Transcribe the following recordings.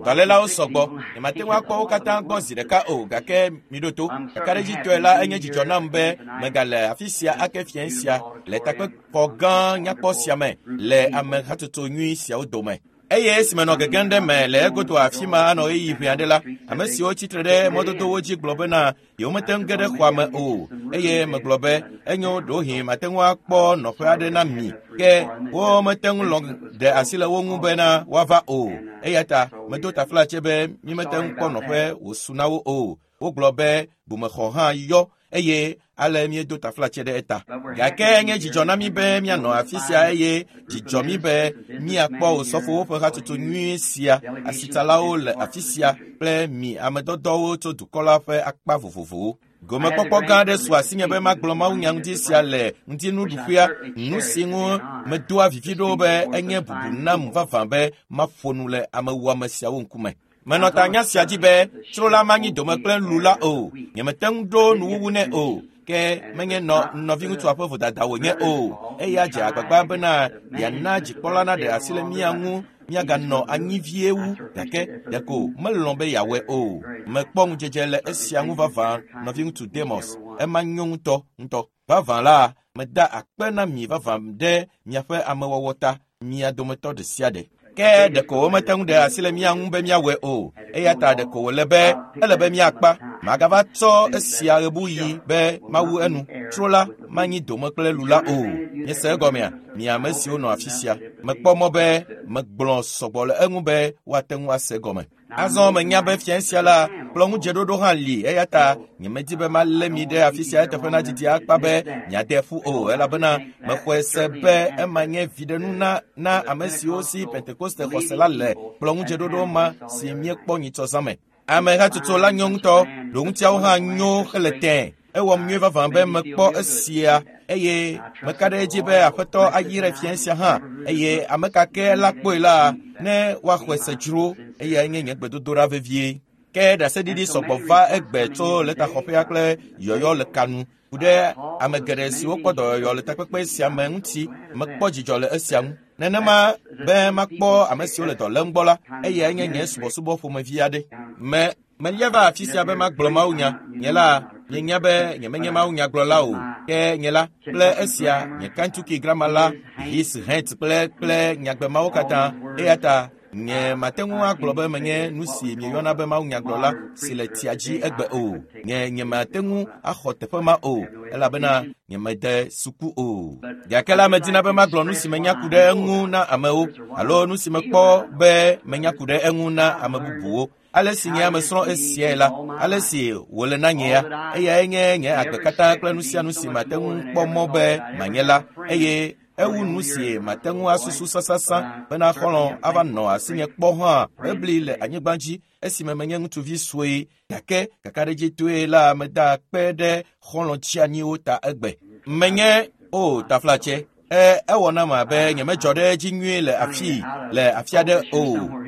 Dɔlélawo sɔgbɔ. Nyemate ŋu akpɔ wo katã gbɔ zi ɖeka o gake miɖo to. Kakaɖedzitɔe la enye dzidzɔ nam be megale afi sia ake fiẽ sia le takpexɔ gã nyakpɔ sia me le ame hatsotso nyui siawo dome. Eye esi menɔ gegem ɖe me le egodo afi ma anɔ ɣeyiɣi ʋɛ aɖe la, ame siwo tsitre ɖe mɔdodowo dzi gblɔ bena yewomete ŋu ge ɖe xɔa me o. Eye megblɔ be, enyo ɖewohĩ mate ŋu akpɔ nɔƒe aɖe na mi. Ke womete ŋu lɔ̃ ɖe asi le wo ŋu bena woava o. Eya ta medo taflatse be mímete ŋu kpɔ nɔƒe wòsu na wo o. Wogblɔ be bumexɔ hã yɔ eye ale míedo taflatse ɖe eta. Gake enye dzidzɔ na mí be míanɔ afi sia eye dzidzɔ mí be míakpɔ osɔfowo ƒe hatsotso nyui sia, asitsalawo le afi sia kple mi amedɔdɔwo tso dukɔ la ƒe akpa vovovowo. Gomekpɔkpɔ gã aɖe su asinye be magblɔ mawunya ŋuti sia le ŋutinuɖuƒea, nu si ŋu medoa vivi ɖo be enye bubu nam vavã be maƒo nu le amewuame siawo ŋkume. Menɔ ta nya sia dzi be tsro la manyi dome kple lu la o. Nyemete ŋu ɖo nuwuwu nɛ o. Ke menye nɔ nɔviŋutsua ƒe vodada wònye o. Eya dze agbagba bena yeana dzikpɔla naɖe asi le mía ŋu míaganɔ anyi vie wu gake ɖeko melɔ̃ be yeawɔe o. Mekpɔ ŋudzedze le esia ŋu vavã nɔviŋutsu Demos. Ema nyo ŋutɔ ŋutɔ. Vavã la, meda akpe na mi vavã ɖe miaƒe amewɔwɔ ta, mia dometɔ ɖe sia ɖe. Ke ɖeko womete ŋu ɖe asi le mía ŋu be míawɔe o. Eya ta ɖeko wòle be ele be míakpa. Magava tsɔ esia ɣebuɣi be mawu enu. Tsro la manyi dome kple lu la o. Miese egɔmea? Mi ame siwo nɔ afi sia. Mekpɔ mɔ be megblɔ sɔgbɔ le eŋu be woate ŋu ase egɔme. Azɔ menya be fiẽ sia la, kplɔ̃ŋudzeɖoɖo hã li eya ta nyemedi be malé mi ɖe afi sia eteƒe nadidi akpa be miade ƒu o elabena mexɔe se be ema nye viɖenu na na ame siwo si Pentekoste xɔse la le kplɔ̃ŋudzeɖoɖo ma si míekpɔ nyitsɔ zã me. Ame hatsotso la nyo ŋutɔ, ɖoŋutiawo hã nyo hele tẽe. Ewɔm nyuie vavã be mekpɔ esia eye meka ɖe edzi be Aƒetɔ ayrae fiẽ sia hã eye ame ka ke la kpɔe la, ne woaxɔe se dzro eyae nye nye gbedodoɖa vevie. Ke ɖaseɖiɖi sɔgbɔ va egbe tso lɛtaxɔƒea kple yɔyɔ le ka nu ku ɖe ame geɖe siwo kpɔ dɔyɔyɔ le takpekpe sia me ŋuti. Mekpɔ dzidzɔ le esia ŋu. Nenema be makpɔ ame siwo le dɔ lém gbɔ la, eyae nye nye subɔsubɔ ƒomevi aɖe. Me melia va afi sia be magblɔ mawunya. Nye la, mienya be nyemenye mawunyagblɔla o. Ke nye la, kple esia, nye Kentucky grama la, his het kple kple nyagbe mawo katã. Eya ta nye mate ŋu agblɔ be menye nu si mieyɔna be mawunyagblɔla si le tsia dzi egbe o. Nye nyemate ŋu axɔ teƒe ma o elabena nyemede suku o. Gake la medina be magblɔ nu si menya ku ɖe eŋu na amewo alo nu si mekpɔ be menya ku ɖe eŋu na ame bubuwo. Ale si nye ame srɔ̃ esiae la, ale si wòle na nye ya, eyae nye nye agbe katã kple nu sia nu si mate ŋu kpɔ mɔ be manye la, eye ewu nu si mate ŋu asusu sasasã bena xɔlɔ̃ ava nɔ asinye kpɔ hã ebli le anyigba dzi esime menye ŋutsuvi sue gake kakaɖedzitɔe la meda akpe ɖe xɔlɔ̃ tsianyiwo ta egbe. Menye o taflatse e ewɔ nam abe nyemedzɔ ɖe edzi nyuie le afii le afi aɖe o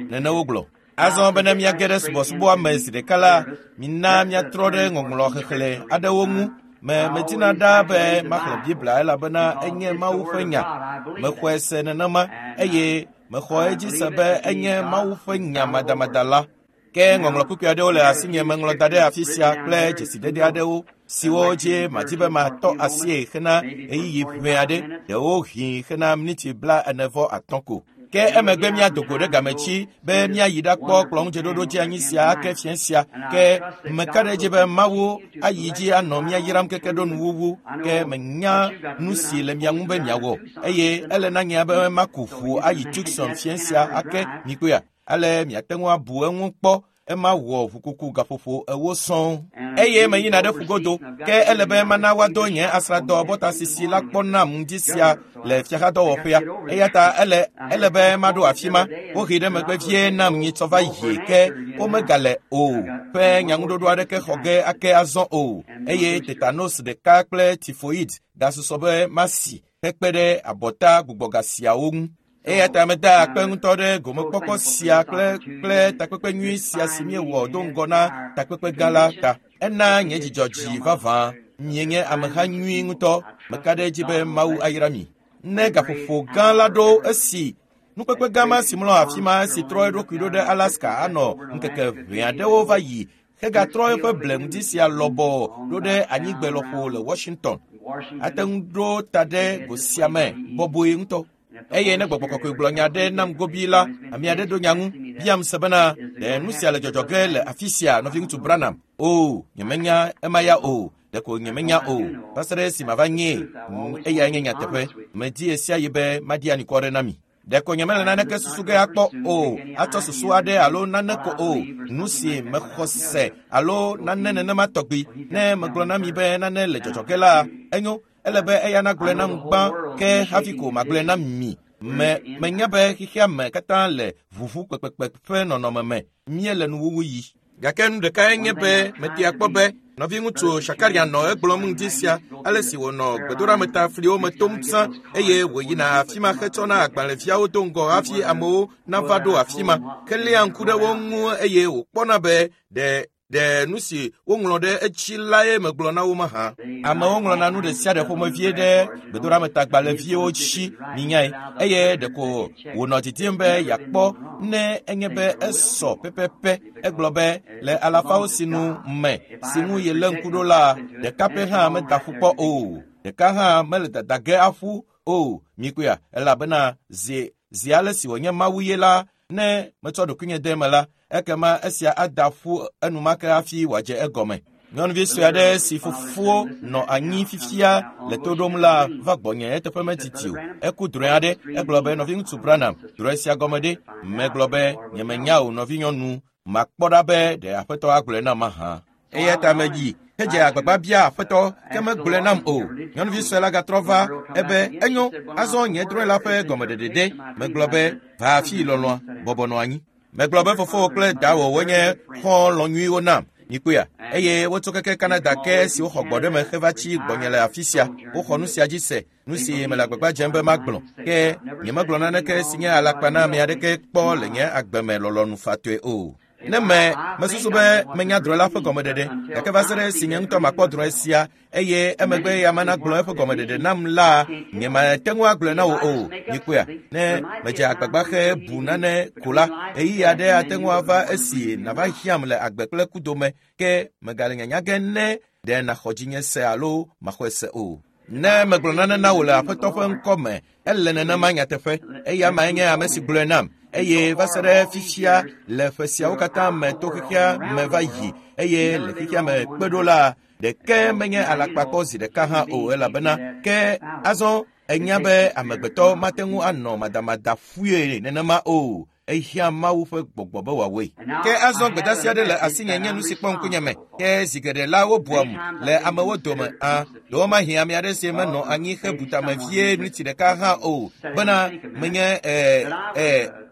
nene wogblɔ. Azɔ bene míage ɖe subɔsubɔa me zi ɖeka la, mina míatrɔ ɖe ŋɔŋlɔ xexlẽ aɖewo ŋu. Me medina ɖaa be maxlẽ Biblia elabena enye Mawu ƒe nya. Mexɔe se nenema eye mexɔ edzi se be enye Mawu ƒe nya madamada la. Ke ŋɔŋlɔ kpukpui aɖewo le asinye meŋlɔ da ɖe afi sia kple dzesidede aɖewo siwo dzi madi be matɔ asie hena ɣeyiɣi ʋɛ aɖe, ɖewohĩ hena miniti 45 ko. Ke emegbe míado go ɖe game dzi be míayi ɖakpɔ kplɔ̃ŋudzeɖoɖo dzeanyi sia ake fiẽ sia. Ke meka ɖe edzi be Mawu ayi dzi anɔ mía yram keke ɖo nuwuwu. Ke menya nu si le mia ŋu be miawɔ eye ele na nye be maku ʋu ayi Tucson fiẽ sia ake mikpɔea. Ale miate ŋu abu eŋu kpɔ ema wɔ ʋukuku gaƒoƒo 40 sɔŋ. Eye meyina ɖe ƒugodo, ke ele be mana woado nye asrãdɔ bɔtasisi la kpɔ nam ŋdi sia le fiaxadɔwɔƒea. Eya ta ele ele be maɖo afi ma. Wohee ɖe megbe vie nam nyitsɔ va yi ke womegale o ƒe nyaŋuɖoɖo aɖeke xɔ ge ake azɔ o. Eye tetanos ɖeka kple tifoid gasusɔ be masi hekpe ɖe abɔta gbugbɔga siawo ŋu. Eya ta meda akpe ŋutɔ ɖe gomekpɔkpɔ sia kple kple takpekpe nyui sia si míewɔ do ŋgɔ na takpekpe gã la ta. Ena nye dzidzɔ dzi vavã. Mienye ameha nyui ŋutɔ. Meka ɖe edzi be Mawu ayra mi. Ne gaƒoƒo gã la ɖo esi Nukpekpe gã ma si mlɔ afi ma si trɔ eɖokui ɖo ɖe Alaska anɔ ŋkeke ʋɛ aɖewo va yi hegatrɔ eƒe ble ŋdi sia lɔbɔɔ ɖo ɖe anyigbe lɔƒo le Washington. Ate ŋu ɖo ta ɖe go sia me bɔbɔe ŋutɔ. Eye ne gbɔgbɔ kɔkɔe gblɔ nya ɖe nam gobii la, ame aɖe ɖo nya ŋu biam se bena ɖe nu sia le dzɔdzɔ ge le afi sia, nɔviŋutsu Branham. O, nyemenya ema ya o. Ɖeko nyemenya o. Va se ɖe esi mava nyee. Eyae nye nyateƒe. Medi ɣe be maɖi anukware na mi. Ɖeko nyemele naneke susu ge akpɔ o, atsɔ susu aɖe alo nane ko o, nu si mexɔ se alo nane nenema tɔgbi. Ne megblɔ na mi be nane le dzɔdzɔ ge la, enyo, ele be eya nagblɔe nam gbã ke hafi ko magblɔe na mi. Me menya be xexea me katã le ʋuʋu kpekpekpe ƒe nɔnɔme me. Míele nuwuwu yi. Gake nu ɖekae nye be metea kpɔ be nɔviŋutsu Shakarian nɔ egblɔm ŋdi sia ale si wònɔ gbedoɖametafliwo me tom zã eye wòyina afi ma hetsɔna agbalẽviawo do ŋgɔ hafi amewo nava ɖo afi ma heléa ŋku ɖe wo ŋu eye wòkpɔna be ɖe ɖe nu si woŋlɔ ɖe edzi lae megblɔ na wo mahã. Amewo ŋlɔna nu ɖe sia ɖe ƒomevie ɖe gbedoɖametagbalẽviwo dzi minyae eye ɖeko wònɔ didim be yeakpɔ ne enye be esɔ pɛpɛpɛ. Egblɔ be le alafawo sinu me si ŋu yelé ŋku ɖo la, ɖeka pɛ hã meda ƒu kpɔ o. Ɖeka hã mele dada ge aƒu o. Mikpɔea, elabena zi zi ale si wònye Mawu ye la, ne metsɔ ɖokuinye de eme la, ekema esia ada ƒu enumake hafi wòadze egɔme. Nyɔnuvi sue aɖe si fofowo nɔ anyi fifia le to ɖom la va gbɔnye eteƒe medidi o. Eku drɔ̃e aɖe, egblɔ be nɔviŋutsu Branham, drɔ̃e sia gɔme ɖe? Megblɔ be nyemenya o nɔvinyɔnu, makpɔ ɖa be ɖe aƒetɔ agblɔe nam mahã. Eya ta medzi hedze agbagba bia aƒetɔ ke megblɔe nam o. Nyɔnuvi sue la gatrɔ va ebe enyo, azɔ nye drɔ̃e la ƒe gɔmeɖeɖe ɖe. Megblɔ be va afii lɔlɔ̃a, bɔbɔ nɔ anyi. Megblɔ be fofowò kple dawò wonye xɔlɔ̃ nyuiwo nam. Mikpɔea, eye wotso keke Canada ke si woxɔ gbɔ ɖe me heva tsi gbɔnye le afi sia. Woxɔ nu sia dzi se, nu si mele agbagba dzem be magblɔ. Ke nyemegblɔ naneke si nye alakpa na ame aɖeke kpɔ le nye agbe me lɔlɔ̃nu fatɔe o. Ne me mesusu be menya drɔ̃e la ƒe gɔmeɖeɖe, gake va se ɖe esi nye ŋutɔ makpɔ drɔ̃e sia eye emegbe ya mana gblɔ eƒe gɔmeɖeɖe nam la, nyemate ŋu agblɔe na wò o. Mikpɔea, ne medze agbagba xe bu nane ko la, ɣeyiɣi aɖe ate ŋu ava esi nava hiãm le agbe kple ku dome, ke megale nyanya ge ne ɖe nàxɔ dzinye se alo maxɔe se o. Ne megblɔ nane na wò le Aƒetɔ ƒe ŋkɔ me, ele nenema nyateƒe. Eya mae nye ame si gblɔe nam. Eye va se ɖe fifia le ƒe siawo katã me to xexea me va yi eye le xexea me kpe ɖo la, ɖeke menye alakpa kpɔ zi ɖeka hã o elabena ke azɔ enya be amegbetɔ mate ŋu anɔ madamada ƒuie nenema o. Ehiã Mawu ƒe gbɔgbɔ be wòawɔe. Ke azɔ gbedeasi aɖe le asinye nye nu si kpɔ ŋkunye me. Ke zi geɖe la wobuam le amewo dome. A, ɖewomahi ame aɖe si menɔ anyi hebu tame vie miniti ɖeka hã o bena menye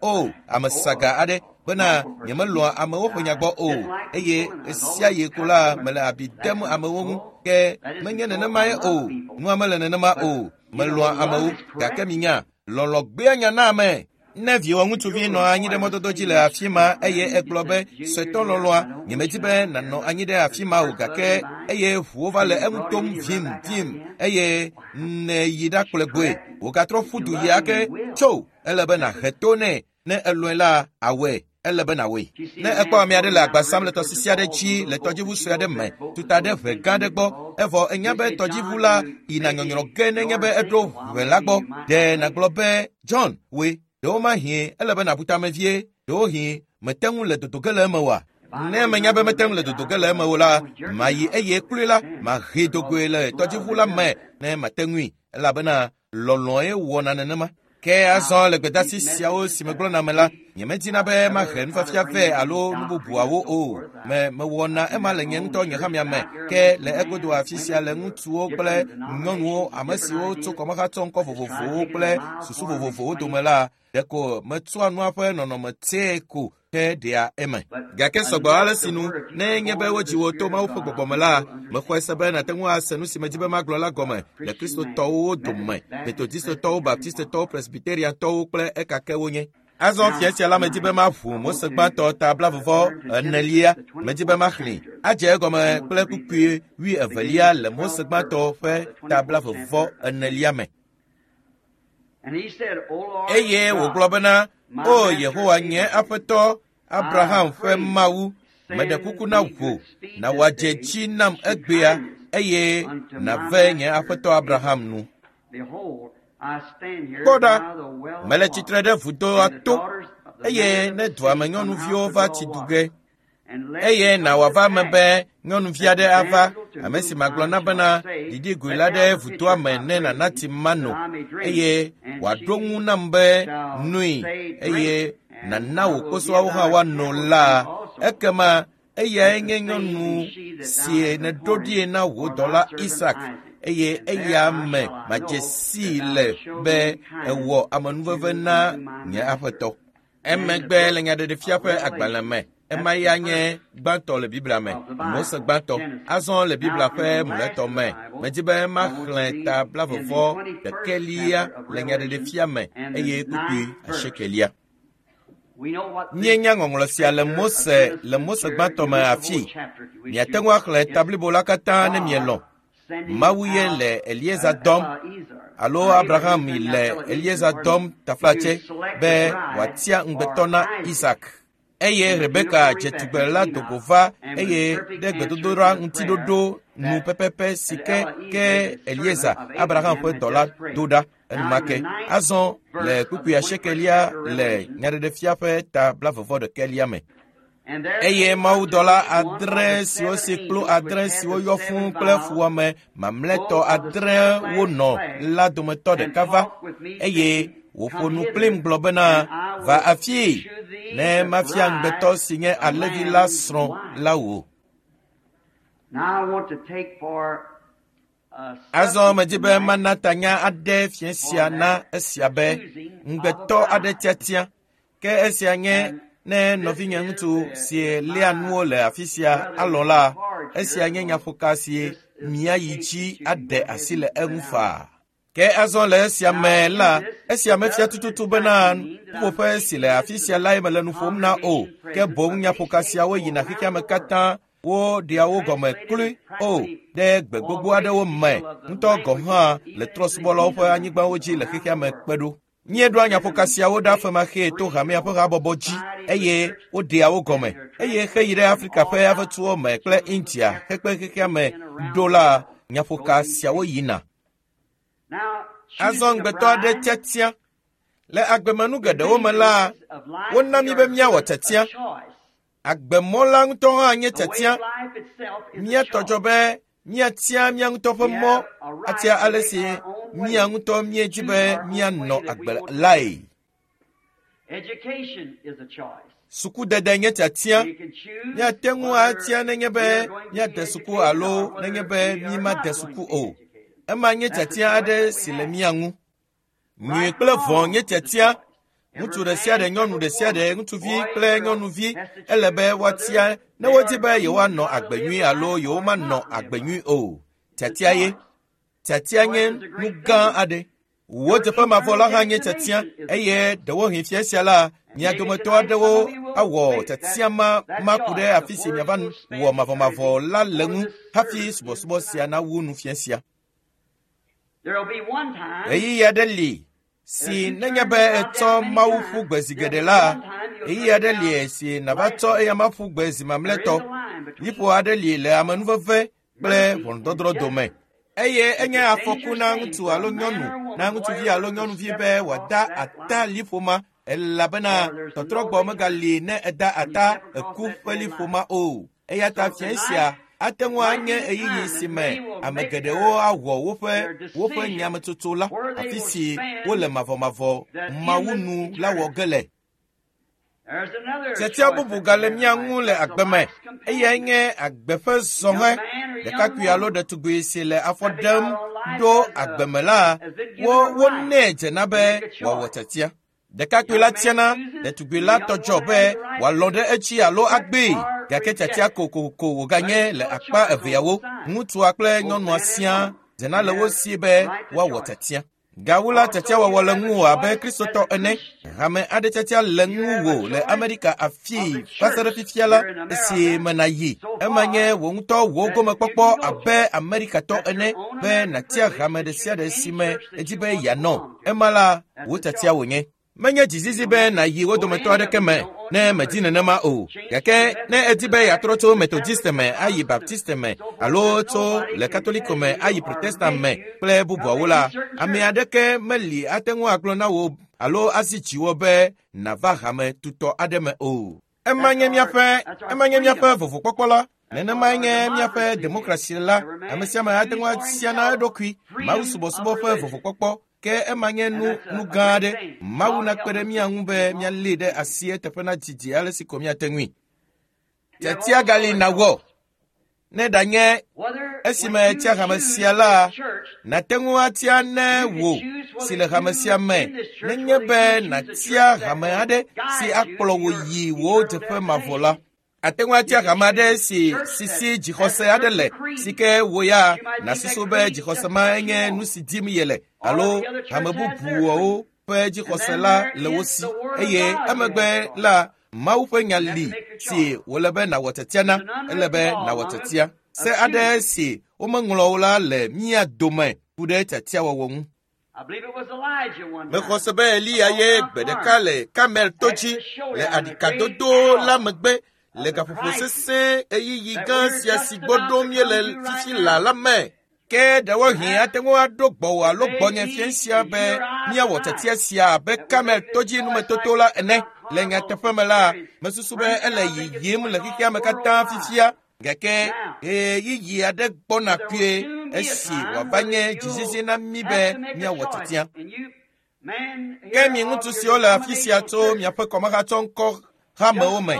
o ame saga aɖe bena nyemelɔ̃a amewo ƒe nya gbɔ o eye ɣe sia ɣi ko la mele abi dem amewo ŋu. Ke menye nenemae o. Nua mele nenema o. Melɔ̃a amewo gake minya, lɔlɔ̃ gbea nya na ame. Ne viwò ŋutsuvi nɔ anyi ɖe mɔdodo dzi le afi ma eye egblɔ be suetɔ lɔlɔ̃a, nyemedi be nànɔ anyi ɖe afi ma o gake eye ʋuwo va le eŋu tom vim vim eye nèyi ɖakplɔe gbɔe. Wògatrɔ ƒu du yi ake tso ele be nàhe to nɛ. Ne elɔ̃e la, awɔe. Ele be nàwɔe. Ne ekpɔ ame aɖe le agba sam le tɔsisi aɖe dzi le tɔdziʋu sue aɖe me, tuta ɖe ʋe gã aɖe gbɔ, evɔ enya be tɔdziʋu la yina nyɔnyrɔ ge nenye be eɖo ʋe la gbɔ, ɖe nàgblɔ be John, woe, ɖewomahi ele be nàbu tame vie, ɖewohĩ mete ŋu le dodo ge le eme oa? Ne menya be mete ŋu le dodo ge le eme o la, mayi eye kloe la, mahee do goe le tɔdziʋu la me ne mate ŋui, elabena lɔlɔ̃e wɔna nenema. Ke azɔ le gbedeasi siawo si megblɔna me la, nyemedina be mahe nufiafia vɛ alo nu bubuawo o. Me mewɔna ema le nye ŋutɔ nye hamea me. Ke le egodo afi sia le ŋutsuwo kple nyɔnuwo, ame siwo tso kɔmehatsɔ ŋkɔ vovovowo kple susu vovovowo dome la, ɖeko metsɔa nua ƒe nɔnɔme tsɛ ko ke ɖea eme. Gake sɔgbɔ ale si nu, ne nye be wodzi wò to Mawu ƒe gbɔgbɔ me la, mexɔe se be nàte ŋu ase nu si medi be magblɔ la gɔme le Kristotɔwo dome, Metodistetɔwo, Baptistetɔwo, Presbyteriantɔwo kple ekake wonye. Azɔ fia sia la medi be maʋu Mose gbãtɔ ta 24 medi be maxlẽe. Adze egɔme kple kpukpui 22 le Mose gbãtɔ ƒe ta 24 me. Eye wògblɔ bena, O Yehowa nye Aƒetɔ, Abraham ƒe Mawu, meɖe kuku na wò, na wòadze dzi nam egbea eye nàve nye aƒetɔ Abraham nu. Kpɔ ɖa, mele tsitre ɖe vudoa to, eye ne dua me nyɔnuviwo va tsi du ge, eye na wòava eme be nyɔnuvi aɖe ava, ame si magblɔ na bena, ɖiɖi goe la ɖe vudoa me ne nàna tsi mano, eye wòaɖo ŋu nam be, noe, eye nàna wò kposɔawo hã woano la, ekema eyae nye nyɔnu si nèɖo ɖie na wò dɔla Isak, eye eya me madze sii le be èwɔ amenuveve na nye aƒetɔ. Emegbe le Nyaɖeɖefia ƒe agbalẽ me, ema ya nye gbãtɔ le Biblia me, Mose gbãtɔ. Azɔ le Biblia ƒe mlɔetɔ me, medi be maxlẽ ta 21 le Nyaɖeɖefia me eye kpukpui 8. Míenya ŋɔŋlɔ sia le Mose le Mose gbãtɔ me afii. Miate ŋu axlẽ ta blibo la katã ne mielɔ̃. Mawu ye le Eliezer dɔm alo Abraham le Eliezer dɔm taflatse be wòatia ŋugbetɔ na Isak. Eye Rebeka dze tugbe la do go va eye ɖe gbedodoɖa ŋutiɖoɖo nu pɛpɛpɛ si ke ke Eliezer, Abraham ƒe dɔla, do ɖa enumake. Azɔ le kpukpui 8 le Nyaɖeɖefia ƒe ta 21 me. Eye mawudɔla 7 siwo si kplu 7 siwo yɔ fũu kple fuwɔame mamlɛtɔ 8 wonɔ la dometɔ ɖeka va, eye wòƒo nu kplim gblɔ bena, va afii, ne mafia ŋugbetɔ si nye alẽvi la srɔ̃ la wò. Azɔ medi be mana tanya aɖe fiẽ sia na esia be ŋugbetɔ aɖe tiatia. Ke esia nye ne nɔvinye ŋutsu si léa nuwo le afi sia alɔ̃ la, esia nye nyaƒoka si míayi dzi aɖe asi le eŋu faa. Ke azɔ le esia me la, esia mefia tututu bena ƒuƒoƒe si le afi sia lae mele nu ƒom na o, ke boŋ nyaƒoka siawo yina xexea me katã, woɖea wo gɔme kloe o ɖe gbe gbogbo aɖewo me, ŋutɔ gɔ̃ hã le trɔ̃subɔlawo ƒe anyigbawo dzi le xexea me kpe ɖo. Míeɖoa nyaƒoka siawo ɖa femaxee to hamea ƒe habɔbɔ dzi eye woɖea wo gɔme. Eye xeyi ɖe Afrika ƒe avetsuwo me kple India hekpe xexea me ɖo la, nyaƒoka siawo yina. Azɔ ŋugbetɔ aɖe tiatia. Le agbemenu geɖewo me la, wona mí be míawɔ tiatia. Agbemɔ la ŋutɔ hã nye tiatia. Mía tɔ dzɔ be míatia mía ŋutɔ ƒe mɔ, atia ale si mía ŋutɔ míedzi be míanɔ agbe lae. Sukudede nye tiatia. Míate ŋu atia nenye be míade suku alo nenye be mímade suku o. Ema nye tiatia aɖe si le mía ŋu. Nyui kple vɔ̃ nye tiatia. Ŋutsu ɖe sia ɖe, nyɔnu ɖe sia ɖe, ŋutsuvi kple nyɔnuvi ele be woatia ne wodi be yewoanɔ agbe nyui alo yewomanɔ agbe nyui o. Tiatia ye. Tiatia nye nu gã aɖe. Wò teƒe mavɔ la hã nye tiatia eye ɖewohĩ fia sia la, mia dometɔ aɖewo awɔ tiatia ma maku ɖe afi si miava wɔ mavɔmavɔ la le ŋu hafi subɔsubɔ sia nawu nu fia sia. Ɣeyiɣi aɖe li si nenye be etsɔ Mawu ƒu gbe zi geɖe la, ɣeyiɣi aɖe li si nàva tsɔ eyama ƒu gbe zi mamlɛtɔ. Liƒo aɖe li le amenuveve kple ʋɔnudɔdrɔ̃ dome. Eye enye afɔku na ŋutsu alo nyɔnu, na ŋutsuvi alo nyɔnuvi be wòada ata liƒo ma, elabena tɔtrɔgbɔ megali ne eda ata eku ƒe liƒo ma o. Eya ta fia sia ate ŋu anye ɣeyiɣi si me ame geɖewo awɔ woƒe nyametsotso la, afi si wole mavɔmavɔ Mawu nu la wɔ ge le. Tiatia bubu gale mía ŋu le agbe me, eyae nye agbe ƒe zɔhɛ. Ɖekakpui alo ɖetugbui si le afɔ ɖem ɖo agbe me la, wonɛ dzena be wòawɔ tiatia. Ɖekakpui la tiana, ɖetugbui la tɔ dzɔ be wòalɔ̃ ɖe edzi alo agbee, gake tiatia kokoko wòganye le akpa eveawo, ŋutsua kple nyɔnua siaa dzena le wo si be woawɔ tiatia. Gawu la tiatiawɔwɔ le ŋuwò abe Kristotɔ ene. Hame aɖe tiatia le ŋuwò le Amerika afii va se ɖe fifia la esi me nàyi. Ema nye wò ŋutɔ wò gomekpɔkpɔ abe Amerikatɔ ene be nàtia hame ɖe sia ɖe si me èdi be yeanɔ. Ema la, wò tiatia wònye. Menye dzizizi be nàyi wo dometɔ aɖeke me ne mèdi nenema o. Gake ne èdi be yeatrɔ tso Methodist me ayi Baptist me alo tso le Katoliko me ayi Protestant me kple bubuawo la, ame aɖeke meli ate ŋu agblɔ na wò alo azi dziwò be nàva hame tutɔ aɖe me o. Ema nye míaƒe ema nye míaƒe vovokpɔkpɔ la. Nenemae nye míaƒe demokrasi la. Ame sia ame ate ŋu atia na eɖokui mawusubɔsubɔ ƒe vovokpɔkpɔ. Ke ema nye nu nu gã aɖe. Mawu nakpe ɖe mía ŋu be míalée ɖe asi eteƒe nadidi ale si ko míate ŋui. Tiatia gali nàwɔ. Ne ɖanye esime ètia hame sia la, nàte ŋu atia ne wò si le hame sia me nenye be nàtia hame aɖe si akplɔ wò yi wò dzeƒe mavɔ la. Ate ŋu atia hame aɖe si si dzixɔse aɖe le si ke wò ya nàsusu be dzixɔse ma nye nu si dim yele alo hame bubuawo ƒe dzixɔse la le wo si eye emegbe la Mawu ƒe nya li si wòle be nàwɔ tiatia na, ele be nàwɔ tiatia. Se aɖe si womeŋlɔ o la le mía dome ku ɖe tiatiawɔwɔ ŋu. Mexɔ se be Eliya ye gbe ɖeka le Karmel to dzi le aɖikadodo la megbe le gaƒoƒo sesẽ ɣeyiɣi gã sia si gbɔ ɖom míele fifi laa la me. Ke ɖewohĩ ate ŋu aɖo gbɔwò alo gbɔnye fiẽ sia be míawɔ tiatia sia abe Karmel to dzi numetoto la ene. Le nyateƒe me la, mesusu be ele yiyim le xexea me katã fifia gake ɣeyiɣi aɖe gbɔna kpuie esi wòava nye dzizizi na mí be míawɔ tiatia. Ke mi ŋutsu siwo le afi sia tso miaƒe kɔmahatsɔŋkɔ hamewo me,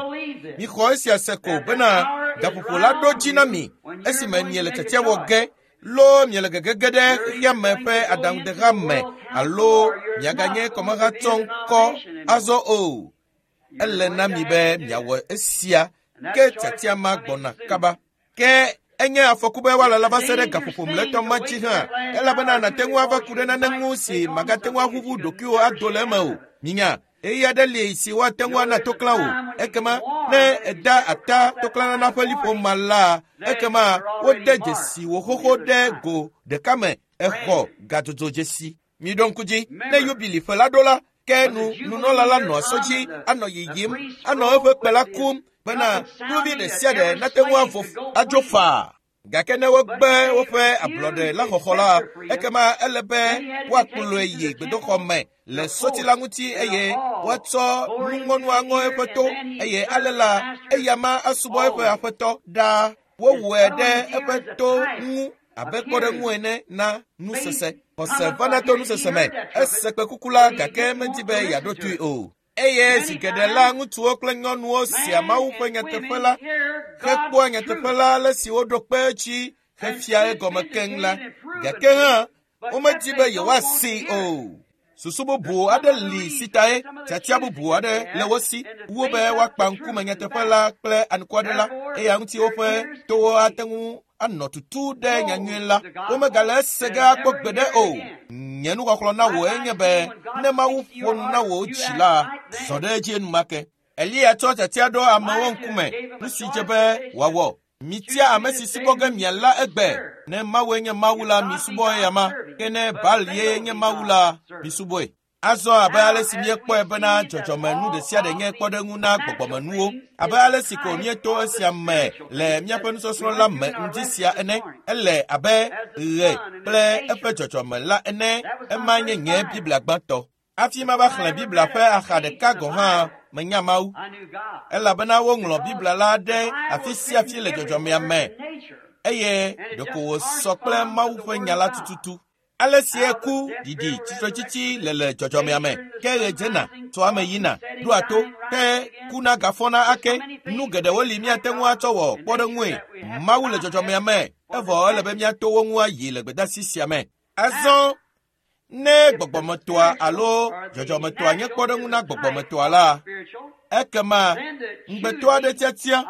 mixɔ esia se ko bena gaƒoƒo la ɖo dzi na mi esime miele tiatia wɔ ge loo miele gegege ɖe xexea me ƒe aɖaŋudeha me alo miaganye kɔmahatsɔŋkɔ azɔ o. Ele na mi be miawɔ esia ke tiatia ma gbɔna kaba. Ke enye afɔku be woalala va se ɖe gaƒoƒo mlɔetɔ ma dzi hã elabena nàte ŋu ava ku ɖe nane ŋu si màgate ŋu aʋuʋu ɖokuiwò ado le eme o. Minya, ɣeyiɣi aɖe li si woate ŋu ana toklã wò. Ekema ne èda ata toklãnana ƒe liƒo ma la, ekema wode dzesi wò xoxo ɖe go ɖeka me exɔ gadzodzo dzesi. Miɖo ŋku dzi, ne yubili ƒe la ɖo la, ke nu nunɔla la nɔ sɔ dzi anɔ yiyim, anɔ eƒe kpe la kum bena kluvi ɖe sia ɖe nate ŋu avo adzo faa. Gake ne wogbe woƒe ablɔɖe la xɔxɔ la, ekema ele be woakplɔe yi gbedoxɔ me le sɔti la ŋuti eye woatsɔ nuŋɔnu aŋɔ eƒe to eye ale la eya ma asubɔ eƒe aƒetɔ ɖaa. Wowɔe ɖe eƒe to ŋu abe kpɔɖeŋu ene na nusese. Xɔse vana to nusese me. Ese kpẽkuku la gake medi be yeaɖo toe o. Eye zi geɖe la ŋutsuwo kple nyɔnuwo sea Mawu ƒe nyateƒe la hekpɔa nyateƒe la ale si woɖo kpe edzi hefia egɔme keŋ la. Gake hã womedi be yewoasee o. Susu bubu aɖe li si tae tiatia bubu aɖe le wo si wu be woakpa ŋkume nyateƒe la kple anukware la eya ŋuti woƒe towo ate ŋu anɔ tutu ɖe nyanyui la. Womegale ese ge akpɔ gbeɖe o. Nye nuxɔxlɔ̃ na wò enye be ne Mawu ƒo nu na wò dzi la, zɔ ɖe edzi enumake. Eliya tsɔ tiatia ɖo amewo ŋkume, nu si dze be wòawɔ. Mitia ame si subɔ ge miala egbe. Ne Mawue nye Mawu la, misubɔ eya ma. Ke ne Baal ye nye Mawu la, misubɔe. Azɔ abe ale si míekpɔe bena dzɔdzɔmenu ɖe sia ɖe nye kpɔɖeŋu na gbɔgbɔmenuwo, abe ale si ko míeto esia me le míaƒe nusɔsrɔ̃ la me ŋdi sia ene, ele abe ɣe kple eƒe dzɔdzɔme la ene. Ema nye nye Biblia gbãtɔ. Hafi mava xlẽ Biblia ƒe axa ɖeka gɔ̃ hã, menya Mawu. Elabena woŋlɔ Biblia la ɖe afi sia afi le dzɔdzɔmea me eye ɖeko wòsɔ kple Mawu ƒe nya la tututu. Ale si eku, ɖiɖi, tsitretsitsi le le dzɔdzɔmea me, ke ɣe dzena, tsoa eme yina, ɖoa to, ke kuna gafɔna ake. Nu geɖewo li míate ŋu atsɔ wɔ kpɔɖeŋue. Mawu le dzɔdzɔmea me, evɔ ele be míato wo ŋu ayi le gbedeasi sia me. Azɔ ne gbɔgbɔmetɔa alo dzɔdzɔmetɔa nye kpɔɖeŋu na gbɔgbɔmetɔa la, ekema ŋugbetɔ aɖe tiatia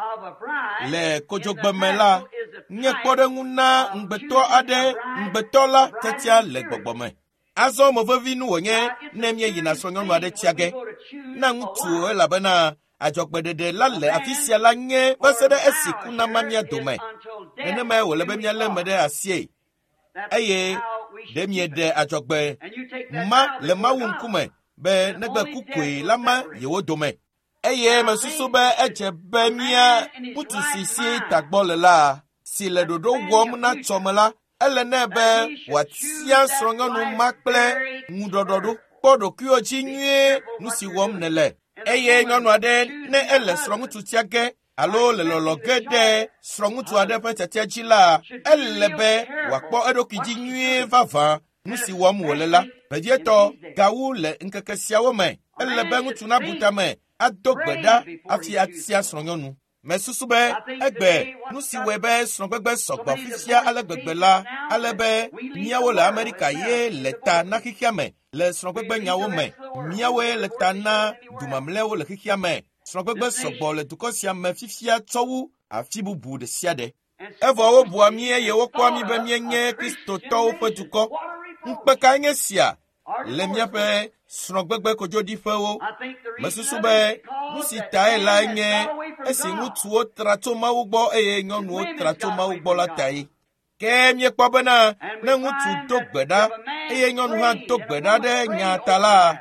le kodzogbeme la nye kpɔɖeŋu na ŋugbetɔ aɖe ŋugbetɔ la tiatia le gbɔgbɔme. Azɔ mo vevi nu wònye ne míeyina srɔ̃nyɔnu aɖe tia ge na ŋutsu elabena adzɔgbeɖeɖe la le afi sia la nye va se ɖe esi ku nama mía dome. Nenemae wòle be míalé eme ɖe asie. Eye ɖe mieɖe adzɔgbe ma le Mawu ŋkume be negbe ku koe la ma yewo dome. Eye mesusu be edze be mía ŋutsu si si tagbɔ le la, si le ɖoɖo wɔm na tsɔme la, ele nɛ be wòatia srɔ̃nyɔnu ma kple ŋuɖɔɖɔɖo. Kpɔ ɖokuiwò dzi nyuie nu si wɔm nèle. Eye nyɔnu aɖe ne ele srɔ̃ŋutsu tia ge alo le lɔlɔ ge ɖe srɔ̃ŋutsu aɖe ƒe tiatia dzi la, ele be wòakpɔ eɖokui dzi nyuie vavã nu si wɔm wòle la. Vevietɔ gawu le ŋkeke siawo me, ele be ŋutsu nabu tame ado gbe ɖa hafi atia srɔ̃nyɔnu. Mesusu be egbe nu si wɔe be srɔ̃gbegbe sɔgbɔ fifia ale gbegbe la, ale be míawo le Amerika ye le ta na xexea me le srɔ̃gbegbe nyawo me. Míawoe le ta na dumamlɛwo le xexea me. Srɔ̃gbegbe sɔgbɔ le dukɔ sia me fifia tsɔ wu afi bubu ɖe sia ɖe. Evɔ wobua mí eye wokpɔa mí be míenye Kristotɔwo ƒe dukɔ. Ŋukpe kae nye sia le míaƒe srɔ̃gbegbe kodzoɖiƒewo? Mesusu be nu si tae lae nye esi ŋutsuwo tra tso Mawu gbɔ eye nyɔnuwo tra tso Mawu gbɔ la tae. Ke míekpɔ bena ne ŋutsu do gbe ɖa eye nyɔnu hã do gbe ɖa ɖe nya ta la,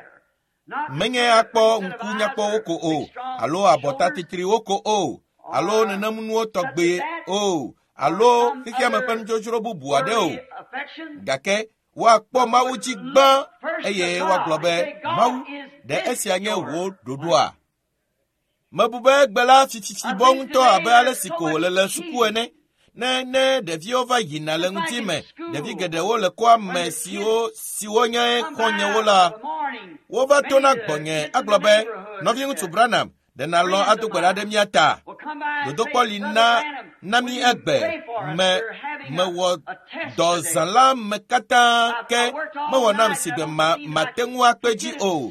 menye akpɔ ŋku nyakpɔwo ko o, alo abɔta titriwo ko o, alo nenemunuwo tɔgbe o, alo xexeame ƒe nudzodzro bubu aɖe o. Gake woakpɔ Mawu dzi gbã eye woagblɔ be, Mawu, ɖe esia nye wò ɖoɖoa? Mebu be egbe la fififi bɔ ŋutɔ abe ale si ko wòle le suku ene. Ne ne ɖeviwo va yina le ŋuti me, ɖevi geɖewo le kɔa me siwo siwo nye xɔ̃nyewo la, wova tona gbɔnye agblɔ be, nɔviŋutsu Branham, ɖe nàlɔ̃ ado gbe ɖa ɖe mía ta? Dodokpɔ li na na mí egbe me mewɔ dɔ zã la me katã ke mewɔ nam si gbe ma mate ŋu akpe dzi o.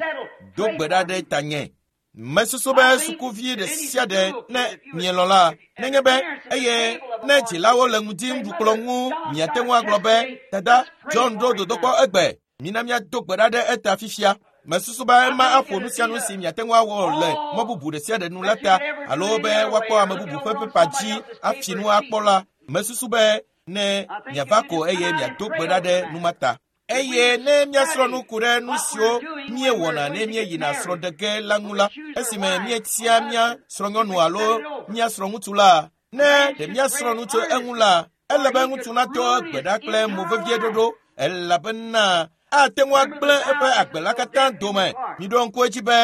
Do gbe ɖa ɖe tanye. Mesusu be sukuvi ɖe sia ɖe ne mielɔ̃ la, nenye be eye ne dzilawo le ŋdi ŋuɖukplɔ ŋu, miate ŋu agblɔ be, Dada, John ɖo dodokpɔ egbe. Mina míado gbe ɖa ɖe eta fifia. Mesusu be ema aƒo nu sia nu si miate ŋu awɔ le mɔ bubu ɖe sia ɖe nu la ta, alo be woakpɔ ame bubu ƒe pepa dzi afi nu akpɔ la. Mesusu be ne miava ko eye miado gbe ɖa ɖe nu ma ta. Eye ne míasrɔ̃ nu ku ɖe nu siwo míewɔna ne míeyina srɔ̃ɖege la ŋu la, esime míetia mía srɔ̃nyɔnu alo mía srɔ̃ŋutsu la, ne ɖe míasrɔ̃ nu tso eŋu la, ele be ŋutsu nato gbe ɖa kple mo vevie ɖoɖo elabena ate ŋu agblẽ eƒe agbe la katã dome. Miɖo ŋku edzi be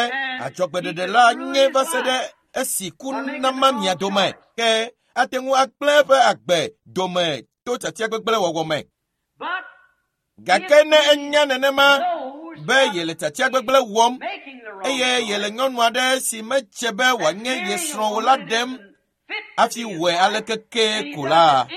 adzɔgbeɖeɖe la nye va se ɖe esi ku nama mia dome, ke ate ŋu agblẽ eƒe agbe dome to tiatia gbegblẽ wɔwɔ me. Gake ne enya nenema be yele tiatia gbegblẽ wɔm eye yele nyɔnu aɖe si medze be wòanye ye srɔ̃ o la ɖem hafi wɔe aleke kee ko la,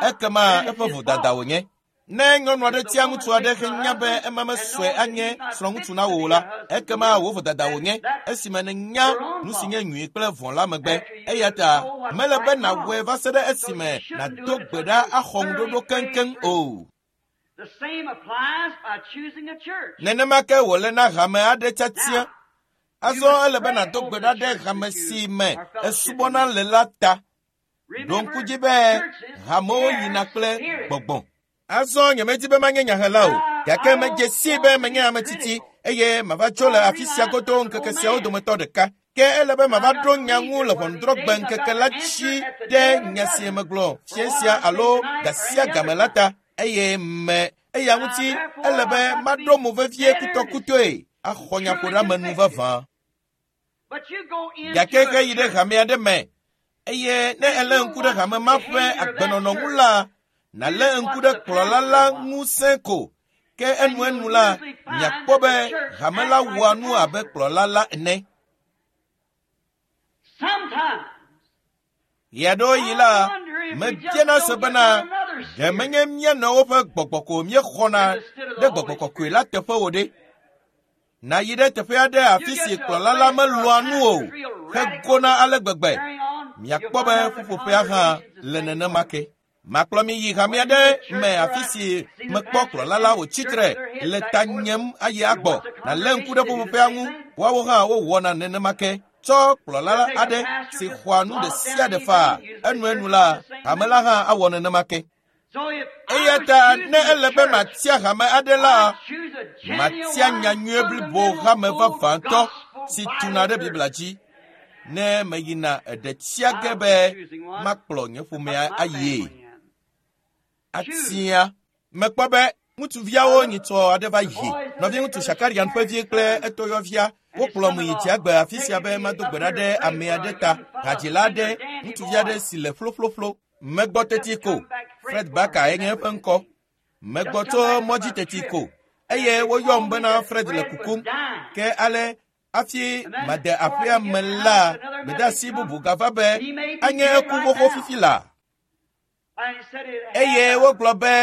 ekema eƒe vodada wònye. Ne nyɔnu aɖe tia ŋutsu aɖe henya be ema mesɔe anye srɔ̃ŋutsu na wò o la, ekema wò vodada wònye esime nènya nu si nye nyui kple vɔ̃ la megbe. Eya ta mele be nàwɔe va se ɖe esime nàdo gbe ɖa axɔ ŋuɖoɖo keŋkeŋ o. The same applies by choosing a church. Nenema ke wòle na hame aɖe tiatia. Azɔ ele be nàdo gbe ɖa ɖe hame si me esubɔna le la ta. Ɖo ŋku dzi be hamewo yina kple gbɔgbɔ. Azɔ nyemedi be manye nyahela o, gake medze sii be menye ame tsitsi eye mava tso le afi sia godo ŋkeke siawo dometɔ ɖeka. Ke ele be mava ɖo nya ŋu le ʋɔnudrɔ̃gbe ŋkeke la dzi ɖe nya si megblɔ fia sia alo ga sia game la ta eye me eya ŋuti ele be maɖo mo vevie kutɔkutɔe axɔ nyaƒoɖeamenu vavã. But you go into Gake a heyi ɖe church hame aɖe me eye ne èlé ŋku ɖe hame ma ƒe agbenɔnɔ ŋu la, nàlé ŋku ɖe kplɔla la ŋusẽ ko. Ke enuenu la, miakpɔ be hame la wɔa nu abe kplɔla la ene. Sometimes Ɣeaɖewoɣi la, mebiana se bena ɖe menye mía nɔewo ƒe gbɔgbɔ ko míexɔna ɖe gbɔgbɔ kɔkɔe la teƒe o ɖe. Nàyi ɖe teƒe aɖe afi si kplɔla la melɔ̃a nu o hegona ale gbegbe. Miakpɔ be ƒuƒoƒea hã le nenema ke. Makplɔ mi yi hame aɖe me afi si mekpɔ kplɔla la wòtsi tre le ta nyem ayi agbɔ. Nàlé ŋku ɖe ƒuƒoƒea ŋu. Woawo hã wowɔna nenema ke. Tsɔ kplɔla aɖe si xɔa nu ɖe sia ɖe faa enuenu la, hame la hã awɔ nenema ke. Eya ta ne ele be matia hame aɖe la, matia nyanyuie blibo hame vavãtɔ si tuna ɖe Biblia dzi. Ne meyina eɖe tia ge be makplɔ nye ƒomea ayie. Atia. Mekpɔ be ŋutsuviawo nyitsɔ aɖe va yi. Nɔviŋutsu Shakarian ƒe vi kple etɔyɔvia wokplɔm yi dziagbe afi sia be mado gbe ɖa ɖe ame aɖe ta, hadzila aɖe, ŋutsuvi aɖe si le ƒloƒloƒlo. Megbɔ teti ko. Fred Barker ye nye eƒe ŋkɔ. Megbɔ tso mɔdzi teti ko eye woyɔm bena Fred le kukum. Ke ale hafi made aƒea me la, gbedeasi bubu gava be anye eku xoxo fifi la. Eye wogblɔ be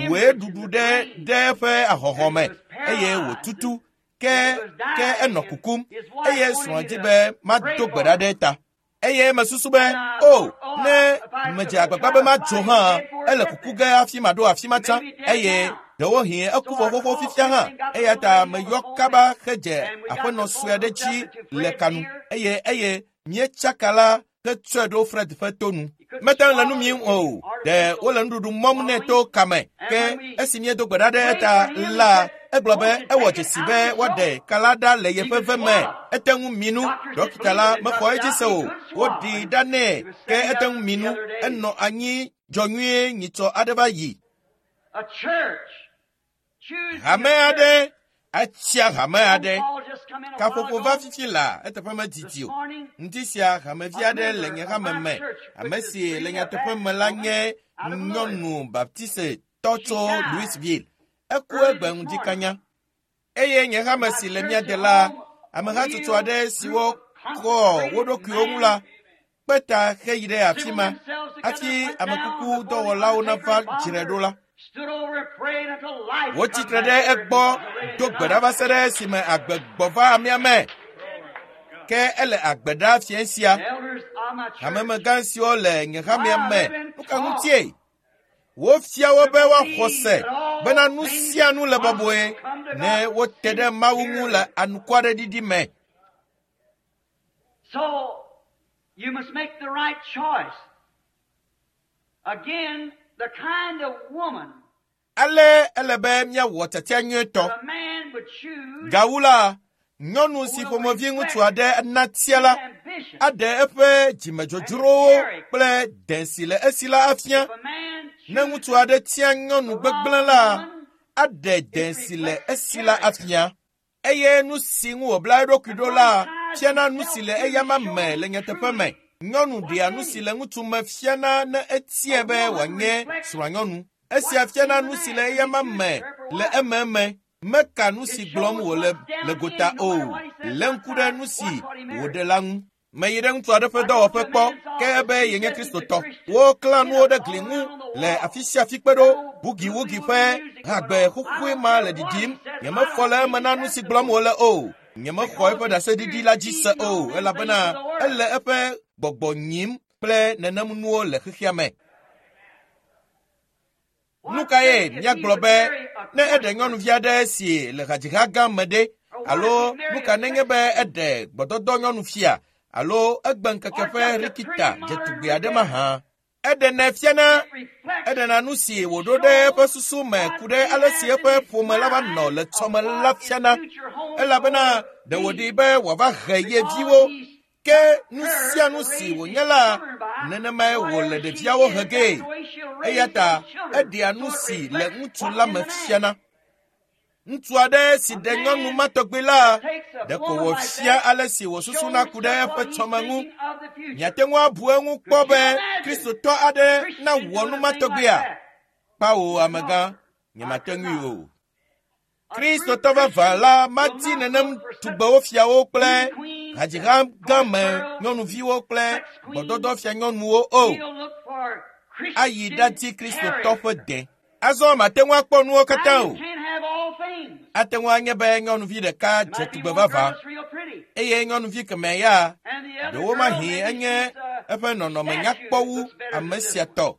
ʋue ɖuɖu ɖe ɖe eƒe ahɔhɔ me eye wòtutu ke ke enɔ kukum eye srɔ̃a di be mado gbe ɖa ɖe eta. Eye mesusu be, o, ne medze agbagba be madzo hã, ele kuku ge hafi maɖo afi ma tsã eye ɖewohĩ eku vɔ xoxo fifia hã. Eya ta meyɔ kaba hedze aƒenɔ sue aɖe dzi le kanu eye eye míetsaka la hetsɔe ɖo Fred ƒe to nu. Mete ŋu le nu mim o, ɖe wole nuɖuɖu mɔm nɛ to kame. Ke esi míedo gbe ɖa ɖe eta la, egblɔ be ewɔ dzesi be woaɖe ka la ɖa le yeƒe ve me. Ete ŋu mi nu. Ɖɔkita la mexɔ edzi se o. Woɖii ɖa nɛ ke ete ŋu mi nu. Enɔ anyi dzɔ nyuie nyitsɔ aɖe va yi. Hame aɖe atsia hame aɖe. Kaƒoƒo va fifi la eteƒe medidi o. Ŋdi sia hamevi aɖe le nye hame me. Ame si le nyateƒe me la nye nyɔnu baptiste-tɔ tso Louisville. Eku egbe ŋdi kanya. Eye nye hame si le mía de la, amehatsotso aɖe siwo kɔ wo ɖokuiwo ŋu la, kpe ta heyi ɖe afi ma hafi amekuku dɔwɔlawo nava dzrae ɖo la. Wotsi tre ɖe egbɔ do gbe ɖa va se ɖe esime agbe gbɔ va amea me. Ke ele agbe ɖa fiẽ sia. Hamemegã siwo le nye hamea me, nu ka ŋutie? Wofia wo be woaxɔ se bena nu sia nu le bɔbɔe ne wote ɖe Mawu ŋu le anukwareɖiɖi me. So you must make the right choice. Again, the kind of woman Ale ele be míawɔ tiatia nyuietɔ. that a man would choose Gawu la, nyɔnu si ƒomevi ŋutsu aɖe natia la ambition. aɖe eƒe dzimedzodzrowo kple dẽ si le esi la afia. If a man Ne chooses ŋutsu aɖe tia nyɔnu gbegblẽ la, aɖe dẽ si le esi la afia. Eye nu si ŋu wòbla eɖokui ɖo la fiana nu si le eyama me le nyateƒe me. Nyɔnu ɖea nu si le ŋutsu me fiana ne etiae be wòanye srɔ̃anyɔnu. Esia fiana nu si le eyama me le ememe. Meka nu si gblɔm wòle le gota o. Lé ŋku ɖe nu si wòɖe la ŋu. Meyi ɖe ŋutsu aɖe ƒe dɔwɔƒe kpɔ ke ebe yenye Kristotɔ. Woklã nuwo ɖe gli ŋu le afi sia afi kpe ɖo. Bugiwugi ƒe hagbe xoxoe ma le ɖiɖim. Nyemefɔ le eme na nu si gblɔm wòle o. Nyemexɔ eƒe ɖaseɖiɖi la dzi se o elabena ele eƒe gbɔgbɔ nyim kple nenem nuwo le xexea me. Nu kae míagblɔ be ne eɖe nyɔnuvi aɖe si le hadziha gã me ɖe alo nu ka nenye be eɖe gbɔdɔdɔ nyɔnufia alo egbe ŋkeke ƒe rikita dzetugbe aɖe mahã. Eɖenɛ fiana eɖena nu si wòɖo ɖe eƒe susu me ku ɖe ale si eƒe ƒome la va nɔ le tsɔme la fiana elabena ɖe wòɖi be wòava he ye viwo ke nu sia nu si wònye la nenemae wòle ɖeviawo he gee. Eya ta eɖea nu si le ŋutsu la me fiana. Ŋutsu aɖe si ɖe nyɔnu ma tɔgbi la, ɖeko wòfia ale si wòsusuna ku ɖe eƒe tsɔme ŋu. Miate ŋu abu eŋu kpɔ be Kristotɔ aɖe nawɔ nu ma tɔgbia? Kpawo amegã, nyemate ŋui o. Kristotɔ vavã la madi nenem tugbewo fiawo kple hadziha gã me nyɔnuviwo kple gbɔdɔdɔ fia nyɔnuwo o. He'll look for Ayi Christian ɖadi Kristotɔ character. ƒe dẽ. Azɔ mate ŋu akpɔ nuwo katã Now o. you can't have all things. Ate ŋu anye be nyɔnuvi ɖeka There dze might be tugbe one girl vavã that's real pretty, eye nyɔnuvi kemɛ ya and the other girl ɖewomahi maybe enye she's eƒe nɔnɔme statue nyakpɔ wu looks better ame than this sia one. tɔ.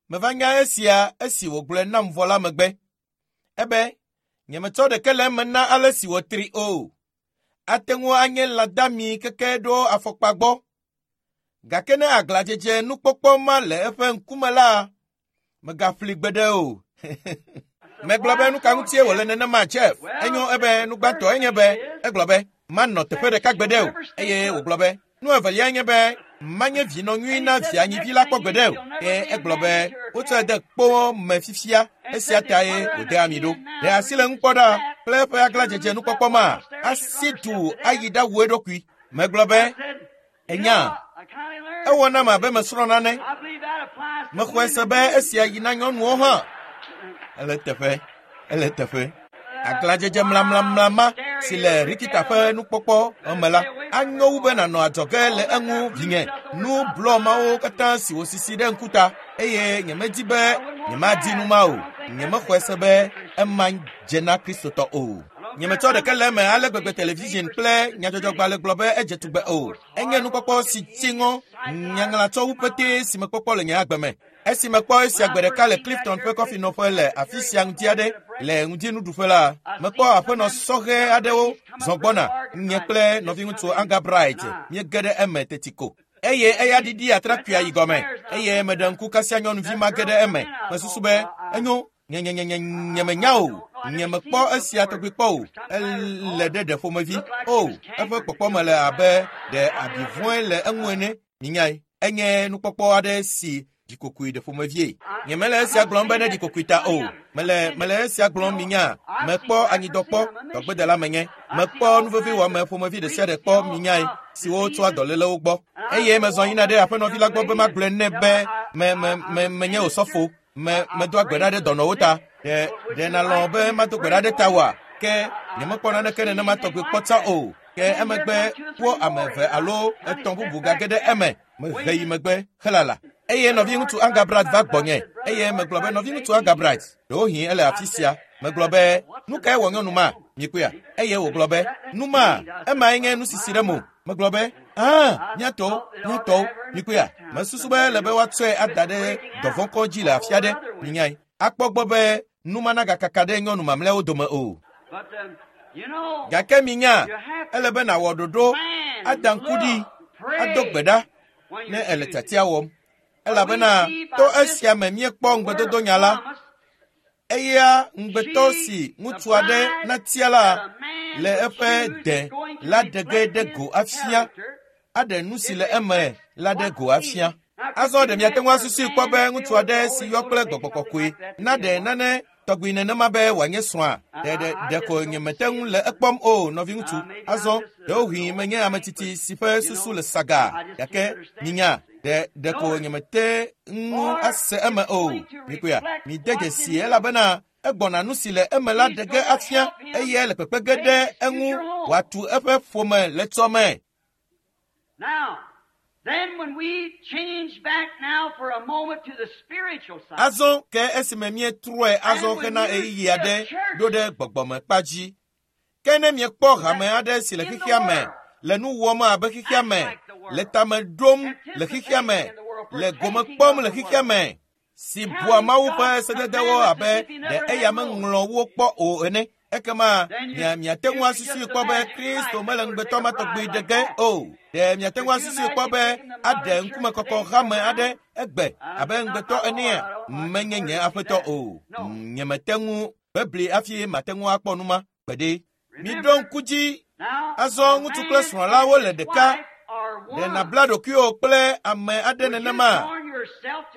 Meva nya esia esi wògblɔe nam vɔ la megbe. Ebe, nyemetsɔ ɖeke le eme na ale si wòtri o. Ate ŋu anye lãdami keke ɖo afɔkpa gbɔ. Gake ne aglãdzedze nukpɔkpɔ ma le eƒe ŋkume la, megaƒli gbeɖe o. Megblɔ be nu ka ŋutie wòle nenema, Jeff? Enyo ebe nu gbãtɔ enye be egblɔ be manɔ teƒe ɖeka gbeɖe o eye wògblɔ be nu evelia nye be manye vinɔ nyui na via nyivi la kpɔ gbeɖe o. Ke egblɔ be wotsɔe de kpo me fifia, esia tae wòde ami ɖo. Ɖe asi le ŋu kpɔ ɖa kple eƒe aglãdzedze nukpɔkpɔ ma, asi du ayi ɖawu eɖokui. Megblɔ be enya, ewɔ nam abe mesrɔ̃ nane. Mexɔe se be esia yi na nyɔnuwo hã. Ele teƒe, ele teƒe. Aglãdzedze mlamlamla ma si le Rikita ƒe nukpɔkpɔ me la, anyo wu be nànɔ adzɔge le eŋu vinye. Nu blɔ mawo katã si wòsisi ɖe ŋkuta eye nyemedi be nyemadi nu ma o. Nyemexɔe se be ema dze na Kristotɔ o. Nyemetsɔ ɖeke le eme ale gbegbe television kple nyadzɔdzɔgbalẽ gblɔ be edze tugbe o. Enye nukpɔkpɔ si tsi ŋɔ nyaŋlatsɔwu petee si mekpɔkpɔ le nye agbe me. Esi mekpɔ esia gbe ɖeka le Clifton ƒe kɔfinɔƒe le afi sia ŋdi aɖe le ŋdinuɖuƒe la, mekpɔ aƒenɔ sɔhɛ aɖewo zɔ gbɔna. Nye kple nɔviŋutsu Anga Bright míege ɖe eme teti ko. Eye eya ɖiɖi atrakpuia yi gɔme eye meɖe ŋku kasia nyɔnuvi ma ge ɖe eme. Mesusu be enyo, nyemenya o, nyemekpɔ esia tɔgbi kpɔ o. Ele ɖe ɖe ƒomevi o, eƒe kpɔkpɔme le abe ɖe abi vɔ̃e le eŋu ene. Minyae, enye nukpɔkpɔ aɖe si ɖikokoe ɖe ƒomevie. Nyemele esia gblɔm be ne ɖikokoe ta o. Mele esia gblɔm minya. Mekpɔ anyidɔ kpɔ, dɔgbedela menye. Mekpɔ nuveviwɔame ƒomevi ɖe sia ɖe kpɔ minyae, siwo tsoa dɔlélewo gbɔ. Eye mezɔ yina ɖe aƒenɔvi la gbɔ be magblɔe nɛ be menye osɔfo. Medoa gbe ɖa ɖe dɔnɔwo ta. Ɖe nalɔ̃ be mado gbe ɖa ɖe tawòa? Ke nyemekpɔ naneke nenema tɔgbi kpɔ tsã o. Ke emegbe wo ame eve alo etɔ̃ bubu gage ɖe eme. Mehe yi megbe helala. Eye nɔviŋutsu Anga Bright va gbɔnye. Eye megblɔ be nɔviŋutsu Anga Bright, ɖewohĩ ele afi sia. Megblɔ be nu kae wɔ nyɔnu ma? Mikpɔea? Eye wògblɔ be nu ma, emae nye nu sisi ɖe mo. Megblɔ be míatɔwo, mikpɔea? Mesusu be ele be woatsɔe ada ɖe dɔvɔ̃kɔ dzi le afi aɖe. Minyae, akpɔ gbɔ be nu ma nagakaka ɖe nyɔnu mamlɛawo dome o. Gake minya, ele be nàwɔ ɖoɖo, ada ŋku ɖi, ado gbe ɖa ne ele tiatia wɔm. Elabena to esia me míekpɔ ŋugbedodonya la. Eya ŋugbetɔ si ŋutsu aɖe natia la le eƒe de la ɖe ge ɖe go afia, aɖe nu si le eme la ɖe go afia. Azɔ ɖe miate ŋu asusui kpɔ be ŋutsu aɖe si yɔ kple gbɔgbɔ kɔkɔe naɖe nane tɔgbi nenema be wòanye srɔ̃a? Ɖeko nyemete ŋu le ekpɔm o, nɔviŋutsu. Azɔ ɖewohĩ menye ame tsitsi si ƒe susu le saga, gake minya, ɖeko nyemete ŋu ase eme o. Mikpɔea, mide dzesi elabena egbɔna nu si le eme la ɖe ge afia eye le kpekpe ge ɖe eŋu wòatu eƒe ƒome le tsɔme. Azɔ ke esime míetrɔe azɔ hena ɣeyiɣi aɖe ɖo ɖe gbɔgbɔmekpa dzi. Ke ne miekpɔ hame aɖe si le xexea me, le nu wɔm abe xexea me, le tame ɖom le xexea me, le gome kpɔm le xexea me, si bua Mawu ƒe sededewo abe ɖe eya meŋlɔ wo kpɔ o ene, ekema miate ŋu asusui kpɔ be Kristo mele ŋugbetɔ ma tɔgbi ɖe ge o. Ɖe miate ŋu asusui kpɔ be aɖe ŋkumekɔkɔ hame aɖe egbe abe ŋugbetɔ enea? Menye nye aƒetɔ o. Nyemete ŋu bebli hafi mate ŋu akpɔ nu ma gbeɖe. Miɖo ŋku dzi. Azɔ ŋutsu kple srɔ̃ la wole ɖeka. Ɖe nàbla ɖokuiwò kple ame aɖe nenema?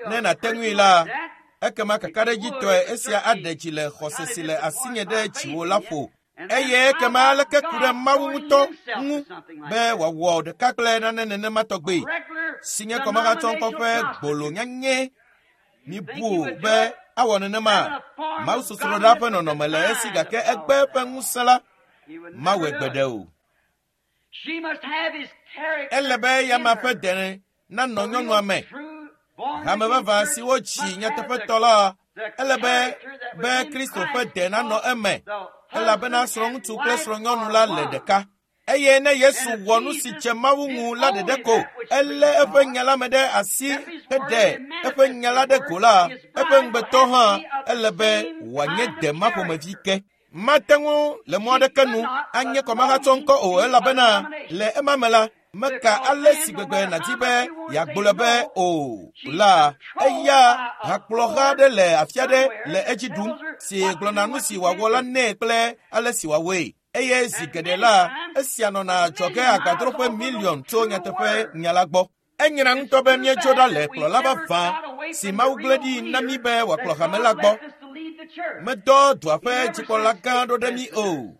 Ne nàte ŋui la, ekema kakaɖedzitɔe esia aɖe dzi le xɔse si le asinye ɖe dziwò la ƒo. Eye ekema aleke ku ɖe Mawu ŋutɔ ŋu be wòawɔ ɖeka kple nane nenema tɔgbi, si nye kɔmahatsɔŋkɔ ƒe gbolo nyanyɛ. Mibu be awɔ nenema. Mawu sosroɖa ƒe nɔnɔme le esi gake egbe eƒe ŋusẽ la mawɔe gbeɖe o. Ele be eyama ƒe dene nanɔ nyɔnua me. Hame vavã si wotsi nyateƒetɔ la, ele be Kristo ƒe de nanɔ eme, elabena srɔ̃ŋutsu kple srɔ̃nyɔnu la le ɖeka. Eye ne Yesu wɔ nu si dze Mawu ŋu la ɖeɖe ko, elé eƒe nya la me ɖe asi Eɖe eƒe nya la ɖe go la, eƒe ŋugbetɔ hã ele be wòanye dema ƒomevi ke. Mate ŋu le mɔ aɖeke nu anye kɔmahatsɔ ŋkɔ o elabena le ema me la, meka ale si gbegbe nàdi be yeagblɔe be o la, eya hakplɔha aɖe le afi aɖe le edzi ɖum si gblɔna nu si wòawɔ la nɛ kple ale si wòawɔe. Eye zi geɖe la, esia nɔna adzɔge agbadroƒe miliɔn tso nyateƒe nya la gbɔ. Enyra ŋutɔ be míetso ɖa le kplɔla vavã si Mawu gblẽ ɖi na mí be wòakplɔ hame la gbɔ. Medɔ dua ƒe dzikpɔla gã ɖo ɖe mí o.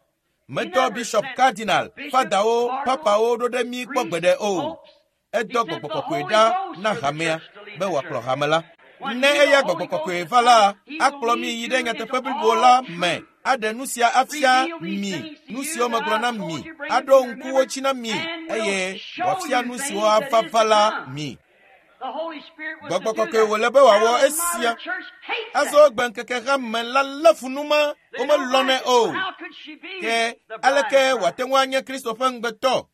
Medɔ bishop cardinal, fadawo, papawo ɖo ɖe mí kpɔ gbeɖe o. Edɔ gbɔgbɔ kɔkɔe ɖa na hamea be wòakplɔ hame la. Ne eya gbɔgbɔ kɔkɔe va la, akplɔ mi yi ɖe nyateƒe blibo la me, aɖe nu sia afia mi, nu siwo megblɔ na mi, aɖo ŋku wo dzi na mi, eye wòafia nu siwo ava va la mi. Gbɔgbɔ kɔkɔe wòle be wòawɔ esia. Azɔ gbe ŋkeke hame la lé fu nu ma, womelɔnɛ o. Ke aleke wòate ŋu anye Kristo ƒe ŋugbetɔ?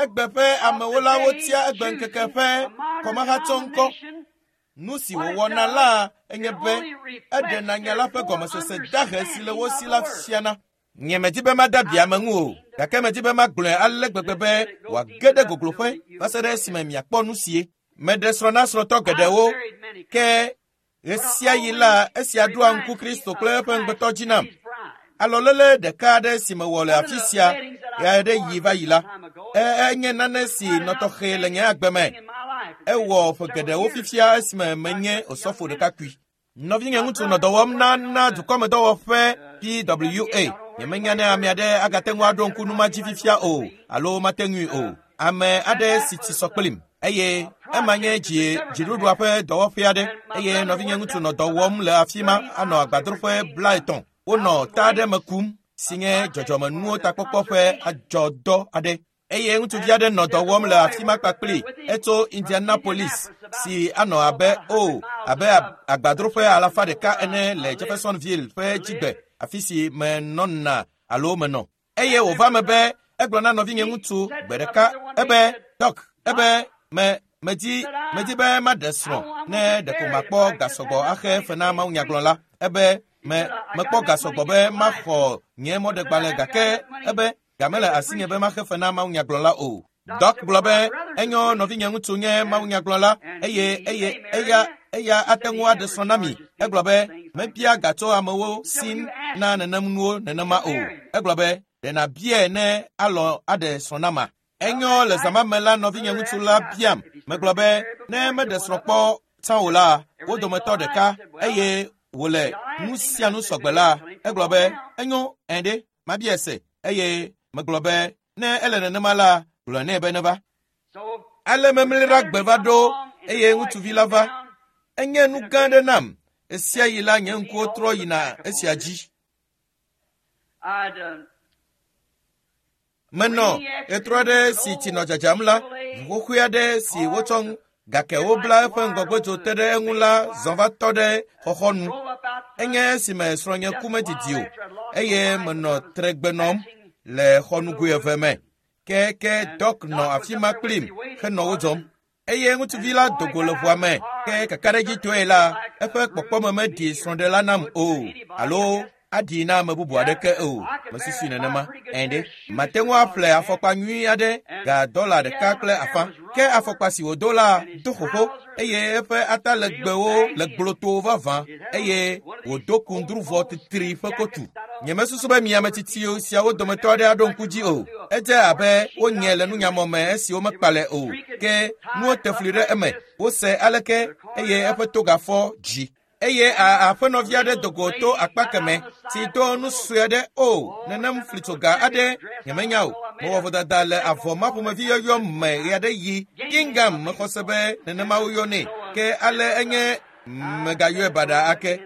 Egbe ƒe amewo la wotia egbe ŋkeke ƒe kɔmahatsɔ ŋkɔ. Nu si wòwɔna la enye be eɖena nya la ƒe gɔmesese dahe si le wo si la fiana. Nye medi be mada bia ame ŋu o, gake medi be magblɔe ale gbegbe be wòage ɖe gogloƒe va se ɖe esime miakpɔ nu sie. Meɖe srɔ̃ na srɔ̃tɔ geɖewo, ke ɣe sia ɣi la esia ɖoa ŋku Kristo kple eƒe ŋugbetɔ dzi nam. Alɔlele ɖeka aɖe si mewɔ le afi sia ɣe aɖe yi va yi la, enye nane si nɔ tɔxɛ le nye agbe me. Ewɔ ƒe geɖewo fifia esime menye osɔfo ɖekakpui. Nɔvinye ŋutsu nɔ dɔ wɔm na na dukɔmedɔwɔƒe PWA. Nyemenya ne ame aɖe agate ŋu aɖo ŋku nu ma dzi fifia o alo mate ŋui o. Ame aɖe si tsi sɔ kplim eye ema nye dziɖuɖua ƒe dɔwɔƒe aɖe eye nɔvinye ŋutsu nɔ dɔ wɔm le afi ma anɔ agbadroƒe 50. Wonɔ ta aɖe me kum si nye dzɔdzɔmenuwo takpɔkpɔ ƒe adzɔdɔ aɖe. Eye ŋutsuvi aɖe nɔ dɔ wɔm le afi ma kpakpli etso Indianapolis si anɔ abe abe agbadroƒe 100 ene le Jeffersonville ƒe dzigbe afi si menɔna alo menɔ. Eye wòva me be egblɔ na nɔvinye ŋutsu gbe ɖeka ebe Doc, ebe medi be maɖe srɔ̃ ne ɖeko makpɔ gasɔgbɔ axe fe na mawunyagblɔla. Ebe mekpɔ gasɔgbɔ be maxɔ nye mɔɖegbalẽ gake ebe gamele asinye be maxe fe na mawunyagblɔla o. Doc gblɔ be enyo nɔvinye ŋutsu nye mawunyagblɔla eye eya ate ŋu aɖe srɔ̃ na mi. Egblɔ be mebia gatso amewo si na nenem nuwo nenema o. Egblɔ be ɖe nàbiae ne alɔ aɖe srɔ̃ na ma. Enyo le zã me la nɔvinye ŋutsu la biam. Megblɔ be ne meɖe srɔ̃ kpɔ tsã o la, wo dometɔ ɖeka eye wòle nu sia nu sɔgbe la, egblɔ be enyo ɛɖe mabiae se eye megblɔ be ne ele nenema la, gblɔ nɛ be neva. Ale memli ɖa gbe va ɖo eye ŋutsuvi la va. Enye nu gã aɖe nam. Esia yi la nye ŋkuwo trɔ yina esia dzi. Menɔ ɣetrɔ aɖe si tsi nɔ dzadzam la, ʋu xoxoe aɖe si wotsɔ gake wobla eƒe ŋgɔgbedzo te ɖe eŋu la zɔ va tɔ ɖe xɔxɔnu. Enye esime srɔ̃nye ku medidi o eye menɔ tregbe nɔm le xɔnugoe eve me. Ke Doc nɔ afi ma kplim henɔ wo dzɔm. Eye ŋutsuvi la do go le ʋua me ke kakaɖedzitɔe la, eƒe kpɔkpɔme meɖi srɔ̃ɖela nam o alo aɖi na ame bubu aɖeke o. Mesusui nenema. Ɛ̃ɖe, mate ŋu aƒle afɔkpa nyui aɖe ga $1.50. Ke afɔkpa si wòdo la do xoxo eye eƒe atalegbewo le gblotoo vavã eye wòdo kundruvɔ titri ƒe kotu. Nyemesusu be mi ame tsitsi siawo dometɔ aɖe aɖo ŋku dzi o. Edze abe wonye le nunyamɔ me esi womekpalɛ o. Ke nuwo te fli ɖe eme. Wose aleke eye eƒe togafɔ dzi. Eye aƒenɔvi aɖe do go to akpa keme si do nu sue aɖe o nenem flitsoga aɖe nyemenya o. Mewɔ vodada le avɔ ma ƒomevi yɔyɔ me ɣe aɖe yi. Gingham mexɔ se be nenema woyɔnɛ. Ke ale enye megayɔe baɖa ake.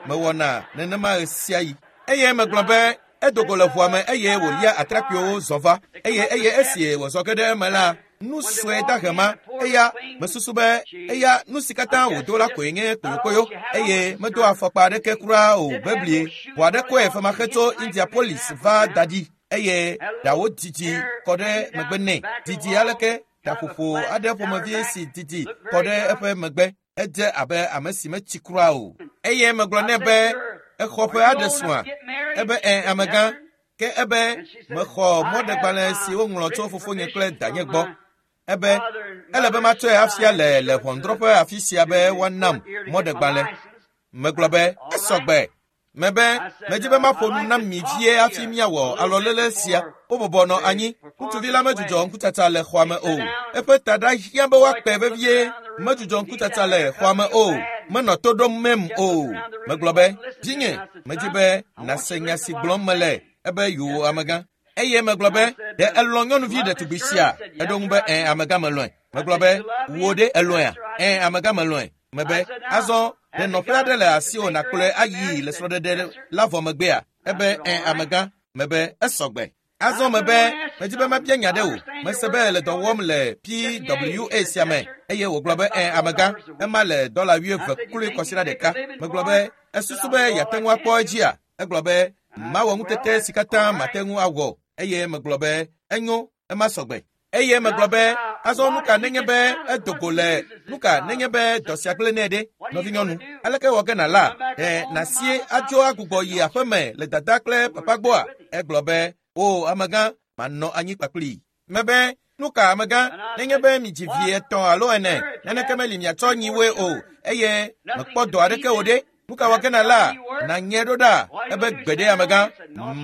Mewɔna nenema ɣe sia ɣi. Eye megblɔ be edo go le ʋua me eye wòlia atrakpuiwo zɔ va. Eye esi wòzɔ ge ɖe eme la, nu sue dahe ma, eya mesusu be eya nu si katã wòdo la koe nye kpoyokpoyo eye medo afɔkpa aɖeke kura o beblie. Ʋu aɖe kɔe femaxe tso Indianapolis va da ɖi eye ɖawo didi kɔ ɖe megbe nɛ. Didi aleke? Taƒoƒo aɖe ƒomevi si didi kɔ ɖe eƒe megbe. Edze abe ame si metsi kura o. Eye megblɔ nɛ be exɔ ƒe aɖe srɔ̃a. Ebe ẽ amegã. Ke ebe mexɔ mɔɖegbalẽ si woŋlɔ tso fofonye kple danye gbɔ. Ebe ele be matsɔe afia le le ʋɔnudrɔ̃ƒe afi sia be woanam mɔɖegbalẽ. Megblɔ be esɔgbe. Mebe medzi be maƒo nu na mi vie hafi míawɔ alɔlele sia. Wobɔbɔ nɔ anyi. Ŋutsuvi la medzudzɔ ŋkutsatsa le xɔa me o. Eƒe taɖa hiã be woakpe vevie. Medzudzɔ ŋkutsatsa le xɔa me o. Menɔ to ɖom mem o. Megblɔ be, vinye, medzi be nàse nya si gblɔm mele. Ebe yoo amegã. Eye megblɔ be, ɖe elɔ̃ nyɔnuvi ɖetugbi sia? Eɖo ŋu be, ẽ amegã melɔ̃e. Megblɔ be, wò ɖe elɔ̃ea? Ẽ amegã melɔ̃e. Mebe, azɔ ɖe nɔƒe aɖe le asiwò nàkplɔe ayi le srɔ̃ɖeɖe la vɔ megbea? Ebe, ẽ amegã. Mebe, esɔgbe. Azɔ mebe, medzi be mabia nya ɖe wò. Mese be le dɔ wɔm le PWA sia me. Eye wògblɔ be, ẽ amegã, ema le dɔla 20 kloe kɔsiɖa ɖeka. Megblɔ be, esusu be yeate ŋu akpɔ edzia? Egblɔ be, mawɔ ŋutete si katã mate ŋu awɔ. Eye megblɔ be, enyo, ema sɔgbe. Eye megblɔ be, azɔ nu ka nenye be edo go le nu ka nenye be dɔ sia gblẽ nɛ ɖe? Nɔvinyɔnu, aleke wɔ ge nàla? Ɖe nàsie adzo agbugbɔ yi aƒeme le dada kple papa gbɔa? Egblɔ be, o amegã, manɔ anyi kpakplii. Mebe, nu ka amegã, nenye be midzi vi 3 alo 4, naneke meli miatsɔ nyiwoe o, eye mekpɔ dɔ aɖeke o ɖe? Nu ka wɔ ge nàla? Nànyɛ ɖo ɖa. Ebe gbe ɖe amegã,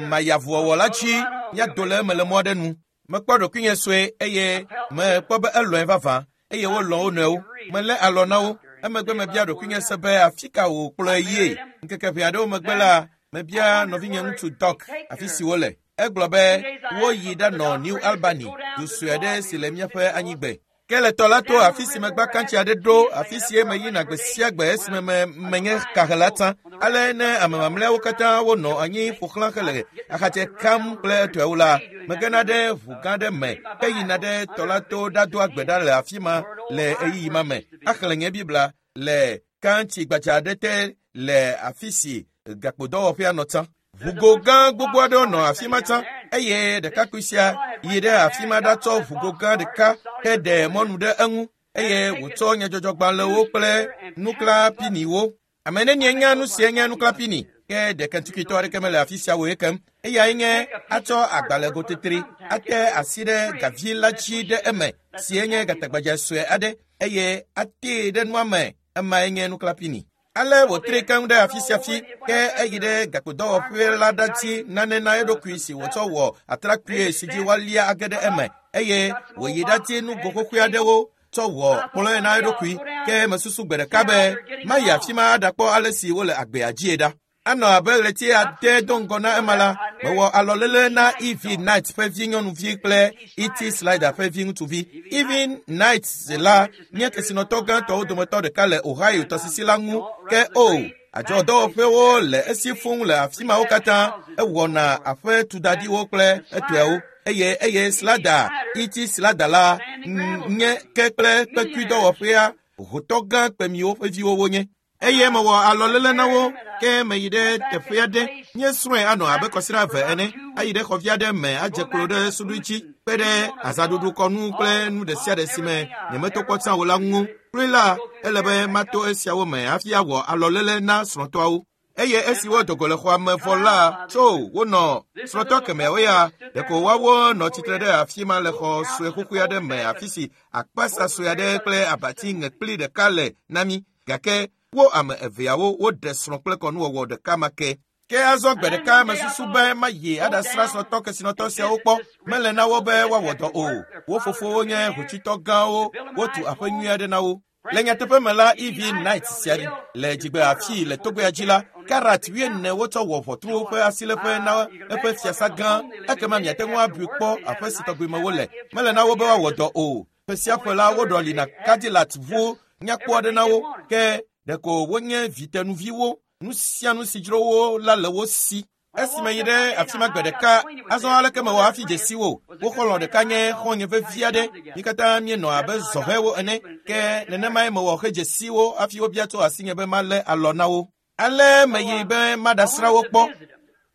mayi avuwɔwɔ la dzi, míado le eme le mɔ aɖe nu. Mekpɔ ɖokuinye sue eye mekpɔ be elɔ̃e vavã eye wolɔ̃ wo nɔewo. Melé alɔ na wo. Emegbe mebia ɖokuinye se be afi ka wòkplɔe yie. Ŋkeke ʋɛ aɖewo megbe la, mebia nɔvinye ŋutsu Doc afi si wole. Egblɔ be woyi ɖanɔ New Albany, du sue aɖe si le míaƒe anyigbe. Ke le tɔ la to afi si megba kantsi aɖe ɖo, afi si meyina gbe sia gbe esime menye kahela tsã. Ale ne ame mamlɛawo katã wonɔ anyi ƒo xlã hele axatsɛ kam kple etɔewo la, megena ɖe ʋu gã ɖe me heyina ɖe tɔ la to ɖadoa gbe ɖa le afi ma le ɣeyiɣi ma me. Axlẽ nye Biblia le kantsi gbadza aɖe te le afi si gakpodɔwɔƒea nɔ tsã. Ʋugo gã gbogbo aɖewo nɔ afi ma tsã eye ɖekakpui sia yi ɖe afi ma ɖatsɔ ʋugo gã ɖeka heɖe mɔnu ɖe eŋu eye wòtsɔ nyadzɔdzɔgbalẽwo kple nuklãpiniwo. Ame nenie nya nu sie nye nuklãpini? Ke ɖe Kentuckitɔ aɖeke mele afi sia wòye kem. Eyae nye atsɔ agbalẽgotetri ate asi ɖe gavi la dzi ɖe eme sie nye gatagbadze sue aɖe eye atee ɖe nua me. Emae nye nuklãpini. Ale wòtri keŋ ɖe afi sia fi, ke eyi ɖe gakpodɔwɔƒe la ɖati nane na eɖokui si wòtsɔ wɔ atrakpui si dzi woalia age ɖe eme eye wòyi ɖati nugo xoxoe aɖewo tsɔ wɔ kplɔ̃e na eɖokui. Ke mesusu gbe ɖeka be mayi afi ma aɖakpɔ ale si wole agbea dzie ɖa. Anɔ abe ɣleti 8 do ŋgɔ na ema la, mewɔ alɔlele na E.V. Knight ƒe vi nyɔnuvi kple E.T. Slider ƒe vi ŋutsuvi. E.V. Knight la nye kesinɔtɔ gãtɔwo dometɔ ɖeka le Ohio tɔsisi la ŋu. Ke o, adzɔdɔwɔƒewo le esi fũu le afi mawo katã. Ewɔna aƒe tudaɖiwo kple etɔewo. Eye Slider, E.T. Slider la nye ke kple kpekuidɔwɔƒea hotɔ gã kpemiwo ƒe viwo wonye. Eye mewɔ alɔlele na wo, ke meyi ɖe teƒe aɖe. Míesrɔ̃e anɔ abe kɔsiɖa 2 ene. Ayi ɖe xɔvi aɖe me adze klo ɖe suɖui dzi, kpe ɖe azãɖuɖu kɔnu kple nu ɖe sia ɖe si me nyemeto kpɔ tsã o la ŋu. Kloe la, ele be mato esiawo me hafi awɔ alɔlele na srɔ̃tɔawo. Eye esi wodo go le xɔa me vɔ la, tso wonɔ srɔ̃tɔ kemɛawo ya, ɖeko woawo nɔ tsitre ɖe afi ma le xɔ sue xoxoe aɖe me afi si akpasa sue aɖe kple abati ŋekpli ɖeka le na mí. Gake wo ame eveawo woɖe srɔ̃ kple kɔnuwɔwɔ ɖeka ma ke. Ke azɔ gbe ɖeka mesusu be mayi aɖasrã srɔ̃tɔ kesinɔtɔ siawo kpɔ. Mele na wo be woawɔ dɔ o. Wo fofowo nye hotsitɔ gãwo, wotu aƒe nyui aɖe na wo. Le nyateƒe me la, E.V. Knight sia le dzigbe afii le togbea dzi la, karat 40 wotsɔ wɔ ʋɔtruwo ƒe asiléƒe na eƒe fiasa gã. Ekema miate ŋu abui kpɔ aƒe si tɔgbi me wole. Mele na wo be woawɔ dɔ o. Ƒe sia ƒe la, woɖɔli na Cadillac ʋuwo nyakpɔ aɖe na wo. Ke ɖeko wonye vitenuviwo. Nu sia nu si dzro wo la le wo si. Esi meyi ɖe afi ma gbe ɖeka, azɔ aleke mewɔ hafi dze si wo? Wo xɔlɔ̃ ɖeka nye xɔ̃nye vevi aɖe. Mí katã míenɔ abe zɔhɛwo ene. Ke nenemae mewɔ hedze si wo hafi wobia tso asinye be malé alɔ na wo. Ale meyi be maɖasrã wo kpɔ.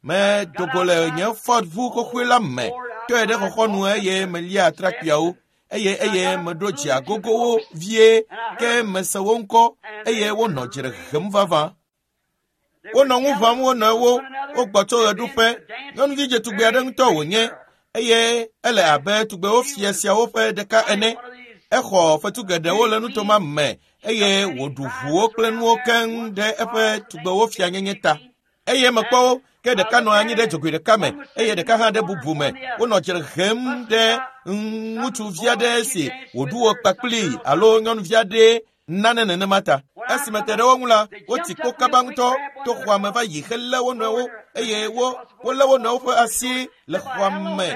Medo go le nye Ford ʋu xoxoe la me, tɔe ɖe xɔxɔnu eye melia atrakpuiawo. Eye meɖo dze agogo wo vie ke mese wo ŋkɔ eye wonɔ dzre hem vavã. Wonɔ ŋu ʋãm wo nɔewo, wogbɔ tso ɣeɖuƒe. Nyɔnuvi dzetugbe aɖe ŋutɔ wònye eye ele abe tugbewo fia siawo ƒe ɖeka ene. Exɔ fetu geɖewo le nutoma me eye wòɖu ʋuwo kple nuwo keŋ ɖe eƒe tugbewo fianyenye ta. Eye mekpɔ wo ke ɖeka nɔ anyi ɖe dzogoe ɖeka me eye ɖeka hã ɖe bubu me. Wonɔ dzre hem ɖe ŋutsuvi aɖe si wòɖu wo kpakpli alo nyɔnuvi aɖe nane nenema ta. Esime te ɖe wo ŋu la, wotsi kpo kaba ŋutɔ to xɔa me va yi helé wo nɔewo eye wolé wo nɔewo ƒe asi le xɔa me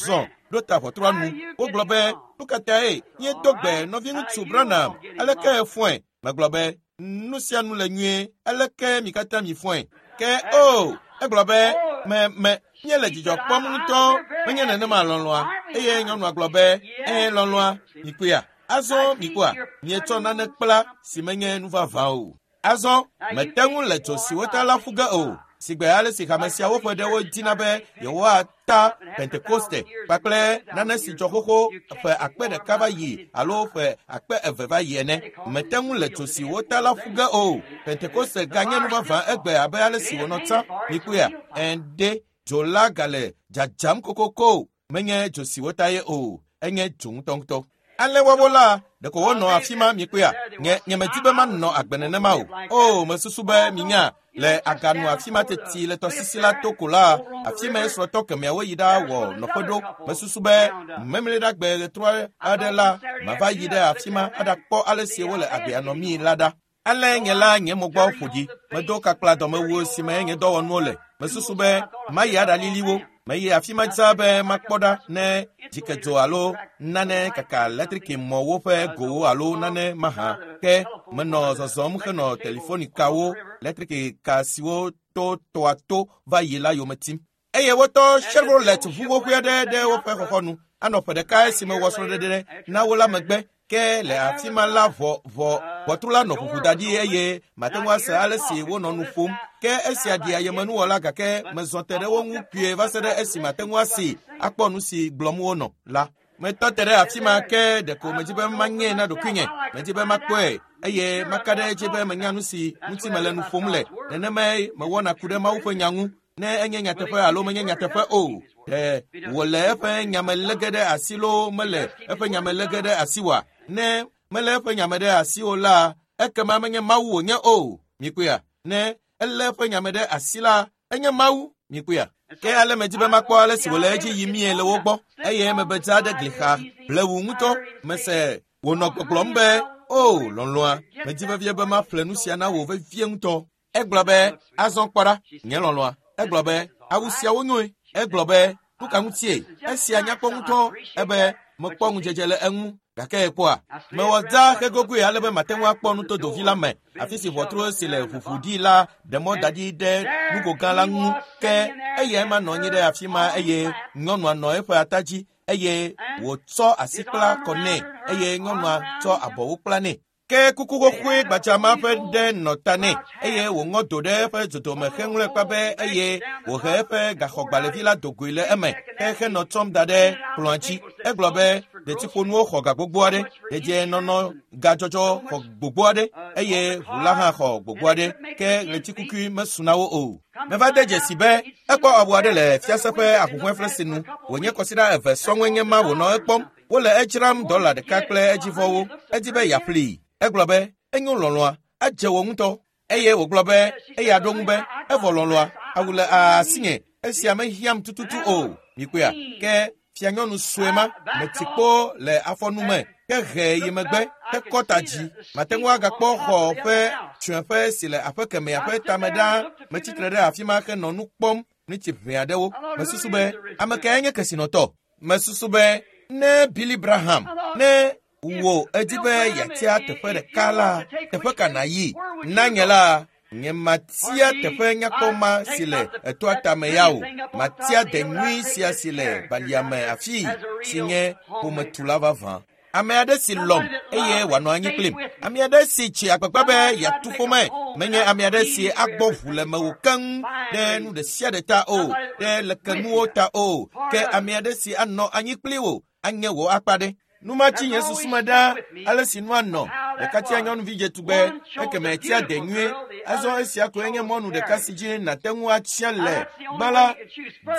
zɔ ɖo ta ʋɔtrua nu. Wogblɔ be, nu ka tae míedo gbe nɔviŋutsu Branham, aleke fɔe? Megblɔ be, nu sia nu le nyuie, aleke mi katã mi fɔe? Ke o, egblɔ be, me míele dzidzɔ kpɔm ŋutɔ, menye nenema lɔlɔ̃a. Eye nyɔnua gblɔ be, ɛ̃ lɔlɔ̃a, mikpɔea? Azɔ mikpɔa, mietsɔ nane kpla si menye nu vavã o. Azɔ mete ŋu le dzo si wota la ƒu ge o. Sigbe ale si hame siawo ƒe ɖewo dina be yewoata Pentekoste kpakple nane si dzɔ xoxo ƒe akpe ɖeka va yi alo ƒe akpe eve va yi ene. Mete ŋu le dzo si wota la ƒu ge o. Pentekoste ganye nu vavã egbe abe ale si wònɔ tsã. Mikpɔea? Ɛ̃ dzo la gale dzadzam kokoko. Menye dzo si wota ye o, enye dzo ŋutɔŋutɔ. Ale woawo la, ɖeko wonɔ afi ma mikpɔea? Nye medi be manɔ agbe nenema o. O, mesusu be minya le aganu afi ma teti le tɔsisi la to ko la, afi ma srɔ̃tɔ kemɛawo yi ɖawɔ nɔƒe ɖo. Mesusu be memleɖagbe ɣetrɔ aɖe la, mava yi ɖe afi ma aɖakpɔ ale si wole agbea nɔmii la ɖa. Ale nye la nye mo gbɔ ƒo ɖi. Medo kakpla dɔmewuwo si me nye dɔwɔnuwo le. Mesusu be mayi aɖalili wo. Meyi afi ma dzaa be makpɔ ɖa ne dzikedzo alo nane kaka letrikimɔwo ƒe gowo alo nane mahã. Ke menɔ zɔzɔm henɔ telefonikawo, letrikika siwo to tɔa to va yi la yome tim. Eye wotɔ Chevrolet ʋu xoxoe aɖe ɖe woƒe xɔxɔnu. Anɔ ƒe ɖeka esime wɔ srɔ̃ɖeɖe na wo la megbe. Ke le afi ma la ʋɔtru la nɔ ʋuʋu da ɖi eye mate ŋu ase ale si wonɔ nu ƒom. Ke esia ɖi ayemenuwɔla gake mezɔ te ɖe wo ŋu kpuie va se ɖe esi mate ŋu asi akpɔ nu si gblɔm wonɔ la. Metɔ te ɖe afi ma ke ɖeko medzi be manyee na ɖokuinye. Medzi be makpɔe eye maka ɖe edzi be menya nu si ŋuti mele nu ƒom le. Nenemae mewɔna ku ɖe Mawu ƒe nya ŋu. Ne enye nyateƒe alo menye nyateƒe o, ɖe wòle eƒe nyame lé ge ɖe asi loo mele eƒe nyame lé ge ɖe asi oa? Ne mele eƒe nyame ɖe asi o la, ekema menye Mawu wònye o. Mikpɔea? Ne elé eƒe nyame ɖe asi la, enye Mawu. Mikpɔea? Ke ale medzi be makpɔ ale si wòle edzi yimie le wo gbɔ eye mebe dza ɖe gli xa blewu ŋutɔ. Mese wònɔ gbɔgblɔm be, o lɔlɔ̃a, medzi vevie be maƒle nu sia na wò vevie ŋutɔ. Egblɔ be, azɔ kpɔ ɖa, nye lɔlɔ̃a. Egblɔ be, awu siawo nyoe. Egblɔ be, nu ka ŋutie? Esia nyakpɔ ŋutɔ. Ebe, mekpɔ ŋudzedze le eŋu. Gake ekpɔa, mewɔ dza hegogoe ale be mate ŋu akpɔ nutodovi la me, afi si ʋɔtru si le ʋuʋu ɖi la ɖe mɔ da ɖi ɖe nugo gã la ŋu. Ke eyae ma nɔ anyi ɖe afi ma eye nyɔnua nɔ eƒe ata dzi eye wòtsɔ asi kpla kɔ nɛ eye nyɔnua tsɔ abɔwo kpla nɛ. Ke kuku xoxoe gbadza ma ƒe ɖe nɔ ta nɛ eye wòŋɔ do ɖe eƒe dzodome heŋlɔe kpa be eye wòhe eƒe gaxɔgbalẽvi la do goe le eme ke henɔ tsɔm da ɖe kplɔ̃a dzi. Egblɔ be detsiƒonuwo xɔ ga gbogbo aɖe, dedienɔnɔ gadzɔdzɔ xɔ gbogbo aɖe eye ʋu la hã xɔ gbogbo aɖe ke ɣletikukui mesu na wo o. Meva de dzesi be ekpɔ awu aɖe le fiase ƒe ahuhɔ̃eflesi nu wònye kɔsiɖa eve sɔŋue nye ma wònɔ ekpɔm. Wole edzram $1 kple edzivɔwo. Edi be yeaƒlee. Egblɔ be, enyo lɔlɔ̃a, edze wò ŋutɔ. Eye wògblɔ be, eya ɖo ŋu be, evɔ lɔlɔ̃a, awu le asinye, esia mehiãm tututu o. Mikpɔea? Ke fianyɔnu sue ma metsi kpo le afɔnu me, ke he yi megbe, hekɔ ta dzi. Mate ŋu agakpɔ xɔ ƒe tsyɔ̃eƒe si le aƒe kemɛa ƒe tame ɖaa. Metsitre ɖe afi ma henɔ nu kpɔm nutsi ʋɛ aɖewo. Mesusu be, ame kae nye kesinɔtɔ? Mesusu be ne Billy Graham, ne wò edi be yeatia teƒe ɖeka la, teƒe ka nàyi? Na nye la, nye matia teƒe nyakpɔ ma si le etoa tame ya o. Matia de nyui sia si le balia me afii si nye ƒometula vavã. Ame aɖe si lɔ̃m eye wòanɔ anyi kplim. Ame aɖe si tsi agbagba be yeatu ƒome. Menye ame aɖe si agbɔ ʋu le mewò keŋ ɖe nu ɖe sia ɖe ta o, ɖe lekenuwo ta o. Ke ame aɖe si anɔ anyi kpli wò anye wò akpa ɖe. Nu ma tsi nye susu me ɖaa ale si nua nɔ. Ɖeka tia nyɔnuvi dzetugbe, ekeme tia de nyuie. Azɔ esia koe nye mɔnu ɖeka si dzi nàte ŋu atsia le. Gbã la,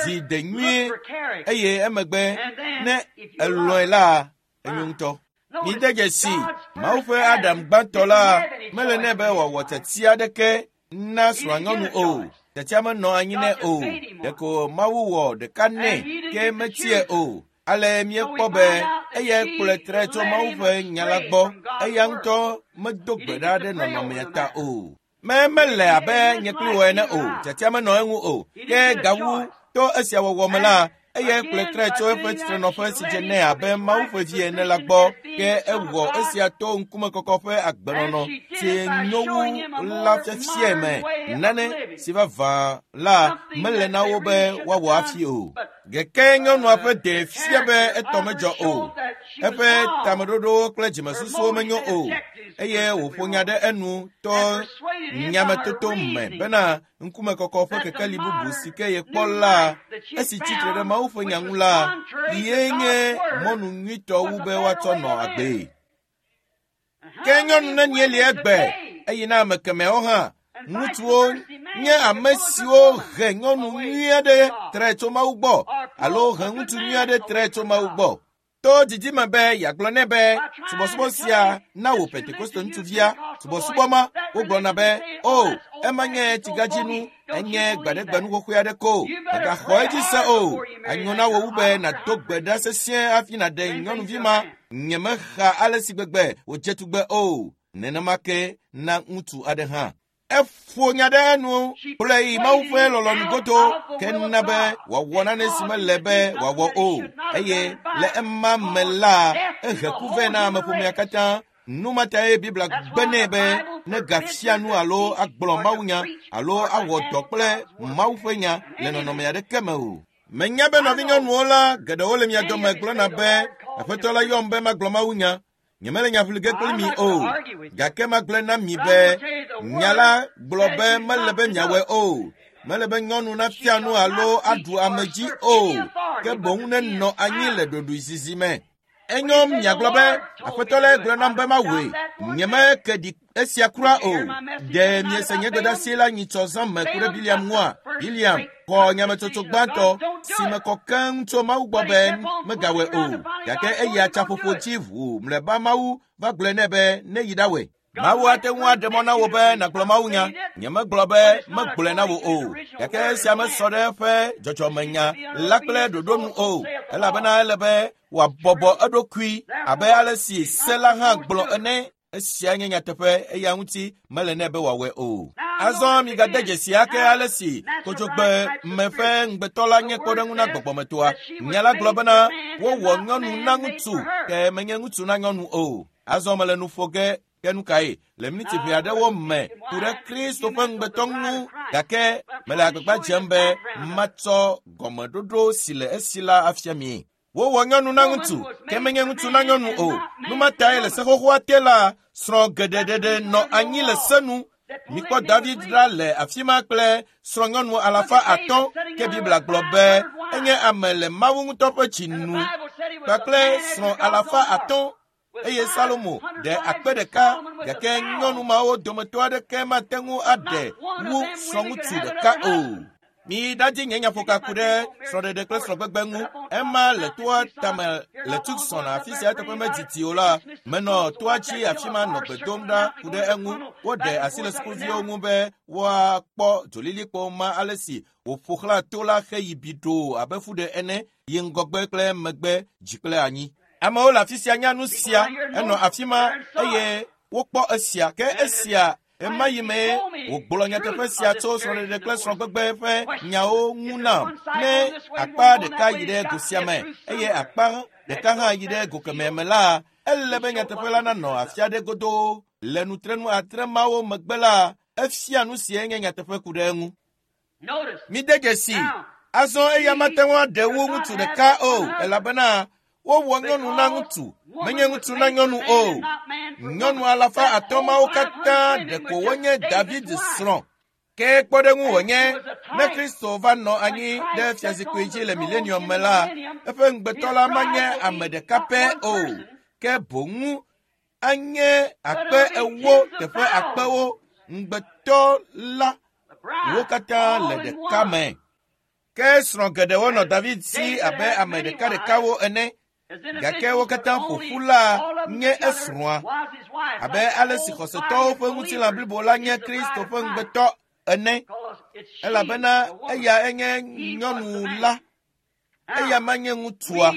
di de nyuie eye emegbe ne elɔ̃e la, enyo ŋutɔ. Mide dzesi, Mawu ƒe Adam gbãtɔ la mele nɛ be wòawɔ tiatia aɖeke na srɔ̃anyɔnu o. Tiatia menɔ anyi nɛ o. Ɖeko Mawu wɔ ɖeka nɛ ke metie o. Ale míekpɔ be eyae kplɔe tre tso Mawu ƒe nya la gbɔ. Eya ŋutɔ medo gbe ɖa ɖe nɔnɔmea ta o. Me mele abe nye kpli wò ene o. Tiatia menɔ eŋu o. Ke gawu to esia wɔwɔ me la, eyae kplɔe tre tso eƒe tsitrenɔƒe si dze nɛ abe Mawu ƒe vi ene la gbɔ. Ke ewɔ esia to ŋkumekɔkɔ ƒe agbenɔnɔ si nyo wu la fiafiae me. Nane si vavã la mele na wo be woawɔ hafi o. Gake nyɔnua ƒe ɖe fia be etɔ medzɔ o. Eƒe tameɖoɖowo kple dzimesusuwo menyo o eye wòƒo nya ɖe enu to nyametoto me bena ŋkumekɔkɔ ƒe kekeli bubu si ke yekpɔ la, esi tsitre ɖe Mawu ƒe nya ŋu la, ye nye mɔnu nyuitɔ wu be woatsɔ nɔ agbee. Ke nyɔnu nenie li egbe eye na ame kemɛwo hã ŋutsuwo nye ame siwo he nyɔnu nyui aɖe tre tso Mawu gbɔ alo he ŋutsu nyui aɖe tre tso Mawu gbɔ. To didime be yeagblɔ nɛ be subɔsubɔ sia na wò Pentekoste ŋutsuvia subɔsubɔ ma wogblɔna be o ema nye tsigadzinu enye gbaɖegbenu xoxoe aɖe ko mègaxɔ edzi se o anyo na wò wu be nàdo gbe ɖa sesĩe hafi nàɖe nyɔnuvi ma nyemexa ale si gbegbe wòdze tugbe o nenema ke na ŋutsu aɖe hã. Eƒo nya ɖe enu kplɔe yi Mawu ƒe lɔlɔ̃nu godo ke na be wòawɔ nane si mele be wòawɔ o eye le ema me la ehe ku vɛ na ameƒomea katã. Nu ma tae Biblia gbe nɛ be negafia nu alo agblɔ mawunya alo awɔ dɔ kple Mawu ƒe nya le nɔnɔme aɖeke me o. Menya be nɔvinyɔnuwo la geɖewo le mia dome gblɔna be Aƒetɔ la yɔm be magblɔ mawunya. Nyemele nya ʋli ge kpli mi o, gake magblɔe na mi be nya la gblɔ be mele be miawɔe o. Mele be nyɔnu nafia nu alo aɖu ame dzi o, ke boŋ nenɔ anyi le ɖoɖoezizi me. Enyo miagblɔ be Aƒetɔ lae gblɔ nam be mawɔe. Nyemeke ɖi esia kura o. Ɖe miese nye gbedeasi la nyitsɔ zã me ku ɖe Biliam ŋua? Biliam xɔ nyametsotso gbãtɔ si me kɔ keŋ tso Mawu gbɔ be megawɔe o. Gake eyi atsaƒoƒo dzi ʋuu mlɔeba Mawu va gblɔe nɛ be neyi ɖawɔe. Mawu ate ŋu aɖe mɔ na wò be nàgblɔ mawunya. Nyemegblɔ be megblɔe na wò o. Gake esia mesɔ ɖe eƒe dzɔdzɔmenya la kple ɖoɖo nu o. Elabena ele be wòabɔbɔ eɖokui abe ale si se la hã gblɔ ene. Esia nye nyateƒe eya ŋuti mele nɛ be wòawɔe o. Azɔ migade dzesi ake ale si kodzogbe me ƒe ŋugbetɔ la nye kpɔɖeŋu na gbɔgbɔmetoa. Nya la gblɔ bena wowɔ nyɔnu na ŋutsu ke menye ŋutsu na nyɔnu o. Azɔ mele nu ƒo ge ke nu kae le miniti ʋɛ aɖewo me ku ɖe Kristo ƒe ŋugbetɔ ŋu gake mele agbagba dzem be matsɔ gɔmeɖoɖo si le esi la afia mi. Wowɔ nyɔnu na ŋutsu ke menye ŋutsu na nyɔnu o. Nu ma tae le se xoxoa te la, srɔ̃ geɖe ɖeɖe nɔ anyi le se nu. Mikpɔ David ɖa le afi ma kple srɔ̃nyɔnu 500 ke Biblia gblɔ be enye ame le Mawu ŋutɔ ƒe dzi nu kpakple srɔ̃ 500 eye Salomo ɖe 1000 gake nyɔnu mawo dometɔ aɖeke mate ŋu aɖe wu srɔ̃ŋutsu ɖeka o. Mi ɖadzi nye nyaƒoka ku ɖe srɔ̃ɖeɖe kple srɔ̃gbegbe ŋu. Ema le toa tame le Tucson afi sia teƒe medidi o la, menɔ toa dzi afi ma nɔ gbe dom ɖa ku ɖe eŋu. Woɖe asi le sukuviwo ŋu be woakpɔ dzolilikpo ma ale si wòƒo xlã to la heyi biɖoo abe fuɖe ene yi ŋgɔgbe kple megbe dzi kple anyi. Amewo le afi sia nya nu sia, enɔ afi ma eye wokpɔ esia ke esia ema yi mee wògblɔ nyateƒe sia tso srɔ̃ɖeɖe kple srɔ̃gbegbe ƒe nyawo ŋu nam. Ne akpa ɖeka yi ɖe go sia me eye akpa ɖeka hã yi ɖe go kemɛ me la, ele be nyateƒe la nanɔ afi aɖe godoo. Le nutrenu 6 mawo megbe la, efia nu sie nye nyateƒe ku ɖe eŋu. Mide dzesi, azɔ eya mate ŋu aɖe wu ŋutsu ɖeka o, elabena wowɔ nyɔnu na ŋutsu, menye ŋutsu na nyɔnu o. Nyɔnu 500 mawo katã ɖeko wonye David srɔ̃. Ke kpɔɖeŋu wònye ne Kristo va nɔ anyi ɖe fiazikpui dzi le milenium me la, eƒe ŋugbetɔ la manye ame ɖeka pɛ o, ke boŋ anye 40,000 teƒe akpewo ŋugbetɔ la wo katã le ɖeka me. Ke srɔ̃ geɖewo nɔ David si abe ame ɖekaɖekawo ene, gake wo katã ƒo ƒu la nye esrɔ̃a, abe ale si xɔsetɔwo ƒe ŋutilã blibo la nye Kristo ƒe ŋugbetɔ ene, elabena eya enye nyɔnu la, eya manye ŋutsua.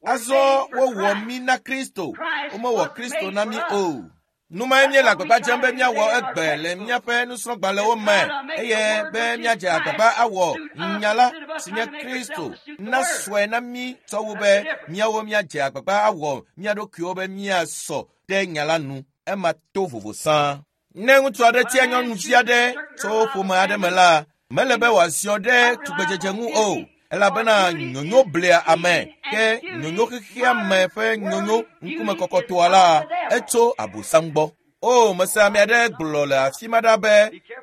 Azɔ wowɔ mí na Kristo, womewɔ Kristo na mí o. Nu mae míele agbagba dzem be míawɔ egbe le míaƒe nusrɔ̃gbalẽwo me eye be míadze agbagba awɔ nya la si nye Kristo nasɔe na mí tsɔ wu be míawo míadze agbagba awɔ mía ɖokuiwo be míasɔ ɖe nya la nu. Ema to vovo sãa. Ne ŋutsu aɖe tia nyɔnuvi aɖe tso ƒome aɖe me la, mele be wòaziɔ ɖe tugbedzedze ŋu o, elabena nyonyo blea ame, ke nyonyo xexea me ƒe nyonyo ŋkumekɔkɔtoa la, etso Abosam gbɔ. O, mese ame aɖe gblɔ le afi ma ɖa be,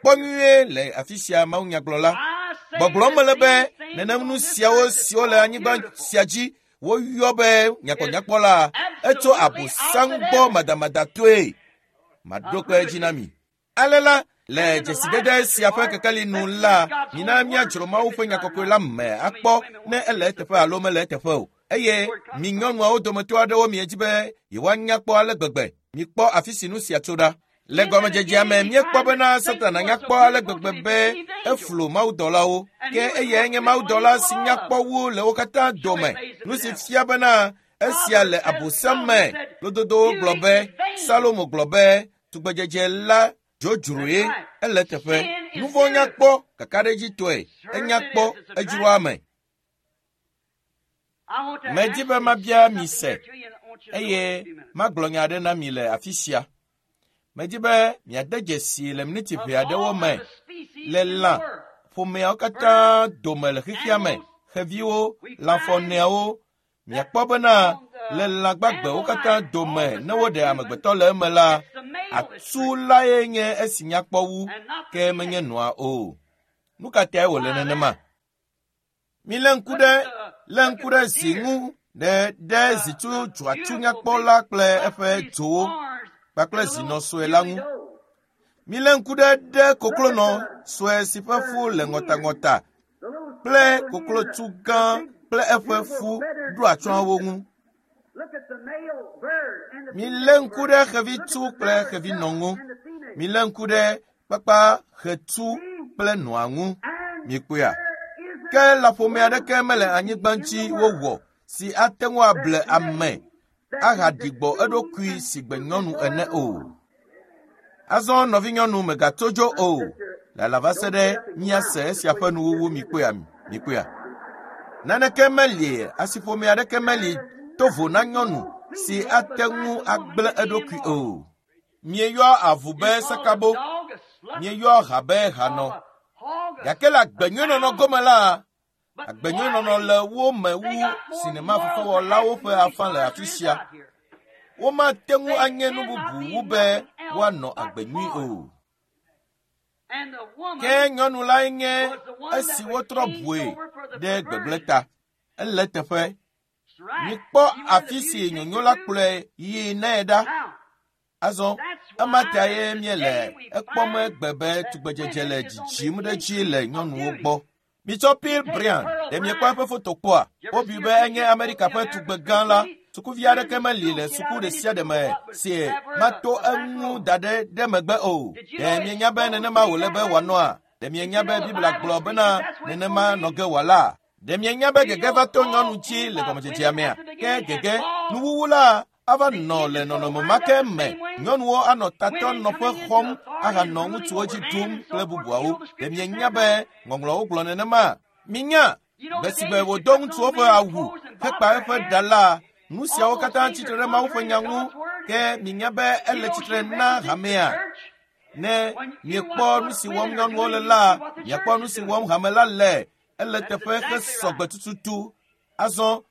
kpɔ nyuie le afi sia mawunyagblɔla. Gbɔgblɔm mele be nenem nu siawo siwo le anyigba sia dzi woyɔ be nyakpɔnyakpɔ la, etso Abosam gbɔ madamadatɔe. Maɖo kpe edzi na mi. Ale la, le dzesidede sia ƒe kekeli nu la, mina míadzro Mawu ƒe nya kɔkɔe la me akpɔ ne ele eteƒe alo mele eteƒe o. Eye mi nyɔnuawo dometɔ aɖewo miedzi be yewoanya kpɔ ale gbegbe. Mikpɔ afi si nu sia tso ɖa. Le gɔmedzedzea me míekpɔ bena Satana nya kpɔ ale gbegbe be eflu mawudɔlawo. Ke eyae nye mawudɔla si nya kpɔ wu le wo katã dome. Nu si fia bena esia le Abosam me. Lododowo gblɔ be, Salomo gblɔ be, tugbedzedze la dzodzroe ele teƒe. Nu vɔ̃ nya kpɔ kakaɖedzitɔe, enya kpɔ edzroa ame. Medi be mabia mi se eye magblɔ nya aɖe na mi le afi sia. Medi be miade dzesi le miniti ʋɛ aɖewo me le lã ƒomeawo katã dome le xexea me, xeviwo, lãfɔneawo. Miakpɔ bena le lã gbagbewo katã dome ne woɖe amegbetɔ le eme la, atsu lae nye esi nyakpɔ wu, ke menye nɔa o. Nu ka tae wòle nenema? Milé ŋku ɖe zi ŋu ɖe zitsu dzɔatsu nyakpɔ la kple eƒe dzowo kpakple zinɔ sue la ŋu. Milé ŋku ɖe koklonɔ sue si ƒe fu le ŋɔtaŋɔta kple koklotsu gã kple eƒe fu ɖo atsyɔ̃awo ŋu. Milé ŋku ɖe xevitsu kple xevinɔ ŋu. Milé ŋku ɖe kpakpaxetsu kple nɔa ŋu. Mikpɔea? Ke lãƒome aɖeke mele anyigba dzi wowɔ si ate ŋu able ame ahaɖi gbɔ eɖokui si gbe nyɔnu ene o. Azɔ nɔvinyɔnu megatso dzo o. Lala va se ɖe míase esia ƒe nuwuwu. Mikpɔea? Mikpɔea? Naneke meli, asiƒome aɖeke meli to vo na nyɔnu si ate ŋu agblẽ eɖokui o. Mieyɔ avu be sakabo, mieyɔ ha be hanɔ. Gake le agbenyuinɔnɔ gome la, agbenyuinɔnɔ le wo me wu sinemafefewɔlawo ƒe afã le afi sia. Womate ŋu anye nu bubu wu be woanɔ agbe nyui o. Ke nyɔnu lae nye esi wotrɔ bue ɖe gbegblẽ ta. Ele teƒe. Mikpɔ afi si nyonyo la kplɔe yii nɛ ɖa. Azɔ ema tae míele ekpɔm egbe be tugbedzedze le dzidzim ɖe edzi le nyɔnuwo gbɔ. Mitsɔ Pearl Bryan, ɖe miekpɔ eƒe foto kpɔa? Wobui be enye Amerika ƒe tugbe gã la. Sukuvi aɖeke meli le suku ɖe sia ɖe me si mato eŋu da ɖe ɖe megbe o. Ɖe mienya be nenema wòle be wòanɔa? Ɖe mienya be Biblia gblɔ bena nenema nɔ ge wòala? Ɖe mienya be gege va to nyɔnu dzi le gɔmedzedzea mea? Ke gege nuwuwu la ava nɔ le nɔnɔme ma ke me. Nyɔnuwo anɔ tatɔ nɔƒe xɔm ahanɔ ŋutsuwo dzi ɖum kple bubuawo. Ɖe mienya be ŋɔŋlɔwo gblɔ nenema? Minya gbe si gbe wòdo ŋutsuwo ƒe awu hekpa eƒe ɖa la, nu siawo katã tsitre ɖe Mawu ƒe nya ŋu. Ke minya be ele tsitre na hamea. Ne miekpɔ nu si wɔm nyɔnuwo le la, miakpɔ nu si wɔm hame la le. Ele teƒe hesɔgbe tututu. Azɔ,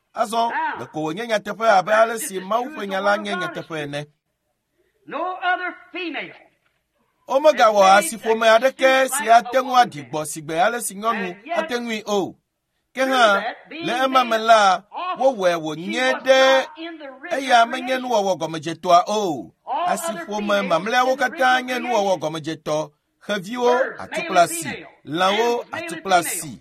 ɖeko wònye nyateƒe abe ale si Mawu ƒe nya la nye nyateƒe ene. No other female. Womegawɔ asiƒome aɖeke si ate ŋu aɖi gbɔ sigbe ale si nyɔnu ate ŋui o. Ke hã le ema me la, wowɔe wònye ɖe eya menye nuwɔwɔ gɔmedzetɔa o. Asiƒome mamlɛawo katã nye nuwɔwɔ gɔmedzetɔ, xeviwo atukplasi, lãwo atukplasi.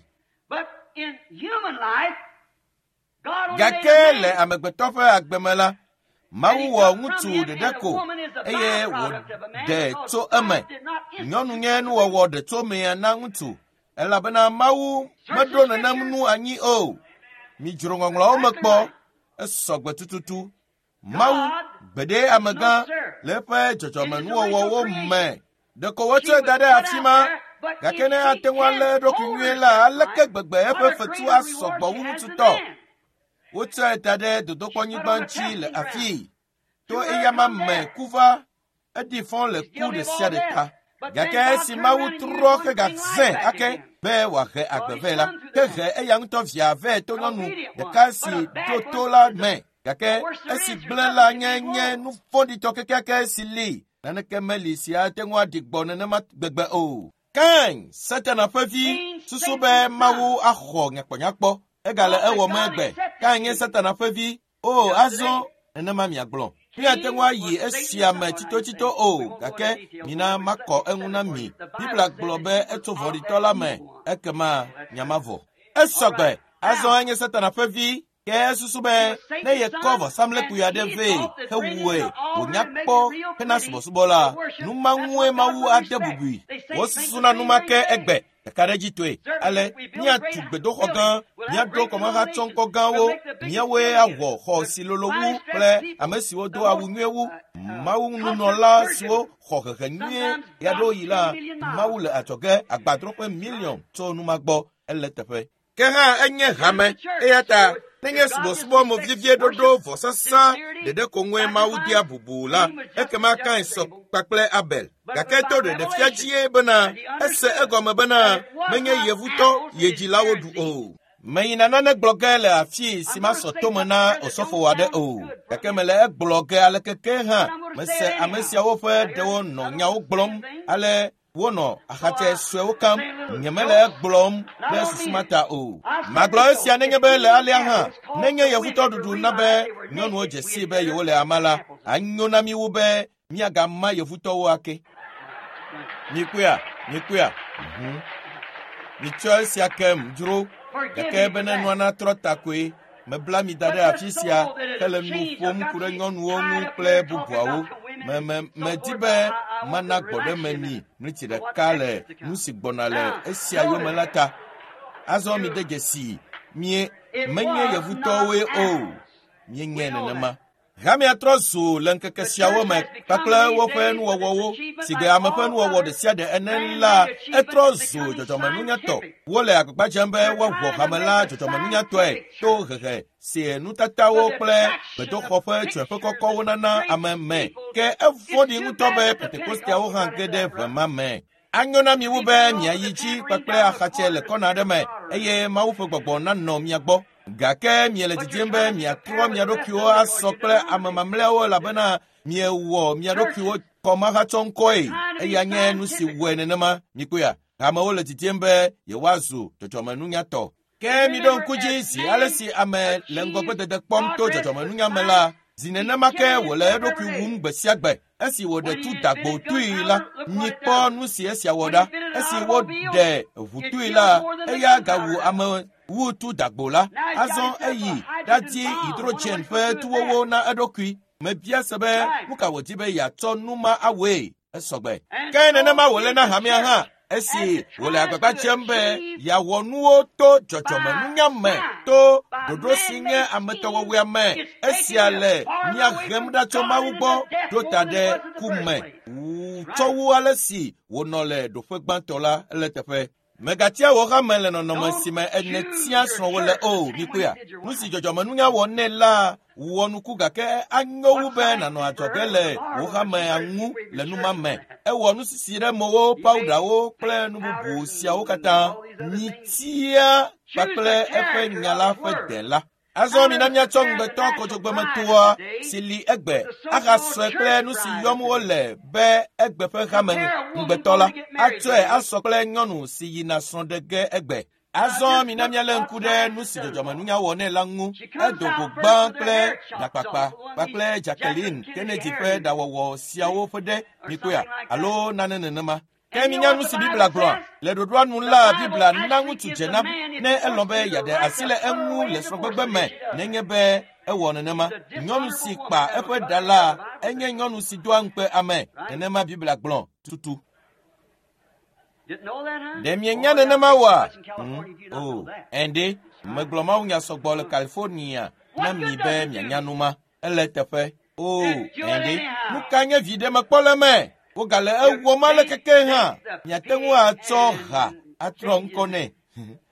Gake le amegbetɔ ƒe agbe me la, Mawu wɔ ŋutsu ɖeɖe ko eye wòɖe tso eme. Nyɔnu nye nuwɔwɔ ɖe tso mea na ŋutsu elabena Mawu meɖo nenem nu anyi o. Midzro ŋɔŋlɔawo me kpɔ, esɔgbe tututu. Mawu gbeɖe amegã le eƒe dzɔdzɔmenuwɔwɔwo me. Ɖeko wotsɔe da ɖe afi ma, gake ne ate ŋu alé eɖokui nyuie la, aleke gbegbe eƒe fetu asɔgbɔ wu ŋutsu tɔ? Wotsɔe da ɖe dodokpɔnyigba ŋuti le afii. To eyama me ku va, eɖi fɔ le ku ɖe sia ɖe ta. Gake esi Mawu trɔ hegazẽ ake be wòahe agbe vɛ la, ke he eya ŋutɔ via vɛ to nyɔnu ɖeka si ɖo to la me. Gake esi gblẽ la nye nye nu vɔ̃ɖitɔ kekeake si li. Naneke meli si ate ŋu aɖi gbɔ nenema gbegbe o. Kain, Satana ƒe vi, susu be Mawu axɔ nyakpɔnyakpɔ. Egale ewɔm egbe. Kain nye Satana ƒe vi. O, azɔ nenema miagblɔ. Míate ŋu ayi esia me tsitotsito o, gake mina makɔ eŋu na mi. Biblia gblɔ be etso vɔ̃ɖitɔ la me, ekema nyamavɔ. Esɔgbe, azɔ enye Satana ƒe vi. Ke esusu be ne yekɔ vɔsamlekpui aɖe vɛ hewɔe wònya kpɔ hena subɔsubɔ la, nu ma ŋue Mawu ade bubui. Wosusuna nu ma ke egbe. Ɖeka ɖe dzi toe. Ale míatu gbedoxɔ gã, míaɖo kɔmahatsɔŋkɔ gãwo, míawoe awɔ xɔ si lolo wu kple ame siwo do awu nyuie wu. Mawu nunɔla siwo xɔ hehe nyuie ɣeaɖewoɣi la, Mawu le adzɔge agbadroƒe miliɔn tso nu ma gbɔ. Ele teƒe. Ke hã enye hame, eya ta nenye subɔsubɔ movievie ɖoɖo vɔsasa ɖeɖe ko ŋue Mawu dea bubu la, ekema Kain sɔ kpakple Abel. Gake to ɖeɖefia dzie bena ese egɔme bena menye yevutɔ ye dzilawo ɖu o. Meyina nane gblɔ ge le afii si masɔ tome na osɔfo aɖe o, gake mele egblɔ ge aleke ke hã mese ame siawo ƒe ɖewo nɔ nyawo gblɔm ale wonɔ axatsɛ suewo kam. Nyemele egblɔm ɖe susu ma ta o. Magblɔ esia nenye be le alea hã, nenye yevutɔ ɖuɖu na be nyɔnuwo dze sii be yewole ama la, anyo na mi wu be miagama yevutɔwo ake. Mikpɔea, mikpɔea. Mitsɔ esia kem dzro, gake bene nua natrɔ ta koe. Mebla mi da ɖe afi sia hele nu ƒom ku ɖe nyɔnuwo ŋu kple bubuawo. Medi be mana gbɔɖeme mi mliti ɖeka le nu si gbɔna le esia yome la ta. Azɔ mi de dzesi, mie menye yevutɔwoe o. Míenye nenema. Hamea trɔ zu le ŋkeke siawo me kpakple woƒe nuwɔwɔwo si gbe ame ƒe nuwɔwɔ ɖe sia ɖe ene la, etrɔ zu dzɔdzɔmenunyatɔ. Wole agbagba dzem be woawɔ hame la dzɔdzɔmenunyatɔe to hehe si nutatawo kple gbedoxɔ ƒe tsɔeƒe kɔkɔwo nana ame me. Ke evɔ̃ɖi ŋutɔ be Pentekosteawo hã ge ɖe ʋe ma me. Anyo na mi wu be miayi dzi kpakple axatsɛ le kɔna aɖe me eye Mawu ƒe gbɔgbɔ nanɔ mia gbɔ. Gake miele didim be miatrɔ mia ɖokuiwo asɔ kple ame mamlɛawo elabena miewɔ mia ɖokuiwo kɔmahatsɔŋkɔe. Eya nye nu si wɔe nenema. Mikpɔea, hamewo le didim be yewoazu dzɔdzɔmenunyatɔ. Ke miɖo ŋku dzi zi ale si ame le ŋgɔgbedede kpɔm to dzɔdzɔmenunya me la, zi nenema ke wòle eɖokui wum gbe sia gbe. Esi wòɖe tu dagbo tui la, mikpɔ nu si esia wɔ ɖa. Esi woɖe ʋu tui la, eya gawu ame wu tu dagbo la. Azɔ eyi ɖadi hidrogen ƒe tuwowo na eɖokui. Mebia se be nu ka wòdi be yeatsɔ nu ma awɔe. Esɔgbe. Ke nenema wòle na hamea hã. Esi wòle agbagba dzem be yeawɔ nuwo to dzɔdzɔmenunya me, to ɖoɖo si nye ametɔwɔwɔea me, esia le mía hem ɖa tso Mawu gbɔ ɖo ta ɖe ku me tsɔ wu ale si wònɔ le ɖoƒe gbãtɔ la le teƒe. Megatia wò hame le nɔnɔme si me nètia srɔ̃wò le o. Mikpɔea, nu si dzɔdzɔmenunya wɔ nɛ la wɔ nuku gake anyo wu be nànɔ adzɔge le wò hamea ŋu le nu ma me. Ewɔ nusisi ɖe mowo, pawudawo kple nu bubu siawo katã. Mitia kpakple eƒe nya la ƒe de la. Azɔ mina míatsɔ ŋugbetɔ kɔdzogbemetoa si li egbe ahasɔe kple nu si yɔm wole be egbe ƒe hame ŋugbetɔ la atsɔe asɔ kple nyɔnu si yina srɔ̃ ɖe ge egbe. Azɔ mina míalé ŋku ɖe nu si dzɔdzɔmenunya wɔ nɛ la ŋu. Edo go gbã kple ɖakpakpa kpakple Jacqueline Kennedy ƒe ɖawɔwɔ siawo ƒe ɖe mikpɔea alo nane nenema. Ke minya nu si Biblia gblɔa? Le ɖoɖoa nu la, Biblia na ŋutsu dzena ne elɔ̃ be yeaɖe asi le eŋu le srɔ̃gbegbe me nenye be ewɔ nenema. Nyɔnu si kpa eƒe ɖa la enye nyɔnu si doa ŋukpe ame. Nenema Biblia gblɔ tutu. Ɖe mienya nenema oa? O, ɛnde, megblɔ mawunya sɔgbɔ le California na mi be mianya nu ma. Ele teƒe. O, ɛnde, nu ka nye viɖe mekpɔ le eme? Wogale ewɔm ale keke hã. Miate ŋu atsɔ ha atrɔ ŋkɔ nɛ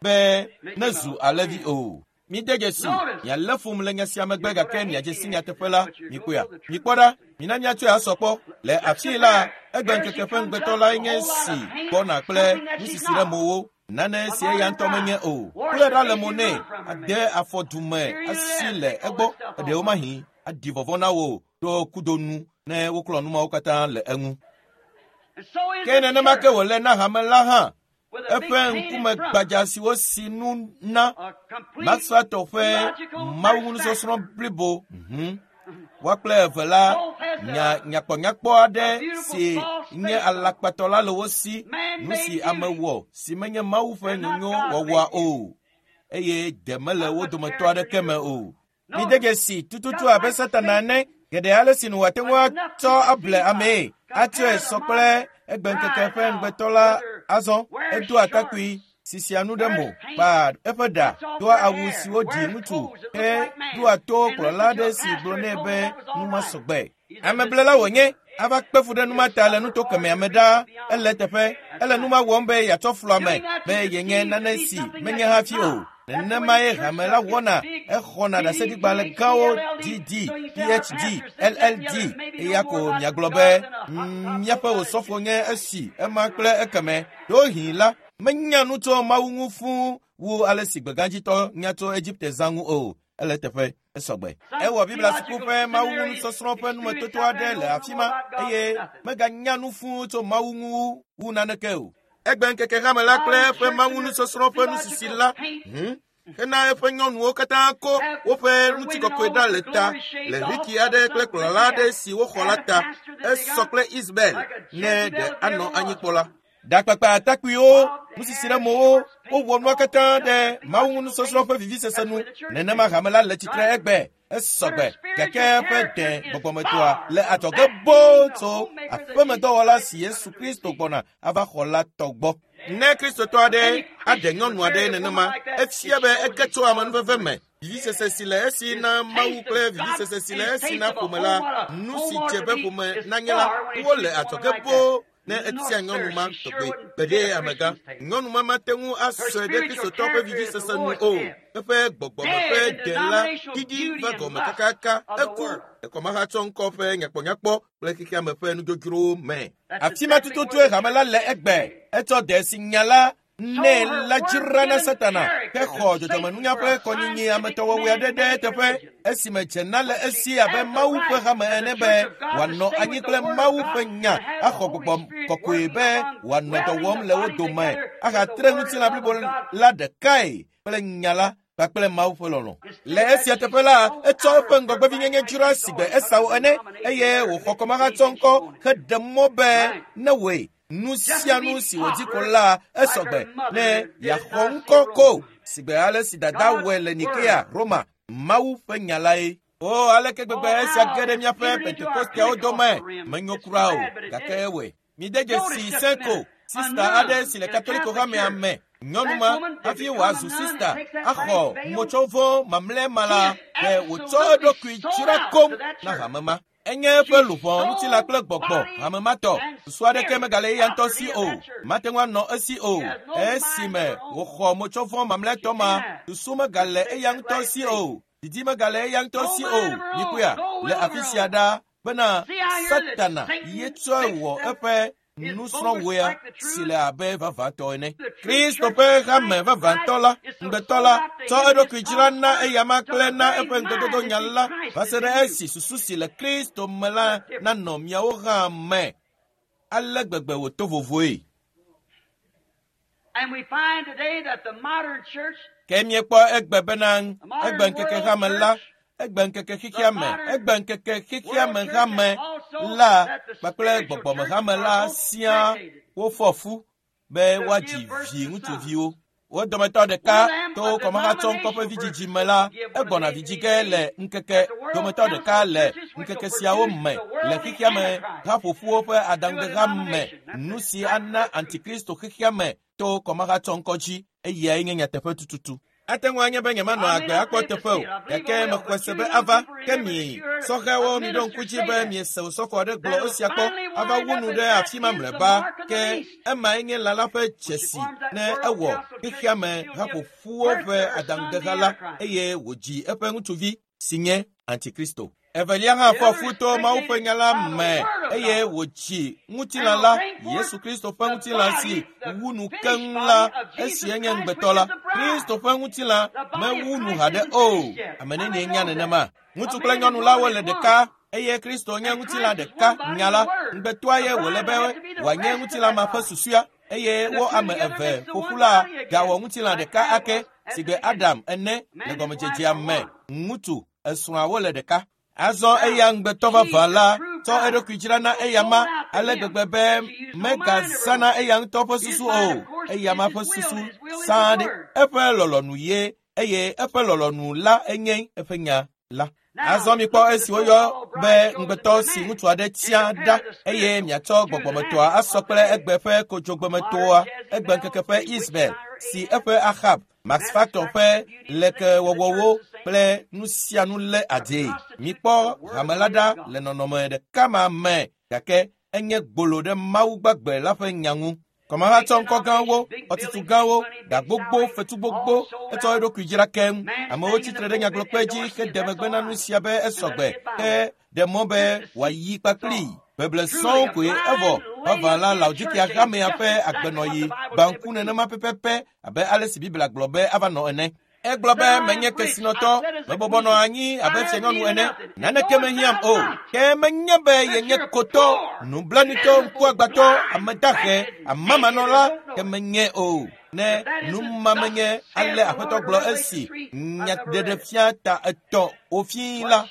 be nezu alẽvi o. Mide dzesi, mialé fum le nya sia megbe gake miadze si nyateƒe la, mikpɔea. Mikpɔ ɖa, mina míatsɔe asɔ kpɔ. Le afii la, egbe ŋkeke ƒe ŋugbetɔ lae nye si gbɔna kple nusisi ɖe mowo. Nane si eya ŋutɔ menye o. Kple ɖa le mo nɛ, ade afɔ dume asi le egbɔ, eɖewo mahi aɖi vɔvɔ̃ na wò ɖo kudo nu ne woklɔ nu mawo katã le eŋu. Ke nenema ke wòle na hame la hã. Eƒe ŋkume gbadza si wosi nu na Maxwelltɔ ƒe mawunusɔsrɔ̃ blibo. Woa kple eve la nya nyakpɔnyakpɔ aɖe si nye alakpatɔ la le wo si, nu si ame wɔ si menye Mawu ƒe nyonyo wɔwɔa o, eye de mele wo dometɔ aɖeke me o. Mide dzesi tututu abe Satana ene, geɖe ale si nu wòate ŋu atsɔ able amee, atsɔe sɔ kple egbeŋkeke ƒe ŋugbetɔ la azɔ. Edoa atakpui, sisia nu ɖe mo, kpaa eƒe ɖa, doa awu siwo ɖi ŋutsu, ke ɖoa to kplɔla aɖe si gblɔ nɛ be nu ma sɔgbe. Ameblela wònye, ava kpe fu ɖe nu ma ta le nuto kemɛa me ɖaa. Ele eteƒe, ele nu ma wɔm be yeatsɔ flu ame be yenye nane si menye hafi o. Nenemae hame la wɔna, exɔna ɖaseɖigbalẽ gãwo DD, PhD, LLD, eya ko miagblɔ be míaƒe osɔfo nye esi ema kple ekeme. Ɖewohĩ la, menya nu tso Mawu ŋu fũu wu ale si gbegãdzitɔ nya tso Egipte zã ŋu o. Ele eteƒe, esɔgbe. Ewɔ Biblia suku ƒe Mawu ŋu nusɔsrɔ̃ ƒe numetoto aɖe le afi ma eye meganya nu fũu tso Mawu ŋu wu naneke o. Egbe ŋkeke hame la kple eƒe Mawu nusɔsrɔ̃ ƒe nusisi la hena eƒe nyɔnuwo katã ko woƒe ŋutikɔkɔe ɖa le ta le Riki aɖe kple kplɔla aɖe si woxɔ la ta. Esɔ kple Isabel ne ɖe anɔ anyi kpɔ la. Ɖakpakpa atakpuiwo, nusisi ɖe mowo, wowɔ nua katã ɖe Mawu nusɔsrɔ̃ ƒe vivisese nu. Nenema hame la le tsitre egbe. Esɔgbe gake eƒe de gbɔgbɔmetoa le adzɔge boo tso aƒemedɔwɔla si Yesu Kristo gbɔna ava xɔ la tɔ gbɔ. Ne Kristotɔ aɖe aɖe nyɔnu aɖe nenema, efia be ege tso amenuveve me. Vivisese si le esi na Mawu kple vivisese si le esi na ƒome la, nu si dze be ƒome nanye la, wole adzɔge boo ne etia nyɔnu ma tɔgbe. Gbeɖe amegã, nyɔnu ma mate ŋu asɔe ɖe Kristotɔ ƒe vivisese nu o. Eƒe gbɔgbɔme ƒe de la ɖiɖi va gɔme kakaka. Eku ekɔmahatsɔ ŋkɔ ƒe nyakpɔnyakpɔ kple xexeame ƒe nudzodzrowo me. Afi ma tututue hame la le egbe. Etsɔ de si nya la nɛ la dzra na Satana hexɔ dzɔdzɔmenunya ƒe kɔnyinyi ametɔwɔwɔe aɖe ɖe eteƒe esime dzena le esi abe Mawu ƒe hame ene be wòanɔ anyi kple Mawu ƒe nya axɔ gbɔgbɔ kɔkɔe be wòanɔ dɔ wɔm le wo dome ahatre ŋutilã blibo la ɖekae kple nya la kpakple Mawu ƒe lɔlɔ̃. Le esia teƒe la, etsɔ eƒe ŋgɔgbevinyenye dzra sigbe Esau ene eye wòxɔ kɔmahatsɔ ŋkɔ heɖe mɔ be ne wòe nu sia nu si wòdi ko la esɔgbe ne yeaxɔ ŋkɔ ko sigbe ale si dada wɔe le Nikea, Roma. Mawu ƒe nya lae. O, aleke gbegbe esia ge ɖe míaƒe Pentekosteawo dome. Menyo kura o, gake ewɔe. Mide dzesi Senko, sista aɖe si le Katoliko hamea me. Nyɔnu ma hafi wòazu sista axɔ motsɔvɔ mamlɛ ma la, ɖe wòtsɔ eɖokui dzra koŋ na hame ma. Enye eƒe luʋɔ, ŋutilã kple gbɔgbɔ hame ma tɔ. Susu aɖeke megale eya ŋutɔ si o. Mate ŋu anɔ esi o. Esime wòxɔ motsɔvɔ mamlɛtɔ ma, susu megale eya ŋutɔ si o. Didi megale eya ŋutɔ si o. Mikpɔea, le afi sia ɖa bena Satana ye tsɔe wɔ eƒe nusrɔ̃wɔea si le abe vavãtɔ ene. Kristo ƒe hame vavãtɔ la, ŋugbetɔ la, tsɔ eɖokui dzra na eyama kple na eƒe ŋugbedodo nya la va se ɖe esi susu si le Kristo me la nanɔ miawo hã me. Ale gbegbe wòto vovoe. Ke míekpɔ egbe bena egbe ŋkeke hame la, egbe ŋkeke xexea me, egbe ŋkeke xexea me hame la kpakple gbɔgbɔme hame la siaa wofɔ fu be woadzi vi ŋutsuviwo. Wo dometɔ ɖeka to kɔmahatsɔŋkɔ ƒe vidzidzi me la, egbɔna vidzi ge le ŋkeke dometɔ ɖeka le ŋkeke siawo me le xexea me haƒoƒuwo ƒe aɖaŋudeha me, nu si ana antikristo xexea me to kɔmahatsɔŋkɔ dzi, eyae nye nyateƒe tututu. Ate ŋu anye be nyemanɔ agbe akpɔ teƒe o, gake mexɔe se be ava. Ke mi sɔhɛwo miɖo ŋku dzi be miese osɔfo aɖe gblɔ esia kpɔ ava wu nu ɖe afi ma mlɔeba. Ke emae nye lã la ƒe dzesi ne ewɔ xexea me haƒoƒuwo ƒe aɖaŋudeha la eye wòdzi eƒe ŋutsuvi si nye Antikristo. Evelia hã fɔ fu to Mawu ƒe nya la me eye wòdzi ŋutilã la, Yesu Kristo ƒe ŋutilã si wu nu keŋ la, esie nye ŋugbetɔ la. Kristo ƒe ŋutilã mewu nu haɖe o. Ame nenie nya nenema? Ŋutsu kple nyɔnu la wole ɖeka eye Kristo nye ŋutilã ɖeka nya la. Ŋugbetɔa ye wòle be wòanye ŋutilã ma ƒe susɔea eye wo ame eve ƒoƒu la gawɔ ŋutilã ɖeka ake sigbe Adam ene le gɔmedzedzea me. Ŋutsu esrɔ̃awo le ɖeka. Azɔ eya ŋugbetɔ vavã la tsɔ eɖokui dzra na eyama ale gbegbe be megazãna eya ŋutɔ ƒe susu o. Eyama ƒe susu sãa ɖe eƒe lɔlɔ̃nu ye eye eƒe lɔlɔ̃nu la enye eƒe nya la. Azɔ mikpɔ esi woyɔ be ŋugbetɔ si ŋutsu aɖe tia ɖa eye miatsɔ gbɔgbɔmetɔa asɔ kple egbe ƒe kodzogbemetoa, egbe ŋkeke ƒe Ismael si eƒe Ahab, Max Factor ƒe lekewɔwɔwo kple nu sia nu lé adee. Mikpɔ hame la ɖa le nɔnɔme ɖeka ma me gake enye gbolo ɖe Mawu gbagbe la ƒe nya ŋu. Kɔmahatsɔ ŋkɔ gãwo, xɔtutu gãwo, ga gbogbo, fetu gbogbo, etsɔ eɖokui dzra keŋ. Amewo tsitre ɖe nyagblɔkpe dzi hede megbe na nu sia be esɔgbe ke ɖe mɔ be wòayi kpakplii. Beble sɔŋ koe evɔ vavã la Laodikea hamea ƒe agbenɔɣi gbã ŋku nenema pɛpɛpɛ abe ale si Biblia gblɔ be ava nɔ ene. Egblɔ be menye kesinɔtɔ, mebɔbɔ nɔ anyi abe fianyɔnu ene, naneke mehiãm o. Ke menye be yenye kotɔ, nublanuitɔ, ŋkuagbãtɔ, ame dahe, amamanɔla, ke menye o. Ne nu ma menye ale Aƒetɔ gblɔ esi nyaɖeɖefia ta etɔ̃ wòfii la,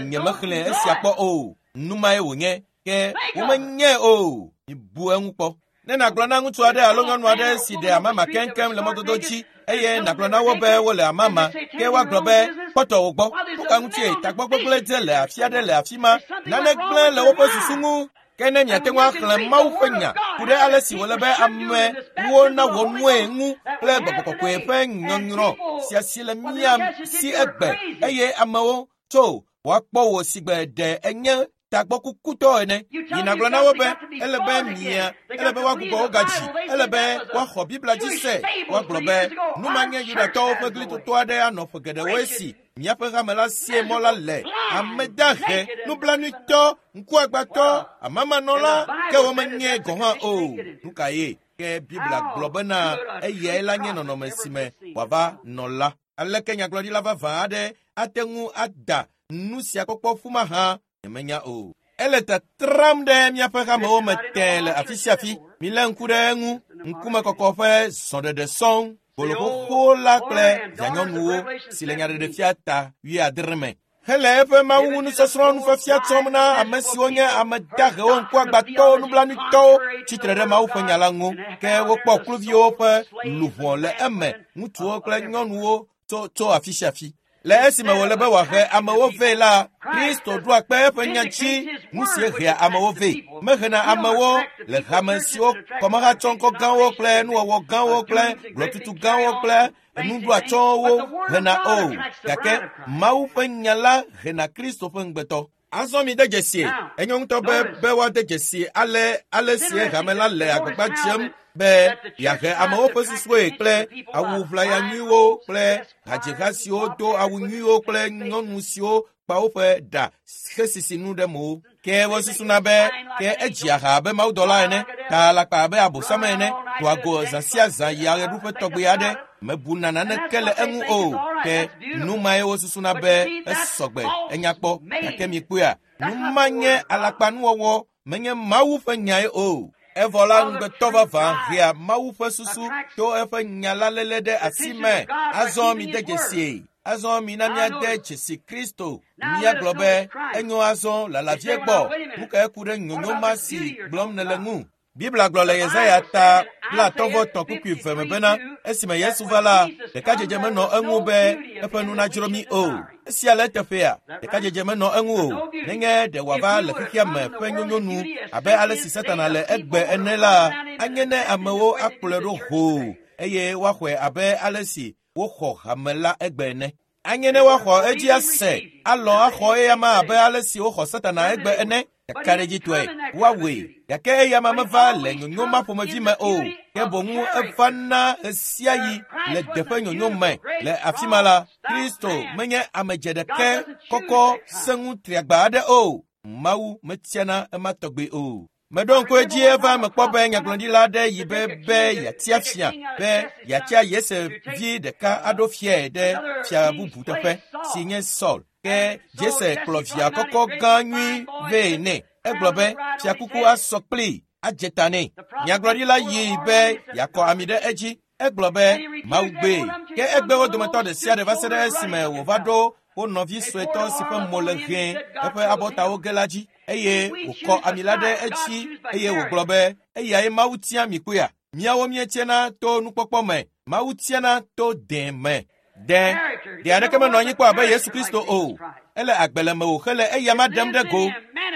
nyemexlẽ esia kpɔ o. Nu mae wònye, ke womenye o. Mibu eŋu kpɔ. Ne nàgblɔ na ŋutsu aɖe alo nyɔnu aɖe si ɖe amama keŋkeŋ le mɔdodo dzi eye nàgblɔ na wo be wole amama, ke woagblɔ be kpɔtɔ wo gbɔ. Nu ka ŋutie tagbɔ gbegblẽ dze le afi aɖe le afi ma? Nane gblẽ le woƒe susu ŋu. Ke ne miate ŋu axlẽ Mawu ƒe nya ku ɖe ale si wòle be amewo nawɔ nue ŋu kple gbɔgbɔ kɔkɔe ƒe nyɔnyrɔ sia si le mía si egbe eye amewo tso woakpɔ wò sigbe ɖe enye tagbɔkukutɔ ene. Yi nàgblɔ na wo be ele be mia, ele be woagbugbɔ wo gadzi, ele be woaxɔ Biblia dzi se. Woagblɔ be nu ma nye Yudatɔwo ƒe glitoto aɖe anɔ ƒe geɖewo esi miaƒe hame la sie mɔ la le. Ame dahe, nublanuitɔ, ŋkuagbãtɔ, amamanɔla, ke womenye gɔ̃ hã o. Nu ka ye? Ke Biblia gblɔ bena eyae la nye nɔnɔme si me wòava nɔ la. Aleke nyagblɔɖila vavã aɖe ate ŋu ada nu sia kpɔkpɔ ƒu mahã? Nyemenya o. Ele tetram ɖe míaƒe hamewo me tẽe le afi sia afi. Milé ŋku ɖe eŋu. Ŋkumekɔkɔ ƒe zɔɖeɖe sɔŋ, gbolo xoxo la kple vianyɔnuwo si le nyaɖeɖefia ta 70 me. Hele eƒe Mawu ŋu nusɔsrɔ̃ nufiafia tsɔm na ame siwo nye ame dahewo, ŋkuagbãtɔwo, nublanuitɔwo tsitre ɖe Mawu ƒe nya la ŋu. Ke wokpɔ kluviwo ƒe luʋɔ le eme, ŋutsuwo kple nyɔnuwo tso afi sia afi. Le esime wòle be wòahe amewo vɛ la, Kristo ɖoa kpe eƒe nya dzi, nu si hea amewo vɛ. Mehena amewo le hame siwo kɔmahatsɔŋkɔ gãwo kple nuwɔwɔ gãwo kple gblɔtutu gãwo kple nuɖoatsyɔ̃wo hena o, gake Mawu ƒe nya la hena Kristo ƒe ŋugbetɔ. Azɔ mi de dzesi, enyo ŋutɔ be woade dzesi ale si hame la le agbagba dzem be yeahe amewo ƒe susuwoe kple awu ʋlaya nyuiwo kple hadziha siwo do awu nyuiwo kple nyɔnu siwo kpa woƒe ɖa hesisi nu ɖe mo. Ke wosusuna be ke edzia ha abe mawudɔla ene, ta alakpa abe abosam ene, doa go zã sia zã yia ɣeɖuƒe tɔgbi aɖe, mebuna naneke le eŋu o. Ke nu mae wosusuna be esɔgbe, enya kpɔ, gake mikpɔea, nu ma nye alakpanuwɔwɔ, menye Mawu ƒe nyae o. Evɔ la ŋugbetɔ vavã hea Mawu ƒe susu to eƒe nya la léle ɖe asi me. Azɔ mide dzesie. Azɔ mina míade dzesi Kristo. Míagblɔ be enyo azɔ lalavie gbɔ. Nu kae ku ɖe nyonyo ma si gblɔm nèle ŋu? Biblia gblɔ le Yesaya ta 53:2 me bena esime Yesu va la, ɖekadzedze menɔ eŋu be eƒe nu nadzro mí o. Esia le eteƒea, ɖekadzedze menɔ eŋu o. Nenye ɖe wòava le xexea me ƒe nyonyo nu abe ale si Satana le egbe ene la, anye ne amewo akplɔe ɖo hoo eye woaxɔe abe ale si woxɔ hame la egbe ene. Anye ne woaxɔ edzi ase, alɔ̃ axɔ eyama abe ale si woxɔ Satana egbe ene. Kakaɖedzitɔe woawɔe, gake eyama meva le nyonyo ma ƒomevi me o, ke boŋ eva na ɣesiaɣi le deƒe nyonyo me. Le afi ma la, Kristo menye ame dzeɖekɛ kɔkɔ sẽŋu triagba aɖe o. Mawu metiana ema tɔgbi o. Meɖo ŋku edzi eva mekpɔ be nyagblɔɖila aɖe yi be yeatia fia, be yeatia Yese vi ɖeka aɖo fiae ɖe fia bubu teƒe, si nye Saul. Ke Jese kplɔ via kɔkɔ gã nyui vɛ nɛ. Egblɔ be fiakuku asɔ kplii, adze ta nɛ. Nyagblɔɖila yi be yeakɔ ami ɖe edzi. Egblɔ be Mawu gbee. Ke egbe wo dometɔ ɖe sia ɖe va se ɖe esime wòva ɖo wo nɔvi suetɔ si ƒe mo le ʋẽ eƒe abɔtawo ge la dzi, eye wòkɔ ami la ɖe edzi eye wògblɔ be eyae Mawu tia mi kpɔea. Míawo míetiana to nukpɔkpɔ me, Mawu tiana to dẽ me. Dẽ, ɖe aɖeke menɔ anyi kpɔ abe Yesu Kristo o. Ele agbe le mewò hele eyama ɖem ɖe go.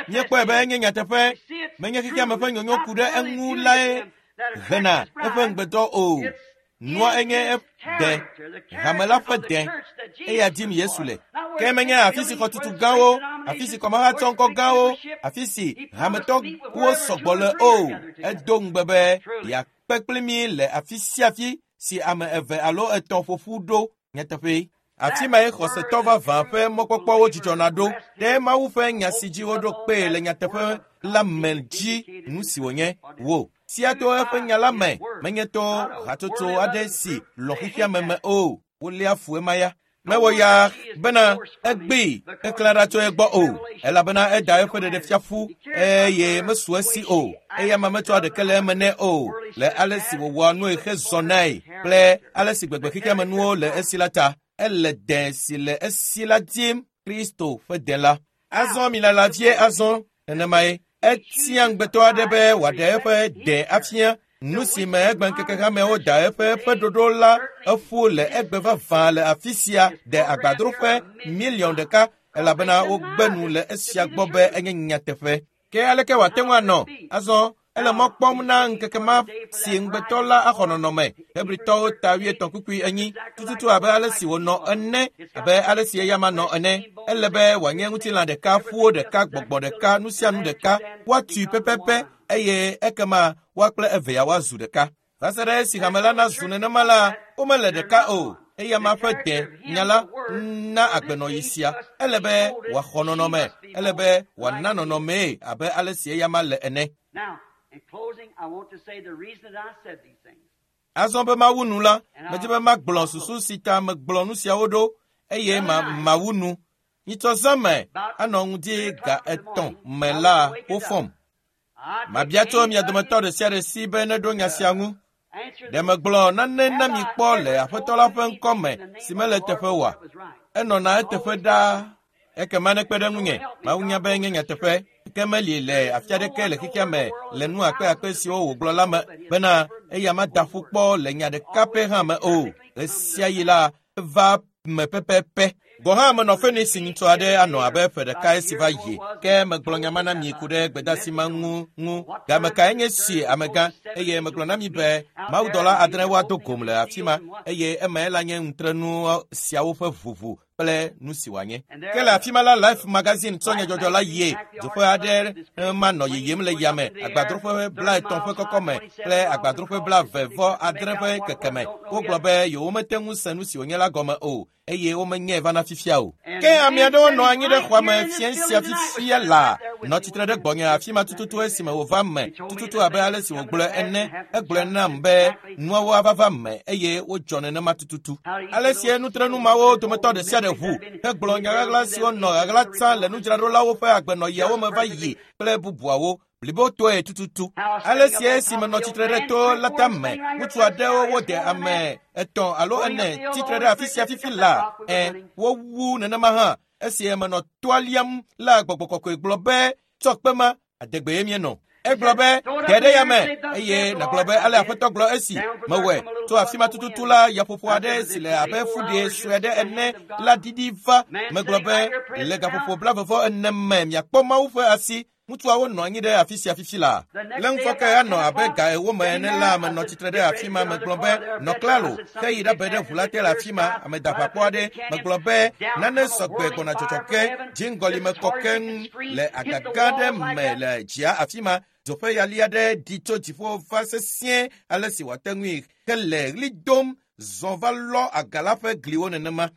Míekpɔe be enye nyateƒe, menye xexeame ƒe nyonyo ku ɖe eŋu lae hena eƒe ŋugbetɔ o. Nua enye dẽ, hame la ƒe dẽ, eya dim Yesu le. Ke menye afi si xɔtutu gãwo, afi si kɔmahatsɔ ŋkɔ gãwo, afi si hametɔwo sɔgbɔ le o. Edo ŋugbe be yeakpe kpli mí le afi sia afi si ame eve alo etɔ̃ ƒo ƒu ɖo nyateƒe. Afi mae xɔsetɔ vavã ƒe mɔkpɔkpɔwo dzidzɔna ɖo ɖe Mawu ƒe nya si dzi woɖo kpee le nyateƒe la me dzi nu si wònye wò. Sia to eƒe nya la me, menye to hatsotso aɖe si lɔ xexea me me o. Woléa fu ema ya. Mewɔ ya bena egbee keklẽ ɖa tso egbɔ o, elabena eda eƒe ɖeɖefia ƒu eye mesu esi o. Eyama metsɔa ɖeke le eme nɛ o, le ale si wòwɔa nue hezɔnae kple ale si gbegbe xexeame nuwo le esi la ta. Ele dẽ si le esi la dim, Kristo ƒe dẽ la. Azɔ milala vie azɔ, nenemae. Etia ŋugbetɔ aɖe be wòaɖe eƒe dẽ afia. Nu si me egbe ŋkeke hamewo da eƒe ɖoɖo la eƒu le egbe vavã le afi sia de agbadroƒe 1 000 000 elabena wogbe nu le esia gbɔ be enye nyateƒe. Ke aleke wòate ŋu anɔ? Azɔ ele mɔ kpɔm na ŋkeke ma si ŋugbetɔ la axɔ nɔnɔme. Hebritɔwo ta 7:4 tututu abe ale si wònɔ ene, abe ale si eyama nɔ ene. Ele be wòanye ŋutilã ɖeka, ƒuwo ɖeka, gbɔgbɔ ɖeka, nu sia nu ɖeka. Woatui pɛpɛpɛ eye ekema woa kple evea woazu ɖeka. Va se ɖe esi hame la nazu nenema la, womele ɖeka o. Eyama ƒe dẽ nya la na agbenɔɣi sia. Ele be wòaxɔ nɔnɔme, ele be wòana nɔnɔmee abe ale si eyama le ene. Azɔ be mawu nu la, medzi be magblɔ susu si ta megblɔ nu siawo ɖo eye mawu nu. Nyitsɔ zã me anɔ ŋdi ga 3 me la wofɔm. Mabia tso mia dometɔ ɖe sia ɖe si be neɖo nya sia ŋu. Ɖe megblɔ nane na mi kpɔ le Aƒetɔ la ƒe ŋkɔ me si mele eteƒe oa? Enɔna eteƒe ɖaa. Ekema nekpe ɖe ŋunye. Mawu nya be nye nyateƒe. Ke meli le afi aɖeke le xexea me le nu akpe siwo wògblɔ la me bena eya mada ƒu kpɔ le nya ɖeka pɛ hã me o. Ɣesiaɣi la eva me pɛpɛpɛ. Gɔ hã menɔ Phoenix ŋutsu aɖe anɔ abe ƒe ɖeka esi va yi. Ke megblɔ nya ma na mi ku ɖe gbedasi ma ŋu. Game kae nye si amegã eye megblɔ na mi be mawudɔla 6 woado gom le afi ma eye emae la nye ŋutrenu siawo ƒe ʋuʋu. Kple nu si wòanye. Ke le afi ma la, Life magazine tsɔ nyadzɔdzɔ la yie. Dzoƒe aɖe ma nɔ yiyim le yame, agbadroƒe 30 ƒe kɔkɔme kple agbadroƒe 29 ƒe kekeme. Wogblɔ be yewomete ŋu se nu si wònye la gɔme o, eye womenyae vana fifia o. Ke ame aɖewo nɔ anyi ɖe xɔa me fiẽ sia fifia la, nɔ tsitre ɖe gbɔnye afi ma tututu esime wòva me, tututu abe ale si wògblɔe ene. Egblɔe nam be nuawo ava va me eye wodzɔ nenema tututu. Ale sie nutrenu mawo dometɔ ɖe sia ɖe ʋu hegblɔ nya ɣaɣla siwo nɔ ɣaɣla tsã le nudzraɖolawo ƒe agbenɔɣiawo me va yi kple bubuawo blibotɔe tututu. Ale sie esime nɔ tsitre ɖe to la tame, ŋutsu aɖewo wode ame 3 alo 4 tsitre ɖe afi sia fifi la, wowu nenema hã. Esi menɔ toa liam la, gbɔgbɔ kɔkɔe gblɔ be, tsɔ kpe ma, adegbee míenɔ. Egblɔ be, ge ɖe yame, eye nàgblɔ be ale Aƒetɔ gblɔ esi mewɔe. Tso afi ma tututu la, yaƒoƒo aɖe si le abe fuɖe sue aɖe ene la ɖiɖi va. Megblɔ be, le gaƒoƒo 44 me miakpɔ Mawu ƒe asi. Ŋutsuawo nɔ anyi ɖe afi sia fifi la. Le ŋufɔke anɔ abe ga 4 me ene la, menɔ tsitre ɖe afi ma. Megblɔ be, nɔ klalo, ke yi ɖabe ɖe ʋu la te le afi ma, ame daʋakpɔ aɖe. Megblɔ be, nane sɔgbe gbɔna dzɔdzɔ ke, dziŋgɔli me kɔ keŋ le agaga ɖe me le dzia afi ma. Dzoƒe yali aɖe ɖi tso dziƒo va sesĩe ale si wòate ŋui hele ɣli dom zɔ va lɔ aga la ƒe gliwo nenema.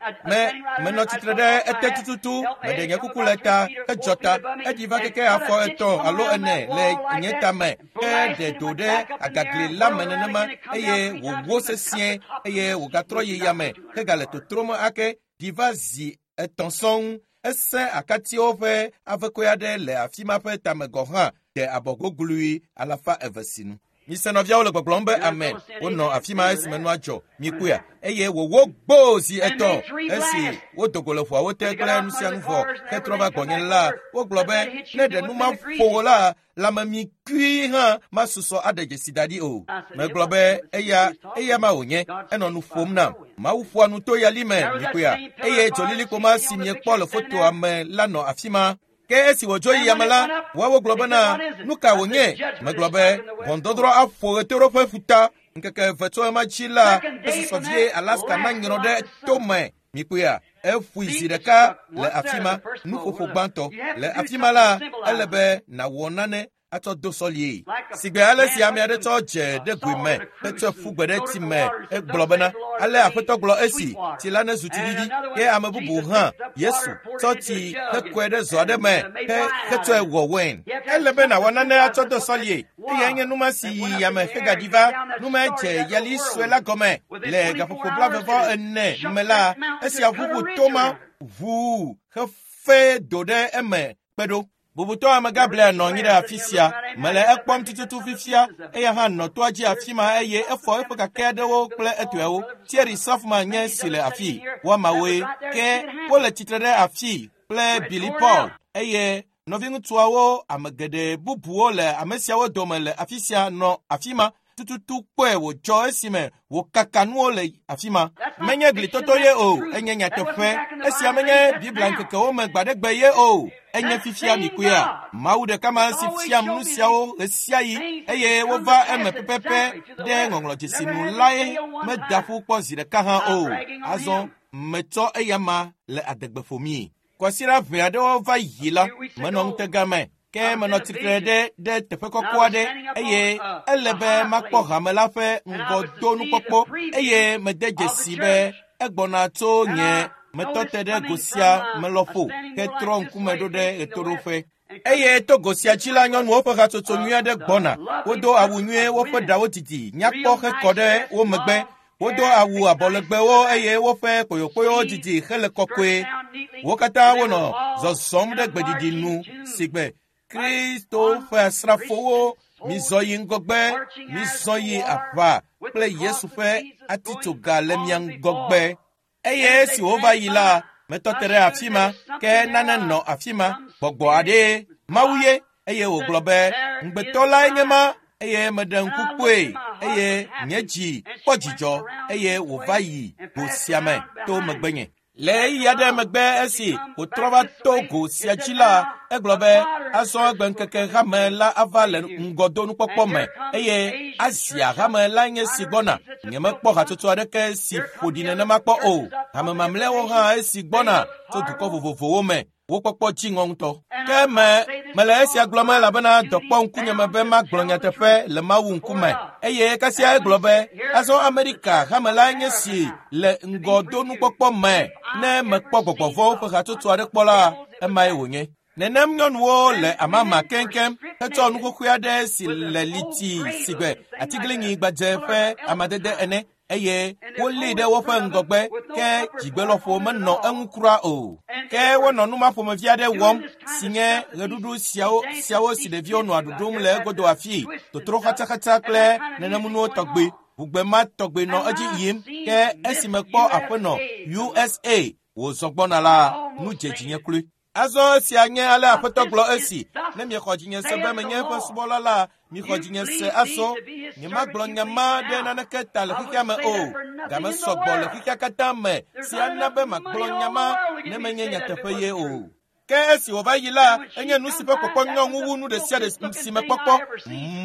Menɔ tsitre ɖe ete tututu, meɖe nye kuku le ta, hedzɔ ta, eɖi va keke afɔ 3 alo 4 le nye tame, ke ɖe do ɖe agagli la me nenema, eye wòwó sesĩe, eye wògatrɔ yi yame, hegale totrom ake, ɖi va zi 3 sɔŋ. Ese akatiwo ƒe avekɔe aɖe le afi ma ƒe tame gɔ̃ hã de abɔgoglui 200 sinu. Mise nɔviawo le gbɔgblɔm be amen. Wonɔ afi ma esime nua dzɔ, mikpɔea, eye wòwó gboo zi 3 esi wodo go le ʋuawo te kple nu sia nu vɔ hetrɔ va gbɔnye la, wogblɔ be ne ɖe nu ma ƒo wò la, lãmemikui hã masusɔ aɖe dzesi da ɖi o. Megblɔ be eya ma wònye, enɔ nu ƒom nam. Mawu ƒoa nu to yali me, mikpɔea, eye dzolilikpo ma si miekpɔ le fotoa me la nɔ afi ma. Ke esi wòdzo yi yame la, woawo gblɔ bena, nu ka wònye? Megblɔ be, ʋɔnudɔdrɔ̃ aƒo ɣetoɖoƒe ƒuta. Ŋkeke 2 tso ema dzi la, esusɔ vie Alaska nanyrɔ ɖe tome. Mikpɔea, eƒoe zi ɖeka le afi ma, nuƒoƒo gbãtɔ. Le afi ma la, ele be nàwɔ nane atsɔ do sɔlie. Sigbe ale si ame aɖe tsɔ dze ɖe goe me, hetsɔe ƒu gbe ɖe tsi me, egblɔ bena, ale Aƒetɔ gblɔ esi, tsi la nezu tsi vivi. Ke ame bubu hã, Yesu, tsɔ tsi hekɔe ɖe zɔ aɖe me, hetsɔe wɔ wain. Ele be nàwɔ nane atsɔ do sɔlie. Eyae nye numa si yi yame hegaɖi va. Numa dze yali sue la gɔme le gaƒoƒo 44 me la, esia ʋuʋu toma ʋuu hefe do ɖe eme kpe ɖo. Bubutɔ amegã Blair nɔ anyi ɖe afi sia. Mele ekpɔm tututu fifia. Eya hã nɔ toa dzi afi ma eye efɔ eƒe kake aɖewo kple etɔewo. Thierry Sofman nye si le afi. Woamawoe. Ke wole tsitre ɖe afi kple Billy Paul eye nɔviŋutsuawo ame geɖe bubuwo le ame siawo dome le afi sia nɔ afi ma. Tututu kpɔe wòdzɔ esime wòkaka nuwo le afi ma. Menye glitoto ye o, enye nyateƒe. Esia menye Biblia ŋkekewo me gbaɖegbe ye o, enye fifia mikuia. Mawu ɖeka ma si fiam nu siawo ɣesiaɣi eye wova eme pɛpɛpɛ ɖe ŋɔŋlɔdzesi nu lae meda ƒu kpɔ zi ɖeka hã o. Azɔ metsɔ eya ma le adegbe ƒomii. Kwasiɖa ʋɛ aɖewo va yi la, menɔ ŋutega me. Ke menɔ tsitre ɖe teƒe kɔkɔ aɖe eye ele be makpɔ hame la ƒe ŋgɔdonukpɔkpɔ eye mede dzesi be egbɔna tso nye metɔ te ɖe go sia me lɔƒo hetrɔ ŋkume ɖo ɖe ɣetoɖoƒe. Eye to go sia dzi la, nyɔnuwo ƒe hatsotso nyui aɖe gbɔna. Wodo awu nyuie, woƒe ɖawo didi, nyakpɔ hekɔ ɖe wo megbe. Wodo awu abɔlegbewo eye woƒe kpoyokpoyowo didi hele kɔkɔe. Wo katã wonɔ zɔzɔm ɖe gbeɖiɖi nu sigbe Kristo ƒe asrafowo. Mizɔ yi ŋgɔgbe, mizɔ yi aʋa kple Yesu ƒe atitsoga le mia ŋgɔgbe. Eye esi wova yi la, metɔ te ɖe afi ma, ke nane nɔ afi ma, gbɔgbɔ aɖee, Mawu ye, eye wògblɔ be, ŋugbetɔ lae nye ma, eye meɖe ŋku kpɔe, eye nye dzi kpɔ dzidzɔ, eye wòva yi go sia me to megbenye. Le ɣeyiɣi aɖe megbe esi wòtrɔ va to go sia dzi la, egblɔ be azɔ egbeŋkeke hame la ava le ŋgɔdonukpɔkpɔ me eye Asia hame la nye si gbɔna. Nyemekpɔ hatsotso aɖeke si ƒo ɖi nenema kpɔ o. Hame mamlɛawo hã esi gbɔna tso dukɔ vovovowo me. Wo kpɔkpɔ dzi ŋɔ ŋutɔ. Ke me mele esia gblɔm elabena dɔ kpɔ ŋkunye me be magblɔ nyateƒe le Mawu ŋkume. Eye kasia egblɔ be azɔ Amerika hame la nye si le ŋgɔdonukpɔkpɔ me. Ne mekpɔ gbɔgbɔvɔwo ƒe hatsotso aɖe kpɔ la, emae wònye. Nenem nyɔnuwo le amama keŋkeŋ hetsɔ nu xoxoe aɖe si le liti sigbe atiglinyi gbadze ƒe amadede ene eye wolée ɖe woƒe ŋgɔgbe ke dzigbelɔƒo menɔ eŋu kura o. Ke wonɔ nu ma ƒomevi aɖe wɔm si nye ɣeɖuɖu siawo si ɖeviwo nɔa ɖuɖum le egodo afii, totro xatsaxatsa kple nenemunuwo tɔgbe. Ʋugbe ma tɔgbe nɔ edzi yim ke esi mekpɔ aƒenɔ USA wòzɔ gbɔna la, nu dze dzinye kloe. Azɔ esia nye ale Aƒetɔ gblɔ esi, ne miexɔ dzinye se be menye eƒe subɔla la, mixɔ dzinye se azɔ. Nyemagblɔ nya ma ɖe naneke ta le xexea me o. Game sɔgbɔ le xexea katã me si ana be magblɔ nya ma ne menye nyateƒe ye o. Ke esi wòva yi la, enye nu si ƒe kpɔkpɔ nyɔ ŋu wu nu ɖe sia ɖe si mekpɔkpɔ.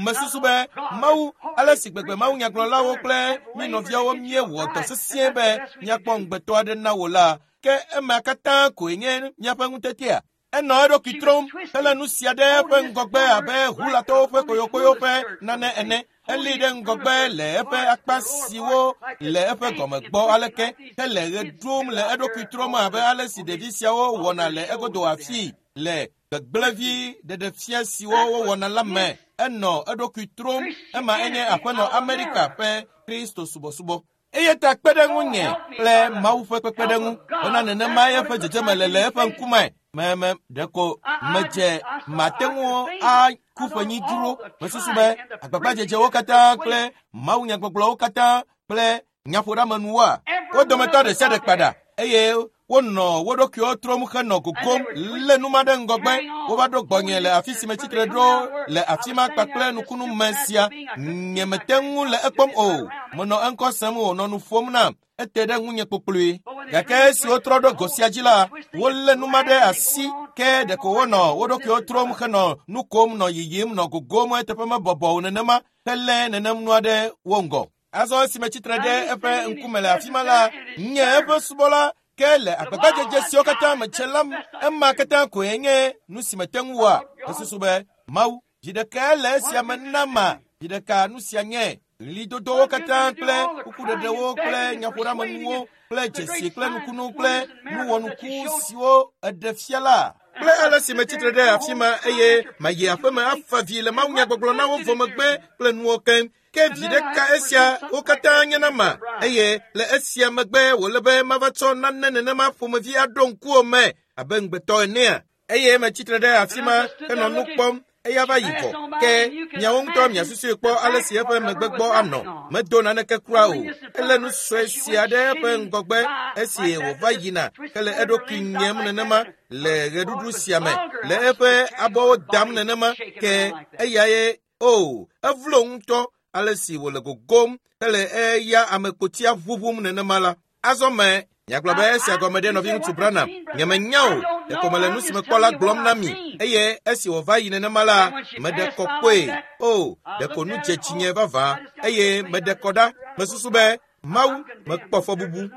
Mesusu be Mawu, ale si gbegbe Mawu nyagblɔlawo kple mí nɔviawo míewɔ dɔ sesĩe be míakpɔ ŋugbetɔ aɖe na wò la, ke ema katã koe nye míaƒe ŋutetea. Enɔ eɖokui trɔm hele nu sia ɖe eƒe ŋgɔgbe abe hulatɔwo ƒe koyokoyo ƒe nane ene. Elée ɖe ŋgɔgbe le eƒe akpa siwo le eƒe gɔme gbɔ aleke hele ɣe ɖum le eɖokui trɔm abe ale si ɖevi siawo wɔna le egodo afii le gbegblẽvi ɖeɖefia siwo wowɔna la me. Enɔ eɖokui trɔm. Ema enye aƒenɔ Amerika ƒe Kristo subɔsubɔ. Eya ta kpe ɖe ŋunye kple Mawu ƒe kpekpeɖeŋu bena nenema eƒe dzedzeme le le eƒe ŋkume. Me ɖeko medze mate ŋu aku ƒenyi dzro. Mesusu be agbagbadzedzewo katã kple Mawu nyagbɔgblɔwo katã kple nyaƒoɖeamenuwoa, wo dometɔ ɖe sia ɖe kpa ɖa eye wonɔ wo ɖokuiwo trɔm henɔ gogom lé nu ma ɖe ŋgɔgbe. Wova ɖo gbɔnye le afi si metsitre ɖo le afi ma kpakple nukunu me sia. Nyemete ŋu le ekpɔm o. Menɔ eŋkɔ sem wònɔ nu ƒom nam. Ete ɖe ŋunye kpokploe. Gake esi wotrɔ ɖo go sia dzi la, wolé nu ma ɖe asi ke ɖeko wonɔ wo ɖokuiwo trɔm henɔ nu kom nɔ yiyim nɔ gogom eteƒe mebɔbɔ o nenema helé nenem nua ɖe wo ŋgɔ. Azɔ esi metsitre ɖe eƒe ŋkume le afi ma la, nye eƒe subɔla ke le agbagbadzedze siwo katã medze la, ema katã koe nye nu si mete ŋu wɔa. Mesusu be Mawu, vi ɖekae le esia me nama, vi ɖeka nu sia nye ɣlidodowo katã kple kukuɖeɖewo kple nyaƒoɖeamenuwo kple dzesi kple nukunu kple nuwɔnuku siwo eɖe fia la. Kple ale si metsitre ɖe afi ma eye mayi aƒeme afa vi le Mawu nyagbɔgblɔ na wo vɔ megbe kple nuwo keŋ. Ke vi ɖeka esia wo katã nye na ma eye le esia megbe wòle be mava tsɔ nane nenema ƒomevi aɖo ŋkuwò me abe ŋugbetɔ enea. Eye metsitre ɖe afi ma henɔ nu kpɔm eya va yi vɔ. Ke miawo ŋutɔ miasusui kpɔ ale si eƒe megbe gbɔ anɔ. Medo naneke kura o. Elé nu sue sia ɖe eƒe ŋgɔgbe esi wòva yina hele eɖokui nyem nenema le ɣeɖuɖu sia me le eƒe abɔwo dam nenema ke eyae o evlo ŋutɔ ale si wòle gogom hele eya amekpotia ʋuʋum nenema la. Azɔ me nyagblɔ be esia gɔme ɖe nɔviŋutsu Branham. Nyemenya o, ɖeko mele nu si mekpɔ la gblɔm na mi eye esi wòva yi nenema la, meɖe kɔ kpɔe. O, ɖeko nu dze dzinye vavã eye meɖe kɔ ɖa. Mesusu be Mawu, mekpɔ fɔbubu.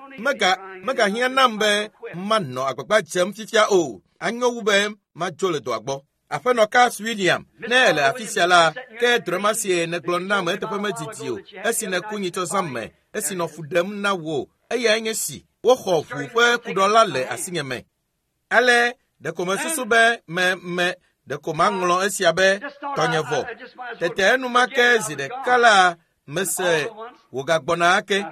Megahiã nam be manɔ agbagba dzem fifia o. Anyo wu be madzo le dɔa gbɔ. Aƒenɔ Carl William, ne ele afi sia la, ke drɔ̃e sie nègblɔ nam eteƒe medidi o, esi nèku nyitsɔ zã me, esi nɔ fu ɖem na wò, eyae nye si woxɔ ʋu ƒe kuɖɔ le asinye me. Ale ɖeko mesusu be me ɖeko maŋlɔ esia be tɔnye vɔ. Tete enumake zi ɖeka la mese wògagbɔna ake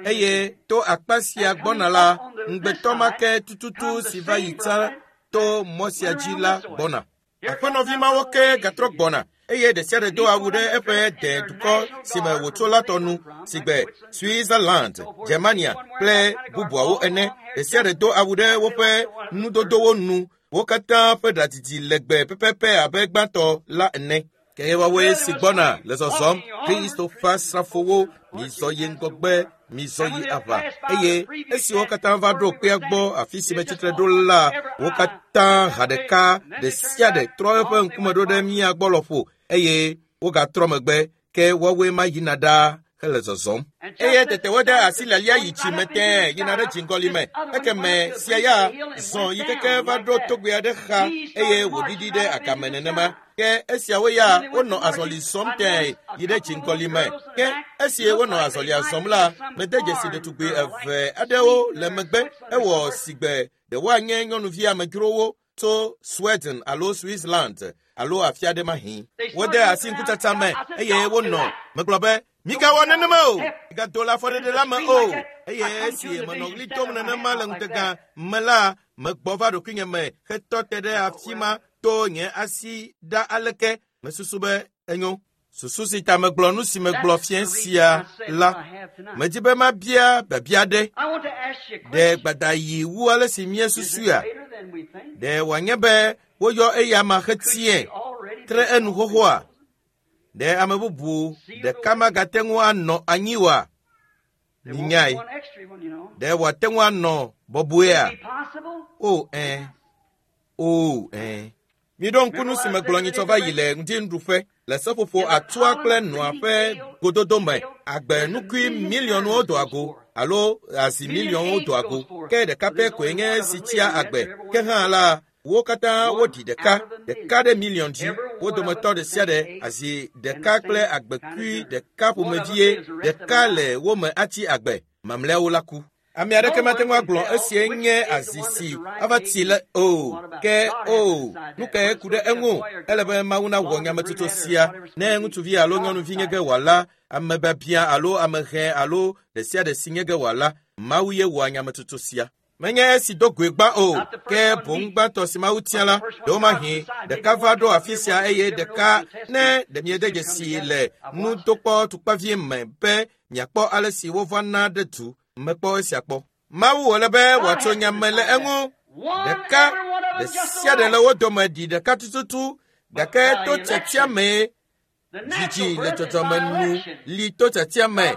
eye to akpa sia gbɔna la, ŋugbetɔ ma ke tututu si va yi tsã to mɔ sia dzi la gbɔna. Aƒenɔvi mawo ke gatrɔ gbɔna eye ɖe sia ɖe do awu ɖe eƒe de dukɔ si me wòtso la tɔ nu sigbe Switzerland, Germania kple bubuawo ene. Ɖe sia ɖe do awu ɖe woƒe nudodowo nu. Wo katã ƒe ɖadidi legbe pɛpɛpɛ abe gbãtɔ la ene. Ke woawoe si gbɔna le zɔzɔm, Kristo ƒe asrafowo, mizɔ yi ŋgɔgbe, Mizɔ yi aʋa. Eye esi wo katã va ɖo kpea gbɔ afi si metsitre ɖo la, wo katã ha ɖeka ɖe sia ɖe trɔ eƒe ŋkume ɖo ɖe mía gbɔ lɔƒo eye wogatrɔ megbe ke woawoe ma yina ɖaa hele zɔzɔm. Eye tete wode asi lialia yi tsi me tẽe yina ɖe dziŋgɔli me. Ekeme sia ya zɔ yi keke va ɖo togbɛ aɖe xa eye wòɖiɖi ɖe agame nenema. Ke esiawo ya wonɔ azɔli zɔm tẽe yi ɖe dziŋgɔli me. Ke esi wonɔ azɔlia zɔm la, mede dzesi ɖetugbi eve aɖewo le megbe. Ewɔ sigbe ɖe woanye nyɔnuvi amedzrowo tso Sweden alo Switzerland alo afi aɖe mahi. Wode asi ŋkutsatsa me eye wonɔ. Megblɔ be, migawɔ nenema o, migado le afɔɖeɖe la me o. Eye esi menɔ ɣli dom nenema le ŋutega me la, megbɔ va ɖokuinye me hetɔ te ɖe afi ma to nye asi ɖa aleke. Mesusu be enyo. Susu si ta megblɔ nu si megblɔ fiẽ sia la, medi be mabia biabia aɖe. Ɖe gbadayi wu ale si míesusuia? Ɖe wòanye be woyɔ eya ma hetie tre enu xoxoa? Ɖe ame bubu ɖeka magate ŋu anɔ anyi oa? Minyae. Ɖe wòate ŋu anɔ bɔbɔea? O ẽ. O ẽ. Miɖo ŋku nu si megblɔ nyitsɔ va yi le ŋdinuɖuƒe le seƒoƒo atua kple nɔa ƒe gododo me. Agbe nukui miliɔnwo doa go alo azi miliɔnwo doa go. Ke ɖeka pɛ koe nye esi tsia agbe. Ke hã la, wo katã woɖi ɖeka, ɖeka ɖe miliɔn dzi. Wo dometɔ ɖe sia ɖe azi ɖeka kple agbekui ɖeka ƒomevie ɖeka le wo me atsi agbe. Mamlɛawo la ku. Ame aɖeke mate ŋu agblɔ esie nye azi si ava tsi le o. Ke o, nu kae ku ɖe eŋu? Ele be Mawu nawɔ nyametsotso sia. Ne ŋutsuvi alo nyɔnuvi nye ge wòala, ame biabia alo ame hɛ alo ɖe sia ɖe si nye ge wòala, Mawu ye wɔa nyametsotso sia. Menye esi do goe gbã o, ke boŋ gbãtɔ si Mawu tia la, ɖewomahi ɖeka va ɖo afi sia eye ɖeka ne ɖe miede dzesi le nudokpɔ tukpavie me be miakpɔ ale si wovana ɖe du. Mekpɔ esia kpɔ. Mawu wòle be wòatso nya me le eŋu. Ɖeka ɖe sia ɖe le wo dome ɖi ɖeka tututu gake to tiatia mee dzidzi le dzɔdzɔme nu li to tiatia me.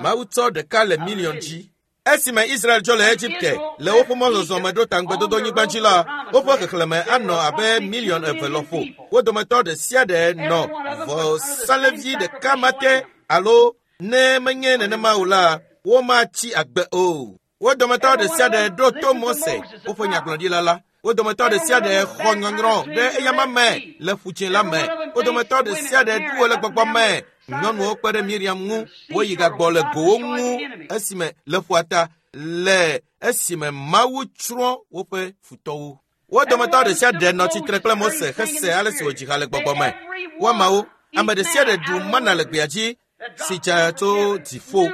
Mawu tsɔ ɖeka le miliɔn dzi. Esime Israel dzo le Egipte le woƒe mɔzɔzɔ me ɖo ta ŋugbedodonyigba dzi la, woƒe xexlẽme anɔ abe miliɔn eve lɔƒo. Wo dometɔ ɖe sia ɖe nɔ vɔsalẽvi ɖeka ma te alo ne menye nenema o la, womatsi agbe o. Wo dometɔ ɖe sia ɖe ɖo to Mose, woƒe nyagblɔɖila la. Wo dometɔ ɖe sia ɖe xɔ nyɔnyrɔ ɖe eyama me le ƒudzĩ la me. Wo dometɔ ɖe sia ɖe ɖu wo le gbɔgbɔ me. Nyɔnuwo kpe ɖe Miriam ŋu, woyi gagbɔ le gowo ŋu esime le ƒua ta le esime Mawu tsrɔ̃ woƒe futɔwo. Wo dometɔ ɖe sia ɖe nɔ tsitre kple Mose hese ale si wòdzi ha le gbɔgbɔ me. Woamawo, ame ɖe sia ɖe ɖu mana le gbea dzi si dza tso dziƒo.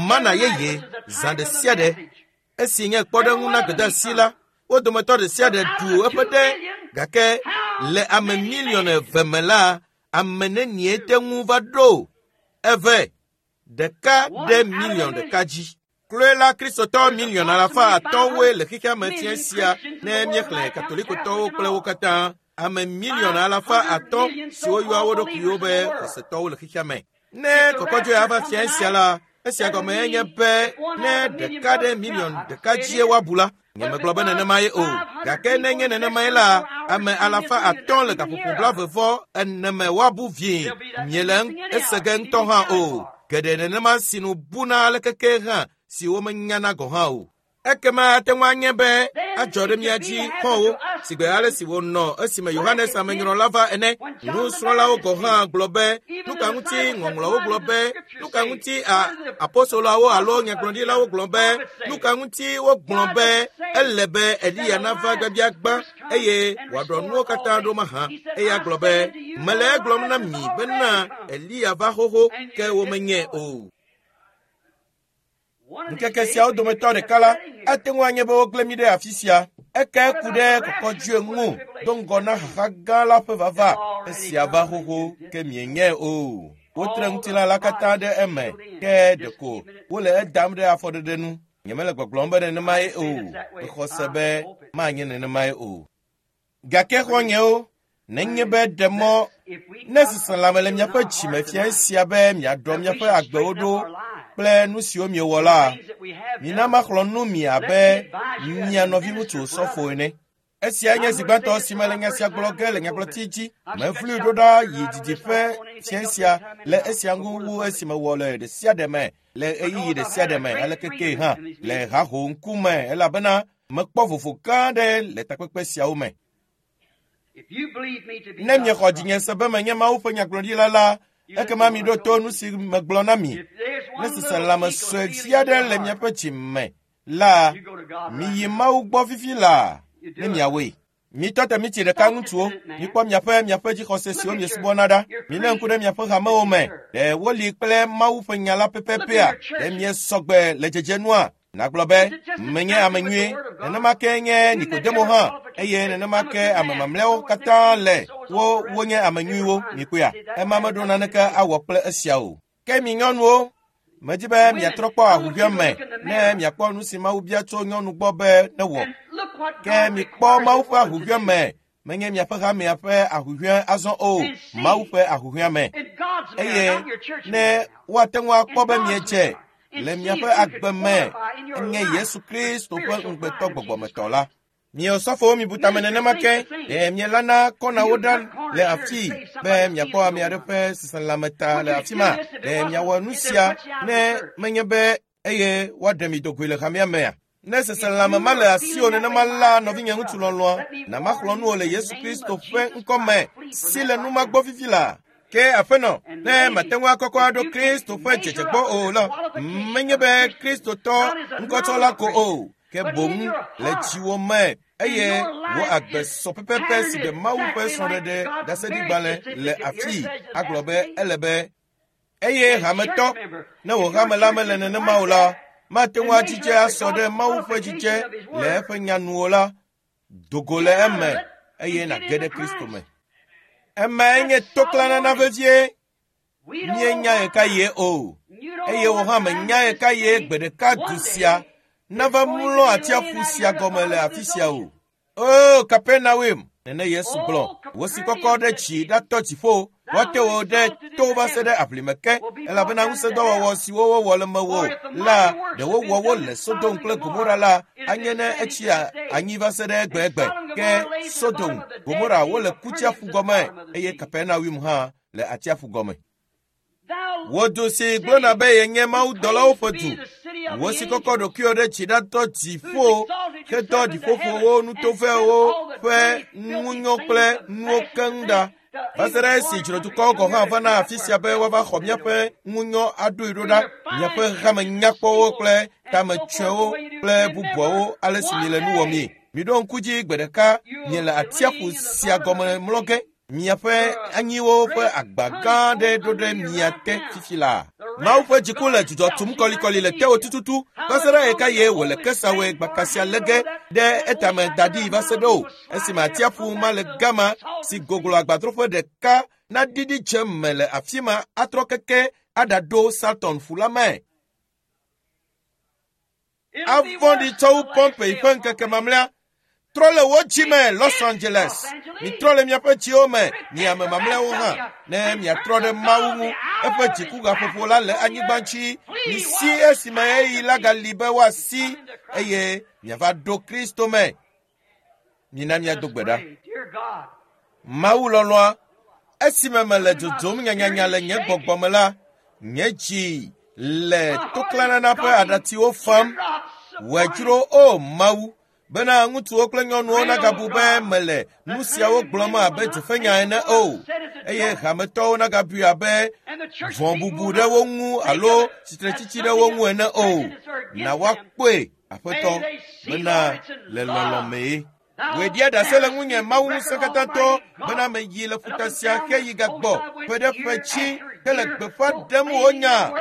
Mana yeye zã ɖe sia ɖe esi nye kpɔɖeŋu na gbedeasi la, wo dometɔ ɖe sia ɖe ɖu eƒe ɖe gake le ame miliɔn eve me la, ame nenie te ŋu va ɖo eve ɖeka ɖe miliɔn ɖeka dzi. Kloe la Kristotɔ miliɔn alafa atɔ̃woe le xexea me fiẽ sia ne míexlẽ Katolikotɔwo kple wo katã. Ame miliɔn alafa atɔ̃ siwo yɔa wo ɖokuiwo be xɔsetɔwo le xexea me. Ne kɔkɔdzoe ava fiẽ sia la, esia gɔme nye be ne ɖeka ɖe miliɔn ɖeka dzie woabu la, nyemegblɔ be nenemae o. Gake ne nye nenemae la, ame alafa atɔ̃ le gaƒoƒo blaeve ene me woabu vie. Miele ese ge ŋutɔ hã o. Geɖe nenema si nu buna ale keke hã si womenyana gɔ̃ hã o. Ekema ate ŋu anye be adzɔ ɖe mía dzi xɔwo sigbe ale si wònɔ esime Yohanes Amenyrɔla va ene. Nusrɔ̃lawo gɔ̃ hã gblɔ be nu ka ŋuti ŋɔŋlɔwo gblɔ be nu ka ŋuti apostoloawo alo nyagblɔɖilawo gblɔ be nu ka ŋuti wogblɔ be ele be Eliya nava gbabia gbã eye wòaɖɔ nuwo katã ɖo mahã. Eya gblɔ be mele egblɔm na mi bena Eliya va xoxo ke womenyae o. Ŋkeke siawo dometɔ ɖeka la, ate ŋu anye be wogblẽ mí ɖe afi sia. Eke ku ɖe kɔkɔdzoe ŋu do ŋgɔ na xaxa gã la ƒe vava. Esia va xoxo ke mienyae o. Wotre ŋutilã la katã ɖe eme ke ɖeko wole edam ɖe afɔɖeɖe nu. Nyemele gbɔgblɔm be nenemae o. Mexɔ se be manye nenemae o. Gake xɔ̃nyewo, nenye be ɖe mɔ ne seselãme le miaƒe dzime fia esia be miaɖɔ miaƒe agbewo ɖo kple nu siwo miewɔ la, mina maxlɔ̃ nu mi abe mia nɔviŋutsu sɔfo ene. Esia nye zi gbãtɔ si mele nya sia gblɔ ge le nyagblɔti dzi. Mevlui ɖo ɖa yi didiƒe fiẽ sia le esia ŋu wu esi mewɔ le ɖe sia ɖe me le ɣeyiɣi ɖe sia ɖe me alekekee hã le haho ŋkume elabena mekpɔ vovo gã aɖe le takpekpe siawo me. Ne miexɔ dzinye se be menye Mawu ƒe nyagblɔɖila la, ekema miɖo to nu si megblɔ na mi. Ne seselãme sue vi aɖe le miaƒe dzi me la, miyi Mawu gbɔ fifi laa ne miawɔe. Mitɔ te mitsi ɖeka ŋutsuwo, mikpɔ miaƒe miaƒe dzixɔse siwo miesubɔna ɖa. Milé ŋku ɖe miaƒe hamewo me. Ɖe woli kple Mawu ƒe nya la pɛpɛpɛa? Ɖe miesɔgbe le dzedzenua? Nagblɔ be, menye ame nyui, nenema ke nye Nikodemo hã, eye nenema ke ame mamlɛawo katã le wo wonye ame nyuiwo, mikpɔea? Ema meɖo naneke awɔ kple esia o. Ke mi nyɔnuwo, medi be miatrɔ kpɔ ahuhɔ̃e me ne miakpɔ nu si Mawu bia tso nyɔnu gbɔ be newɔ. Ke mikpɔ Mawu ƒe ahuhɔ̃e me, menye miaƒe hamea ƒe ahuhɔ̃e azɔ o, Mawu ƒe ahuhɔ̃e me. Eye ne woate ŋu akpɔ be miedze le miaƒe agbe me enye Yesu Kristo ƒe ŋugbetɔ gbɔgbɔmetɔ la. Miwo sɔfowo mibu tame nenema ke, ɖe mielana kɔnawo ɖa le afii be miakpɔ ame aɖe ƒe seselãme ta le afi ma. Ɖe miawɔ nu sia ne menye be eye woaɖe mi dogoe le hamea mea? Ne seselãme ma le asiwò nenema la, nɔvinye ŋutsu lɔlɔ̃a, na maxlɔ̃ nu wò le Yesu Kristo ƒe ŋkɔ me si le nu ma gbɔ fifi la. Ke aƒenɔ, ne mate ŋu akɔkɔ aɖo Kristo ƒe dzedze gbɔ o la, menye be Kristotɔ ŋkɔtsɔla ko o, ke boŋ le dziwò me eye wò agbe sɔ pɛpɛpɛ si ɖe Mawu ƒe srɔ̃ɖeɖe ɖaseɖigbalẽ le afii agblɔ be ele be eye hametɔ, ne wò hame la mele nenema o la, mate ŋu adzidze asɔ ɖe Mawu ƒe dzidze le eƒe nya nu o la, do go le eme eye nàge ɖe Kristo me. Emae nye toklanana vevie. Míenya ɣekaɣie o, eye wò hã mènya ɣekaɣie gbe ɖeka du sia nava mlɔ atsiaƒu sia gɔme le afi sia o. O Kapernaum, nene Yesu gblɔ, wò si kɔkɔ ɖe dzi ɖatɔ dziƒo, woate wò ɖe to va se ɖe aʋlime ke, elabena ŋusẽdɔwɔwɔ siwo wowɔ le mewò la, ɖe wowɔ wo le Sodom kple Gomora la, anye ne etsi anyi va se ɖe egbegbe. Ke Sodom, Gomora wole kutsiaƒu gɔme eye Kapernaum hã le atsiaƒu gɔme. Wò du si gblɔna be yenye mawudɔlawo ƒe du, wò si kɔkɔ ɖokuiwò ɖe dzi ɖatɔ dziƒo hedɔ ɖiƒoƒowo, nutovɛwo ƒe ŋunyɔ kple nuwo keŋ ɖa. Va se ɖe esi dzrodukɔwo gɔ̃ hã vana afi sia be woava xɔ míaƒe ŋunyɔ aɖoe ɖo ɖa, miaƒe hame nyakpɔwo kple tametsɔewo kple bubuawo ale si miele nu wɔmii. Miɖo ŋku dzi gbe ɖeka miele atsiaƒu sia gɔme mlɔ ge. Miaƒe anyiwo ƒe agba gã aɖe ɖo ɖe mia te fifi laa. Mawu ƒe dziku le dzudzɔ tum kɔlikɔli le tewò tututu va se ɖe ɣekaɣie wòle kesawoe gbaka sia lé ge ɖe etame da ɖi va se ɖe o esime atsiaƒu ma le gama si goglo agbadroƒe ɖeka naɖiɖi dze me le afi ma atrɔ keke aɖaɖo Salton ƒu la me. Avɔ̃ɖi tsɔ wu Pompey ƒe ŋkeke mamlɛa. Trɔ le wò dzi me, Los Angeles. Mitrɔ le miaƒe dziwo me, mi ame mamlɛawo hã, ne miatrɔ ɖe Mawu ŋu. Eƒe dzikugaƒoƒo la le anyigba dzi. Misi esime ɣeyiɣi la gali be woasi eye miava ɖo Kristo me. Mina míado gbe ɖa. Mawu lɔlɔ̃a, esime mele dzodzom nyanyanya le nye gbɔgbɔ me la, nye dzi le toklanana ƒe aɖatsiwo fam. Wòe dzro, o Mawu, bena ŋutsuwo kple nyɔnuwo nagabu be mele nu siawo gblɔm abe dzofenya ene o, eye hametɔwo nagabui abe vɔ̃bubu ɖe wo ŋu alo tsitretsitsi ɖe wo ŋu ene o. Na woakpɔe, Aƒetɔ, bena le lɔlɔ̃ mee. Wòe ɖia ɖase le ŋunye Mawu ŋusẽkatãtɔ bena meyi le ƒuta sia heyi gagbɔ ƒe ɖe ƒe dzi hele gbeƒã ɖem wò nya.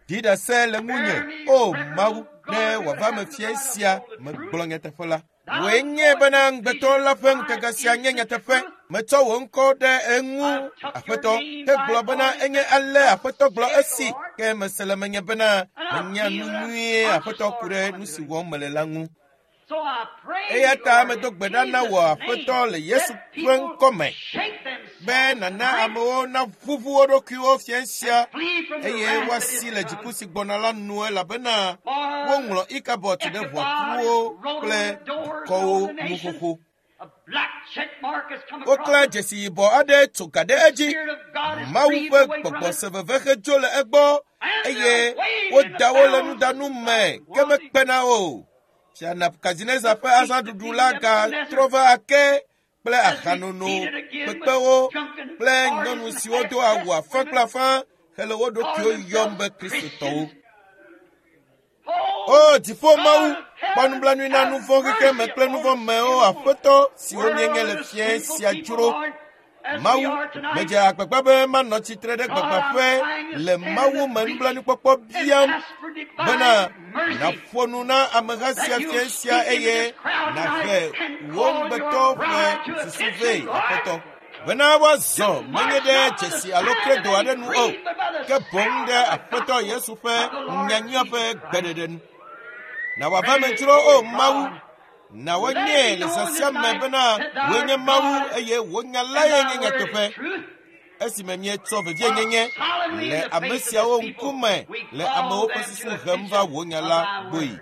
Ɖi ɖase le ŋunye, o Mawu, ne wòava me fia sia megblɔ nyateƒe la. Wòe nye bena ŋugbetɔ la ƒe ŋutega sia nye nyateƒe. Metsɔ wò ŋkɔ ɖe eŋu, Aƒetɔ, hegblɔ bena enye ale Aƒetɔ gblɔ esi, ke mese le menye bena menya nu nyuie Aƒetɔ ku ɖe nu si wɔm mele la ŋu. Eya ta medo gbe ɖa na wò Aƒetɔ le Yesu ƒe ŋkɔme be nàna amewo naʋuʋu wo ɖokuiwo fiẽ sia eye woasi le dziku si gbɔna la nu elabena woŋlɔ Ikabɔt ɖe ʋɔtruwo kple dukɔwo nu xoxo. Woklã dzesi yibɔ aɖe tso ga ɖe edzi. Mawu ƒe gbɔgbɔ se veve hedzo le egbɔ eye woda wo le nudanu me ke mekpena o. Fia Nebukadnezar ƒe azãɖuɖu la gatrɔ va ake kple ahanono, kpekpewo kple nyɔnu siwo do awu afã kple afã hele wo ɖokuiwo yɔm be Kristotɔwo. O dziƒo Mawu, kpɔ nublanui na nu vɔ̃ xexeme kple nu vɔ̃ mewo Aƒetɔ siwo míenye le fiẽ sia dzro. Mawu, medze agbagba be manɔ tsitre ɖe gbagbãƒe le Mawu me nublanuikpɔkpɔ biam bena nàƒo nu na ameha sia fiẽ sia eye nàhe wò ŋugbetɔ ƒe susu vɛ, Aƒetɔ. Bena woazɔ menye ɖe dzesi alo kredo aɖe nu o, ke boŋ ɖe Aƒetɔ Yesu ƒe nyanyuia ƒe gbeɖeɖe nu. Na wòava me dzro o Mawu, na woanyɛ le zã sia me bena wòe nye Mawu eye wò nya lae nye nyateƒe. Esime míetsɔ vevienyenye le ame siawo ŋkume le amewo ƒe susu hem va wò nya la gbɔe.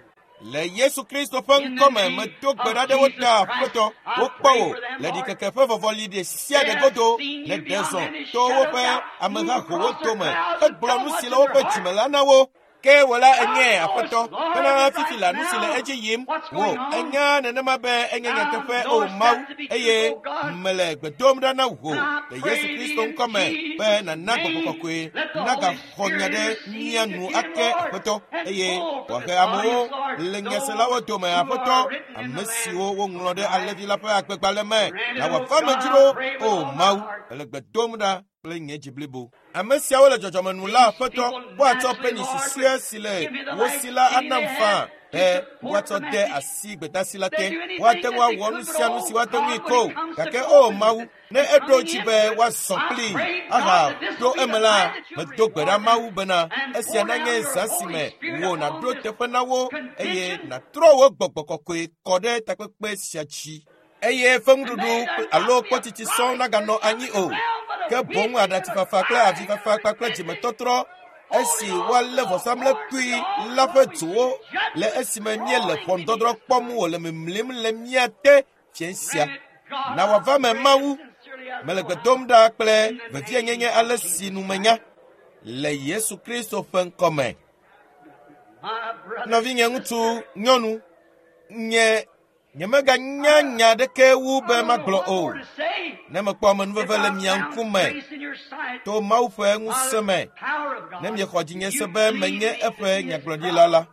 Le Yesu Kristo ƒe ŋkɔme medo gbe ɖa ɖe wo ta Aƒetɔ, wokpɔ wò le ɖikeke ƒe vɔvɔli ɖe sia ɖe godo le ɖe zɔ to woƒe ameha howo dome hegblɔ nu si le woƒe dzime la na wo. Ke wò la enye Aƒetɔ, bena fifi la nu si le edzi yim wò enya nenema be enye nyateƒe o Mawu, eye mele gbe dom ɖa na wò le Yesu Kristo ŋkɔme be nàna gbɔgbɔ kɔkɔe nagaxɔ nya ɖe mía nu ake Aƒetɔ, eye wòahe amewo le nyaselawo dome Aƒetɔ, ame siwo woŋlɔ ɖe Alẽvi la ƒe agbegbalẽ me na wòava me dzro o Mawu, mele gbe dom ɖa kple nye dzi blibo. Ame siawo le dzɔdzɔme nu la Aƒetɔ, woatsɔ penyi susɔe si le wo si la anam faa be woatsɔ de asi gbedasi la te. Woate ŋu awɔ nu sia nu si woate ŋui ko, gake o Mawu, ne eɖo dzi be woazɔ kplii aha ɖo eme la, medo gbe ɖa Mawu bena esia nanye zã si me wò nàɖo teƒe na wo eye nàtrɔ wò gbɔgbɔ kɔkɔe kɔ ɖe takpekpe sia dzi. Eye ƒe nuɖuɖu alo kpɔtsitsi sɔŋ naganɔ anyi o, ke boŋ aɖatsifafa kple avifafa kpakple dzimetɔtrɔ esi woalé vɔsamlekpui la ƒe dzowo le esime míele ʋɔnudɔdrɔ̃ kpɔm wòle mimlim le mía te fiẽ sia. Na wòava me Mawu, mele gbe dom ɖa kple vevienyenye ale si nu menya le Yesu Kristo ƒe ŋkɔme. Nɔvinye ŋutsu, nyɔnu, nye nyemeganya nya aɖeke wu be magblɔ o. Ne mekpɔ amenuveve le mia ŋkume to Mawu ƒe ŋusẽ me, ne miexɔ dzinye se be menye eƒe nyagblɔɖila la.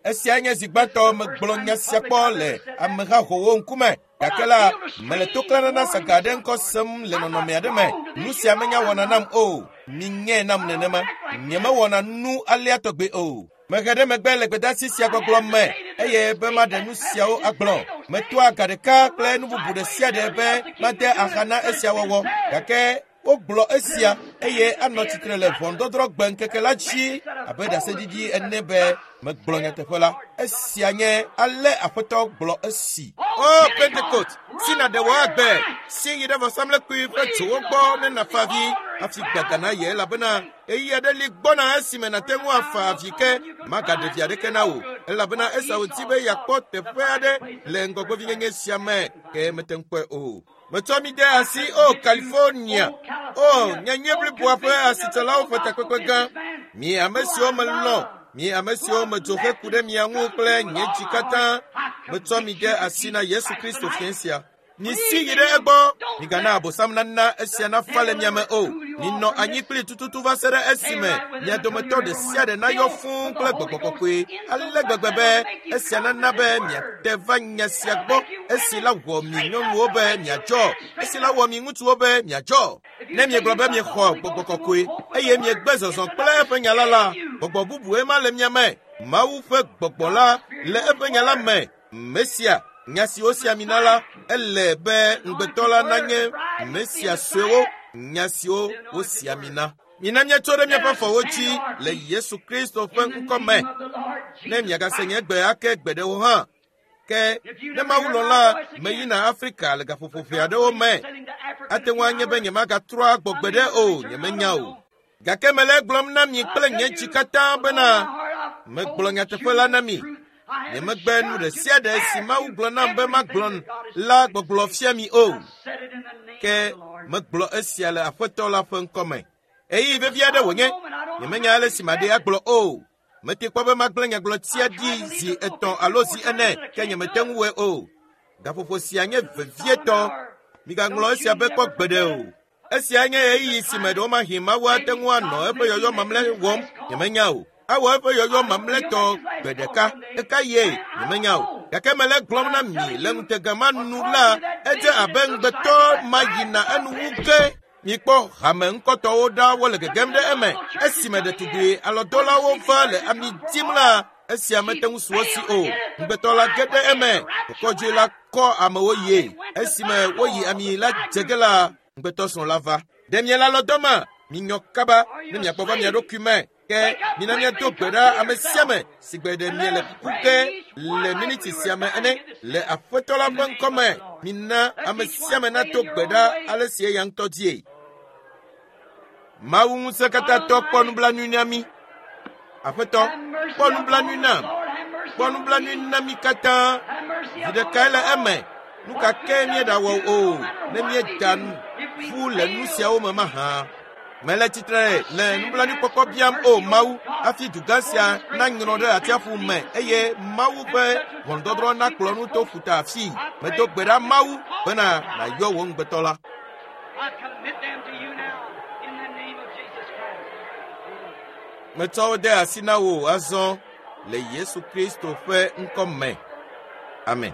Esia nye zi gbãtɔ megblɔ nya sia kpɔ le ameha howo ŋkume. Gake la, mele toklãnana saga aɖe ŋkɔ sem le nɔnɔme aɖe me. Nu sia menya wɔna nam o. Minyɛ nam nenema. Nyemewɔna nu alea tɔgbe o. Mehe ɖe megbe le gbedasi sia gbɔgblɔ me eye be maɖe nu siawo agblɔ. Metoa ga ɖeka kple nu bubu ɖe sia ɖe be made axa na esia wɔwɔ. Gake wogblɔ esia eye anɔ tsitre le ʋɔnudɔdrɔ̃ gbe ŋkeke la dzi abe ɖaseɖiɖi ene be megblɔ nyateƒe la. Esia nye ale Aƒetɔ gblɔ esi. O Pentekost, si nàɖe wò agbe, si yi ɖe vɔsamlekpui ƒe dzowo gbɔ ne nàfa avi hafi gbada na ye elabena ɣeyiɣi aɖe li gbɔna esime nàte ŋu afa avi ke magaɖe vi aɖeke na wò elabena Esau di be yeakpɔ teƒe aɖe le ŋgɔgbevinyenye sia me ke mete ŋu kpɔe o. Metsɔ mi de asi o California, o nyanyui bliboa ƒe asitsalawo ƒe takpekpe gã. Mi ame siwo melɔ̃, mi ame siwo medzo heku ɖe mia ŋu kple nye dzi katã, metsɔ mi de asi na Yesu Kristo fiẽ sia. Misi yi ɖe egbɔ, migana abosam nana esia nafa le mia me o. Minɔ anyi kpli tututu va se ɖe esime mia dometɔ ɖe sia ɖe nayɔ fũu kple gbɔgbɔ kɔkɔe ale gbegbe be esia nana be miate va nya sia gbɔ esi la wɔ mi nyɔnuwo be miadzɔ, esi la wɔ mi ŋutsuwo be miadzɔ. Ne miegblɔ be miexɔ gbɔgbɔ kɔkɔe eye miegbe zɔzɔ kple eƒe nya la la, gbɔgbɔ bubue ma le mia me. Mawu ƒe gbɔgbɔ la le eƒe nya la me. Mesia, nya si wosi ami na la, ele be ŋugbetɔ la nanye Mesia suewo, nya siwo wosi ami na. Mina míatso ɖe míaƒe afɔwo dzi le Yesu Kristo ƒe ŋkɔ me. Ne miagase nye gbe ake gbeɖe o hã. Ke ne Mawu lɔ̃ la, meyina Afrika le gaƒoƒo ʋɛ aɖewo me. Ate ŋu anye be nyemagatrɔ agbɔ gbeɖe o, nyemenya o. Gake mele egblɔm na mi kple nye dzi katã bena megblɔ nyateƒe la na mi. Nyemegbe nu ɖe sia ɖe si Mawu gblɔ nam be magblɔ la gbɔgblɔ fia mi o. Ke megblɔ esia le Aƒetɔ la ƒe ŋkɔme. Ɣeyiɣi vevi aɖe wònye. Nyemenya ale si maɖee agblɔ o. Mete kpɔ be magblẽ nyagblɔtia ɖi zi 3 alo zi 4, ke nyemete ŋu wɔe o. Gaƒoƒo sia nye vevietɔ. Migaŋlɔ esia be kpɔ gbeɖe o. Esia nye ɣeyiɣi si me ɖewomahi Mawu ate ŋu anɔ eƒe yɔyɔ mamlɛ wɔm. Nyemenya o. Awɔ eƒe yɔyɔ mamlɛtɔ gbe ɖeka. Eka ye? Nyemenya o. Gake mele gblɔm na mi le ŋutega ma nu la, edze abe ŋugbetɔ ma yina enu wu ge. Mikpɔ hame ŋkɔtɔwo ɖa wole gegem ɖe eme. Esime ɖetugbui alɔdɔlawo va le ami dim la, esia mete ŋu su wo si o. Ŋugbetɔ la ge ɖe eme. Kɔkɔdzoe la kɔ amewo yie. Esime woyi ami la dze ge la, ŋugbetɔ srɔ̃ la va. Ɖe miele alɔdɔ ma? Minyɔ kaba ne miakpɔ va mia ɖokui me. Ke mina míado gbe ɖa ame sia ame si gbe ɖe miele kuku ge le miniti sia me ene le Aƒetɔ la ƒe ŋkɔme. Mina ame sia ame nato gbe ɖa ale si eya ŋutɔ die. Mawu ŋusẽkatãtɔ kpɔ nublanui na mí. Aƒetɔ, kpɔ nublanui nam. Kpɔ nublanui na mí katã. Zi ɖekae le eme. Nu ka ke míeɖawɔ o, ne míeda ƒu le nu siawo me mahã. Mele tsitre le nublanuikpɔkpɔ biam o Mawu, hafi dugã sia nanyrɔ ɖe atsiaƒu me eye Mawu ƒe ʋɔnudɔdrɔ̃ nakplɔ nu to ƒuta afii. Medo gbe ɖa Mawu bena nàyɔ wò ŋugbetɔ la. Metsɔ wo de asi na wò azɔ le Yesu Kristo ƒe ŋkɔ me. Amen.